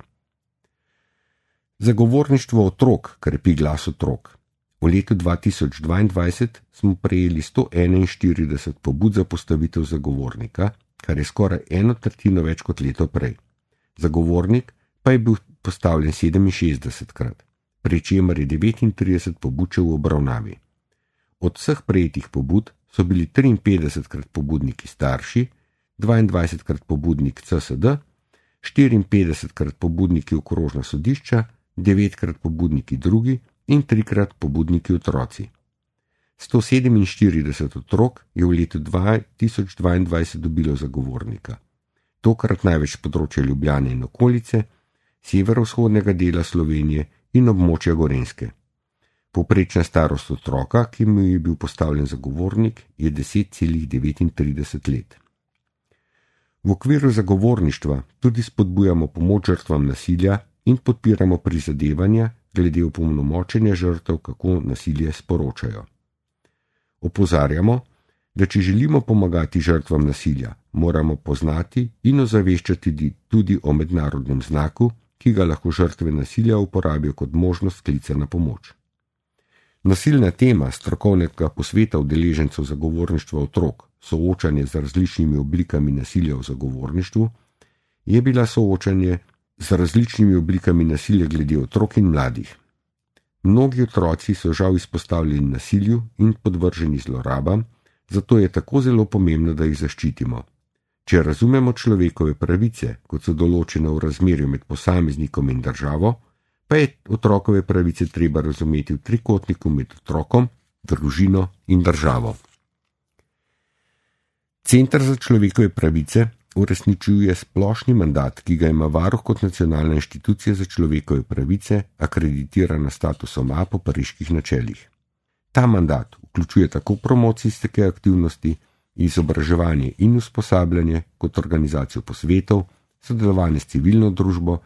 Speaker 1: Zagovorništvo otrok krepi glas otrok. V letu 2022 smo prejeli 141 pobud za postavitev zagovornika, kar je skoraj 1/3 več kot leto prej. Zagovornik pa je bil postavljen 67krat, pri čemer je 39 pobud v obravnavi. Od vseh prejetih pobud so bili 53krat pobudniki starši, 22krat pobudnik CSD, 54krat pobudniki okrožna sodišča, 9krat pobudniki drugi in 3krat pobudniki otroci. 147 otrok je v letu 2022 dobilo zagovornika. Tokrat največ področja Ljubljane in okolice, severovzhodnega dela Slovenije in območja Gorenjske. Povprečna starost otroka, ki mu je bil postavljen zagovornik, je 10,39 let. V okviru zagovorništva tudi spodbujamo pomoč žrtvam nasilja in podpiramo prizadevanja glede opolnomočenja žrtev, kako nasilje sporočajo. Opozarjamo, da če želimo pomagati žrtvam nasilja, moramo poznati in ozaveščati tudi o mednarodnem znaku, ki ga lahko žrtve nasilja uporabijo kot možnost klica na pomoč. Nasilna tema strokovnega posveta udeležencev zagovorništva otrok, soočanje z različnimi oblikami nasilja v zagovorništvu, je bila soočanje z različnimi oblikami nasilja glede otrok in mladih. Mnogi otroci so žal izpostavljeni nasilju in podvrženi zlorabam, zato je tako zelo pomembno, da jih zaščitimo. Če razumemo človekove pravice, kot so določene v razmerju med posameznikom in državo, pa je otrokove pravice treba razumeti v trikotniku med otrokom, družino in državo. Center za človekove pravice uresničuje splošni mandat, ki ga ima Varuh kot nacionalna inštitucija za človekove pravice, akreditirana statusom A po pariških načelih. Ta mandat vključuje tako promocijske aktivnosti, izobraževanje in usposabljanje kot organizacijo posvetov, sodelovanje s civilno družbo,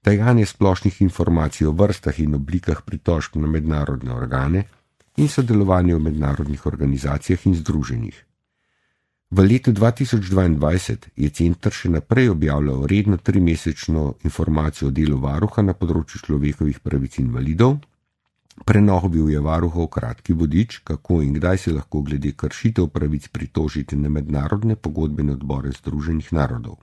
Speaker 1: dajanje splošnih informacij o vrstah in oblikah pritožb na mednarodne organe in sodelovanje v mednarodnih organizacijah in združenjih. V letu 2022 je center še naprej objavljal redno 3-mesečno informacijo o delu varuha na področju človekovih pravic invalidov. Prenovil je varuhov kratki vodič, kako in kdaj se lahko glede kršitev pravic pritožiti na mednarodne pogodbene odbore Združenih narodov.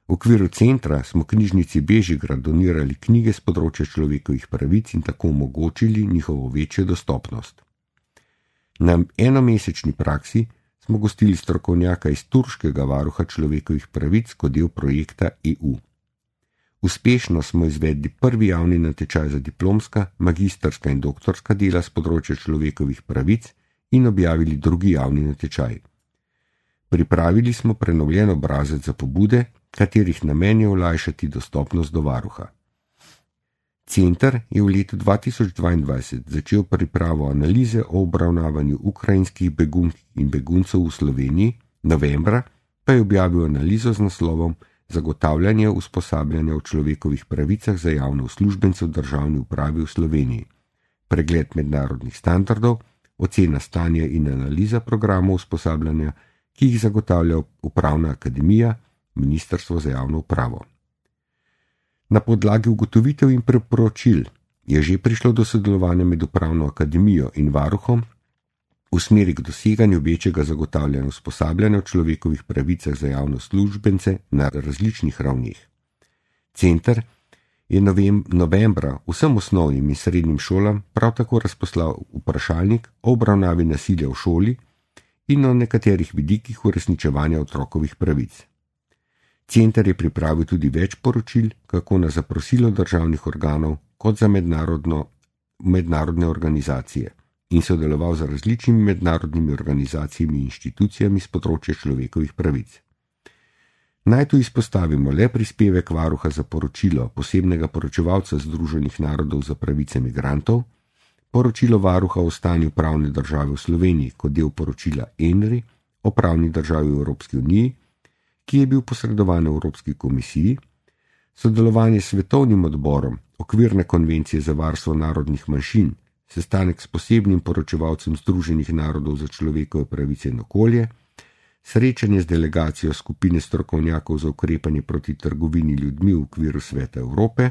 Speaker 1: V okviru centra smo knjižnici Bežigrad donirali knjige z področja človekovih pravic in tako omogočili njihovo večjo dostopnost. Na enomesečni praksi smo gostili strokovnjaka iz turškega varuha človekovih pravic kot del projekta EU. Uspešno smo izvedli prvi javni natečaj za diplomska, magistrska in doktorska dela z področja človekovih pravic in objavili drugi javni natečaj. Pripravili smo prenovljen obrazec za pobude, katerih namen je olajšati dostopnost do varuha. Center je v letu 2022 začel pripravo analize o obravnavanju ukrajinskih begunk in beguncev v Sloveniji, novembra pa je objavil analizo z naslovom Zagotavljanje usposabljanja o človekovih pravicah za javne uslužbence v državni upravi v Sloveniji, pregled mednarodnih standardov, ocena stanja in analiza programov usposabljanja, ki jih zagotavlja Upravna akademija, Ministrstvo za javno upravo. Na podlagi ugotovitev in priporočil je že prišlo do sodelovanja med Upravno akademijo in varuhom v smeri k doseganju večjega zagotavljanja usposabljanja o človekovih pravicah za javne uslužbence na različnih ravneh. Center je novembra vsem osnovnim in srednjim šolam prav tako razposlal vprašalnik o obravnavi nasilja v šoli in o nekaterih vidikih uresničevanja otrokovih pravic. Center je pripravil tudi več poročil, kako na zaprosilo državnih organov kot za mednarodne organizacije in sodeloval z različnimi mednarodnimi organizacijami in inštitucijami z področja človekovih pravic. Naj tu izpostavimo le prispevek varuha za poročilo posebnega poročevalca Združenih narodov za pravice migrantov, poročilo varuha o stanju pravne države v Sloveniji kot del poročila ENRI o pravni državi v Evropski uniji, ki je bil posredovan Evropski komisiji, sodelovanje s Svetovnim odborom Okvirne konvencije za varstvo narodnih manjšin, sestanek s posebnim poročevalcem Združenih narodov za človekove pravice in okolje, srečanje z delegacijo skupine strokovnjakov za ukrepanje proti trgovini ljudmi v okviru Sveta Evrope,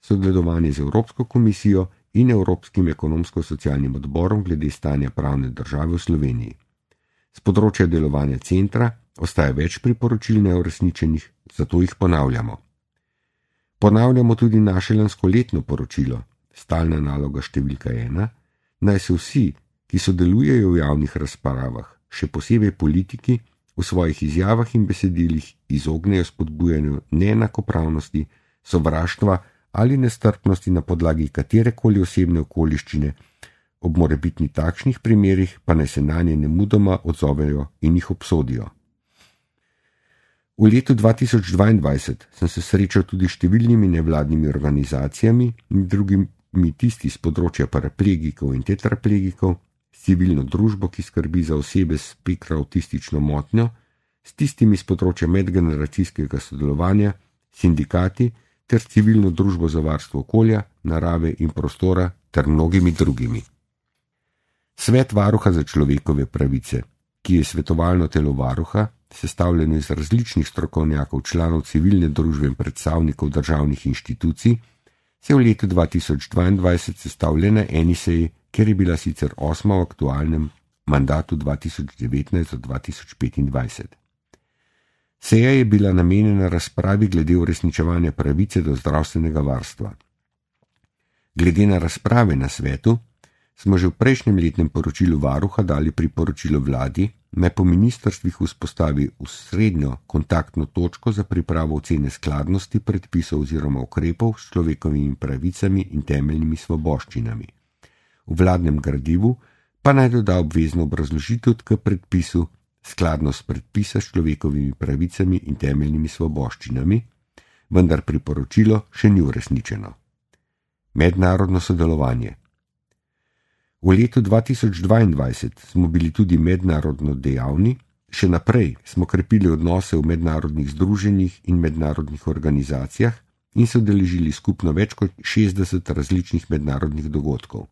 Speaker 1: sodelovanje z Evropsko komisijo in Evropskim ekonomsko-socialnim odborom glede stanja pravne države v Sloveniji. Z področja delovanja centra ostaja več priporočil neuresničenih, zato jih ponavljamo. Ponavljamo tudi naše lanskoletno poročilo, stalna naloga številka 1, naj se vsi, ki sodelujejo v javnih razpravah, še posebej politiki, v svojih izjavah in besedilih izognejo spodbujanju neenakopravnosti, sovraštva ali nestrpnosti na podlagi katerekoli osebne okoliščine, ob morebitni takšnih primerih pa naj se nanje nemudoma odzovejo in jih obsodijo. V letu 2022 sem se srečal tudi številnimi nevladnimi organizacijami, med drugimi tisti z področja paraplegikov in tetraplegikov, s civilno družbo, ki skrbi za osebe s spektra avtistično motnjo, s tistimi z področja medgeneracijskega sodelovanja, sindikati ter s civilno družbo za varstvo okolja, narave in prostora ter mnogimi drugimi. Svet varuha za človekove pravice, ki je svetovalno telo varuha, sestavljeno iz različnih strokovnjakov, članov civilne družbe in predstavnikov državnih inštitucij, se je v letu 2022 sestavlja na eni seji, ker je bila sicer 8. v aktualnem mandatu 2019-2025. Seja je bila namenjena razpravi glede uresničevanja pravice do zdravstvenega varstva. Glede na razprave na svetu, smo že v prejšnjem letnem poročilu varuha dali priporočilo vladi, naj po ministrstvih vzpostavi srednjo kontaktno točko za pripravo ocene skladnosti predpisov oziroma ukrepov s človekovimi pravicami in temeljnimi svoboščinami. V vladnem gradivu pa naj doda obvezno obrazložitev k predpisu skladnost predpisa s človekovimi pravicami in temeljnimi svoboščinami, vendar priporočilo še ni uresničeno. Mednarodno sodelovanje. V letu 2022 smo bili tudi mednarodno dejavni, še naprej smo krepili odnose v mednarodnih združenjih in mednarodnih organizacijah in se udeležili skupno več kot 60 različnih mednarodnih dogodkov.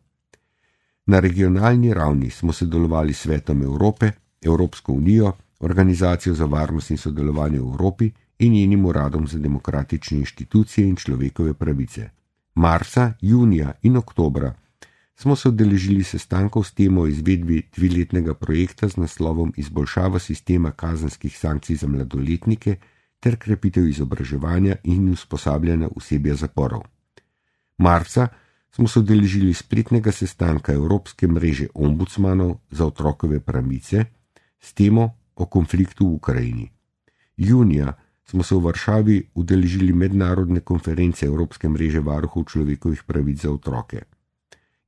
Speaker 1: Na regionalni ravni smo sodelovali s Svetom Evrope, Evropsko unijo, Organizacijo za varnost in sodelovanje v Evropi in njenim uradom za demokratične inštitucije in človekove pravice. Marca, junija in oktobra smo se udeležili sestankov s temo o izvedbi 2-letnega projekta z naslovom Izboljšava sistema kazenskih sankcij za mladoletnike ter krepitev izobraževanja in usposabljanja osebja zaporov. Marca smo se udeležili spletnega sestanka Evropske mreže ombudsmanov za otrokove pravice s temo o konfliktu v Ukrajini. Junija smo se v Varšavi udeležili mednarodne konference Evropske mreže varuhov človekovih pravic za otroke.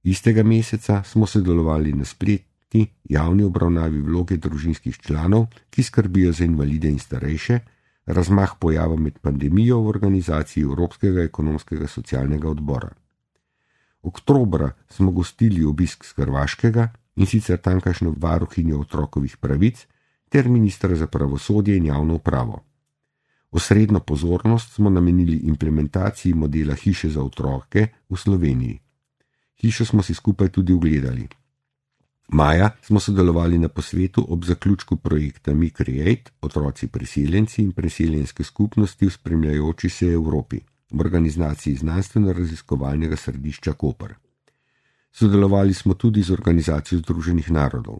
Speaker 1: Istega meseca smo sodelovali na spletni javni obravnavi vloge družinskih članov, ki skrbijo za invalide in starejše, razmah pojava med pandemijo v organizaciji Evropskega ekonomskega socialnega odbora. Oktobra smo gostili obisk z Hrvaškega, in sicer tamkajšnjo varuhinjo otrokovih pravic ter ministra za pravosodje in javno upravo. Osrednjo pozornost smo namenili implementaciji modela hiše za otroke v Sloveniji. Hišo smo si skupaj tudi ogledali. Maja smo sodelovali na posvetu ob zaključku projekta Mi Create, otroci priseljenci in priseljenske skupnosti v spremljajoči se Evropi, v organizaciji znanstveno-raziskovalnega središča Koper. Sodelovali smo tudi z Organizacijo Združenih narodov.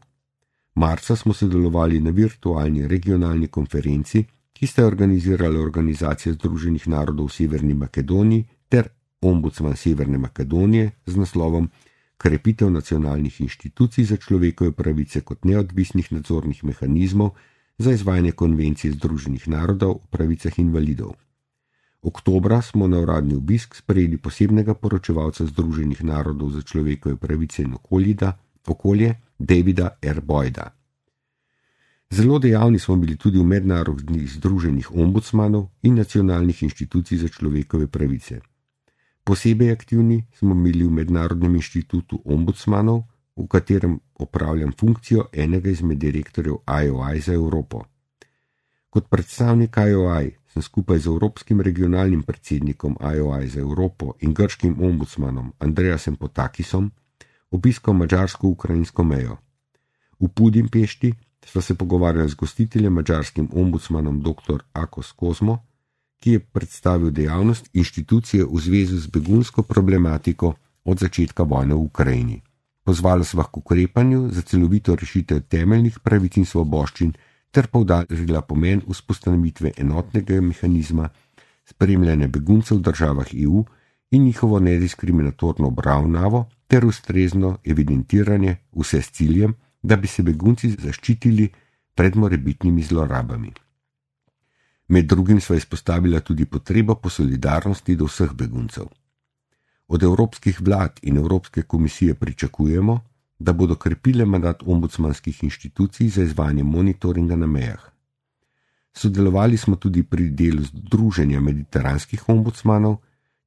Speaker 1: Marca smo sodelovali na virtualni regionalni konferenci, ki sta organizirala Organizacija Združenih narodov v Severni Makedoniji ter Ombudsman Severne Makedonije z naslovom Krepitev nacionalnih inštitucij za človekove pravice kot neodvisnih nadzornih mehanizmov za izvajanje konvencije Združenih narodov o pravicah invalidov. Oktobra smo na uradni obisk sprejeli posebnega poročevalca Združenih narodov za človekove pravice in okolje Davida R. Boyda. Zelo dejavni smo bili tudi v mednarodnih združenjih ombudsmanov in nacionalnih inštitucij za človekove pravice. Posebej aktivni smo bili v Mednarodnem inštitutu ombudsmanov, v katerem opravljam funkcijo enega izmed direktorjev IOI za Evropo. Kot predstavnik IOI sem skupaj z Evropskim regionalnim predsednikom IOI za Evropo in grškim ombudsmanom Andreasem Potakisom obiskal mađarsko-ukrajinsko mejo. V Budimpešti sva se pogovarjali z gostiteljem mađarskim ombudsmanom dr. Akos Kozmo, ki je predstavil dejavnost inštitucije v zvezi z begunsko problematiko od začetka vojne v Ukrajini. Pozvala sva k ukrepanju za celovito rešitev temeljnih pravic in svoboščin ter poudarila pomen vzpostavitve enotnega mehanizma spremljanja beguncev v državah EU in njihovo nediskriminatorno obravnavo ter ustrezno evidentiranje, vse s ciljem, da bi se begunci zaščitili pred morebitnimi zlorabami. Med drugim sva izpostavila tudi potrebo po solidarnosti do vseh beguncev. Od evropskih vlad in Evropske komisije pričakujemo, da bodo krepile mandat ombudsmanskih inštitucij za izvajanje monitoringa na mejah. Sodelovali smo tudi pri delu Združenja mediteranskih ombudsmanov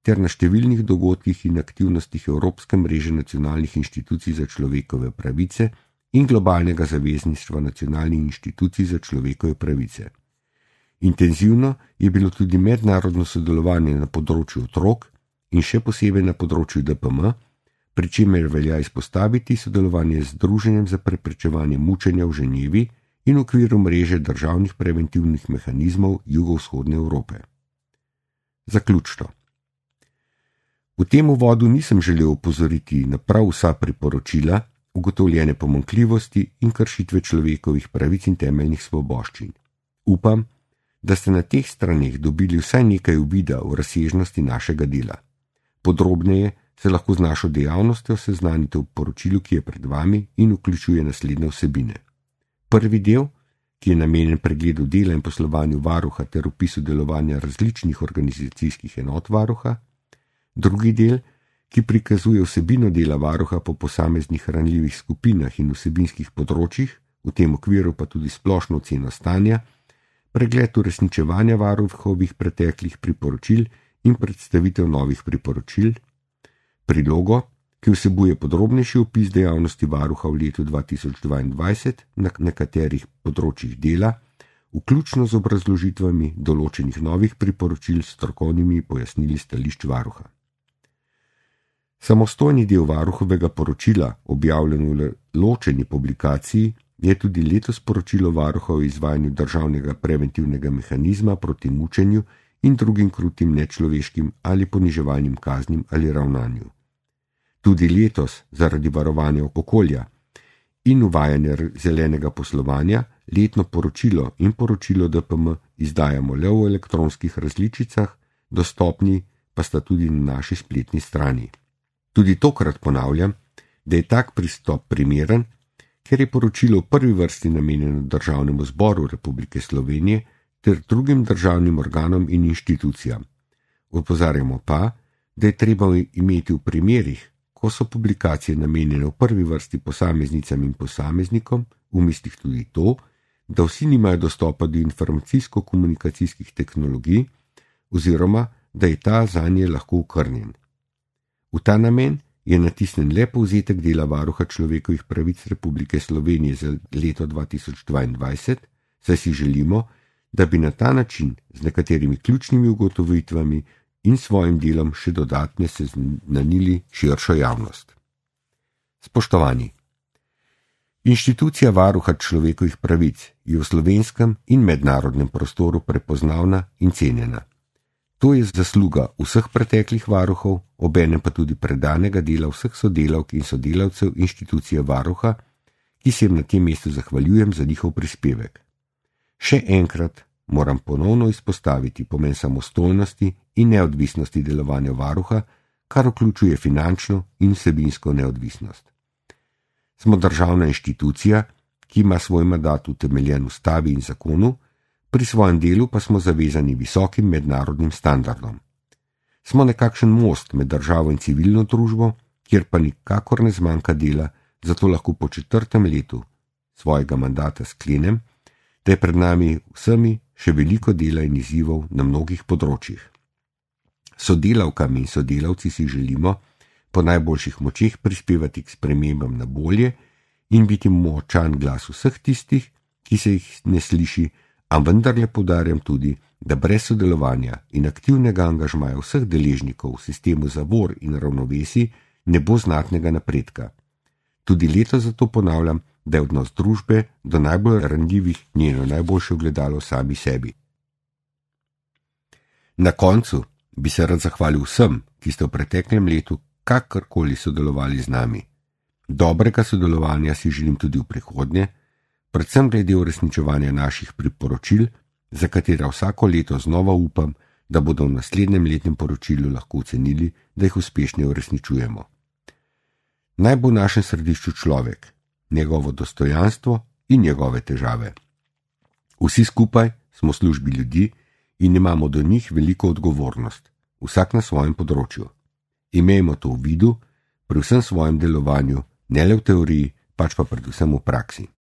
Speaker 1: ter na številnih dogodkih in aktivnostih Evropske mreže nacionalnih inštitucij za človekove pravice in globalnega zavezništva nacionalnih inštitucij za človekove pravice. Intenzivno je bilo tudi mednarodno sodelovanje na področju otrok in še posebej na področju DPM, pri čemer velja izpostaviti sodelovanje z Združenjem za preprečevanje mučenja v Ženevi in v okviru mreže državnih preventivnih mehanizmov jugovzhodne Evrope. Zaključno. V tem uvodu nisem želel opozoriti na prav vsa priporočila, ugotovljene pomanjkljivosti in kršitve človekovih pravic in temeljnih svoboščin. Upam, da ste na teh straneh dobili vsaj nekaj uvida v razsežnosti našega dela. Podrobneje se lahko z našo dejavnostjo seznanite v poročilu, ki je pred vami in vključuje naslednje vsebine. Prvi del, ki je namenjen pregledu dela in poslovanju varuha ter opisu delovanja različnih organizacijskih enot varuha. Drugi del, ki prikazuje vsebino dela varuha po posameznih ranljivih skupinah in vsebinskih področjih, v tem okviru pa tudi splošno oceno stanja, pregled uresničevanja varuhovih preteklih priporočil in predstavitev novih priporočil, prilogo, ki vsebuje podrobnejši opis dejavnosti varuha v letu 2022 na nekaterih področjih dela, vključno z obrazložitvami določenih novih priporočil s strokovnimi pojasnili stališč varuha. Samostojni del varuhovega poročila, objavljeno v ločeni publikaciji, je tudi letos poročilo varuha o izvajanju državnega preventivnega mehanizma proti mučenju in drugim krutim nečloveškim ali poniževalnim kaznim ali ravnanju. Tudi letos, zaradi varovanja okolja in uvajanja zelenega poslovanja, letno poročilo in poročilo DPM izdajamo le v elektronskih različicah, dostopni pa sta tudi na naši spletni strani. Tudi tokrat ponavljam, da je tak pristop primeren, ker je poročilo v prvi vrsti namenjeno Državnemu zboru Republike Slovenije ter drugim državnim organom in inštitucijam. Opozarjamo pa, da je treba imeti v primerih, ko so publikacije namenjene v prvi vrsti posameznicam in posameznikom, v mislih tudi to, da vsi nimajo dostopa do informacijsko-komunikacijskih tehnologij oziroma da je ta zanje lahko okrnjen. V ta namen je natisnen le povzetek dela varuha človekovih pravic Republike Slovenije za leto 2022, saj si želimo, da bi na ta način z nekaterimi ključnimi ugotovitvami in svojim delom še dodatne seznanili širšo javnost. Spoštovani! Inštitucija varuha človekovih pravic je v slovenskem in mednarodnem prostoru prepoznavna in cenjena. To je zasluga vseh preteklih varuhov, obenem pa tudi predanega dela vseh sodelavk in sodelavcev inštitucije varuha, ki se jim na tem mestu zahvaljujem za njihov prispevek. Še enkrat moram ponovno izpostaviti pomen samostojnosti in neodvisnosti delovanja varuha, kar vključuje finančno in vsebinsko neodvisnost. Smo državna inštitucija, ki ima svoj mandat utemeljen v ustavi in zakonu, pri svojem delu pa smo zavezani visokim mednarodnim standardom. Smo nekakšen most med državo in civilno družbo, kjer pa nikakor ne zmanjka dela, zato lahko po 4. letu svojega mandata sklenem, da je pred nami vsemi še veliko dela in izzivov na mnogih področjih. Sodelavkam in sodelavci si želimo po najboljših močeh prispevati k spremembam na bolje in biti močan glas vseh tistih, ki se jih ne sliši, a vendarle poudarjam tudi, da brez sodelovanja in aktivnega angažmaja vseh deležnikov v sistemu zavor in ravnovesij ne bo znatnega napredka. Tudi letos zato ponavljam, da je odnos družbe do najbolj ranljivih njeno najboljše ogledalo sami sebi. Na koncu bi se rad zahvalil vsem, ki ste v preteklem letu kakorkoli sodelovali z nami. Dobrega sodelovanja si želim tudi v prihodnje, predvsem glede uresničevanja naših priporočil, za katera vsako leto znova upam, da bodo v naslednjem letnem poročilu lahko ocenili, da jih uspešno uresničujemo. Naj bo v našem središču človek, njegovo dostojanstvo in njegove težave. Vsi skupaj smo v službi ljudi in imamo do njih veliko odgovornost, vsak na svojem področju. Imejmo to v vidu pri vsem svojem delovanju, ne le v teoriji, pač pa predvsem v praksi.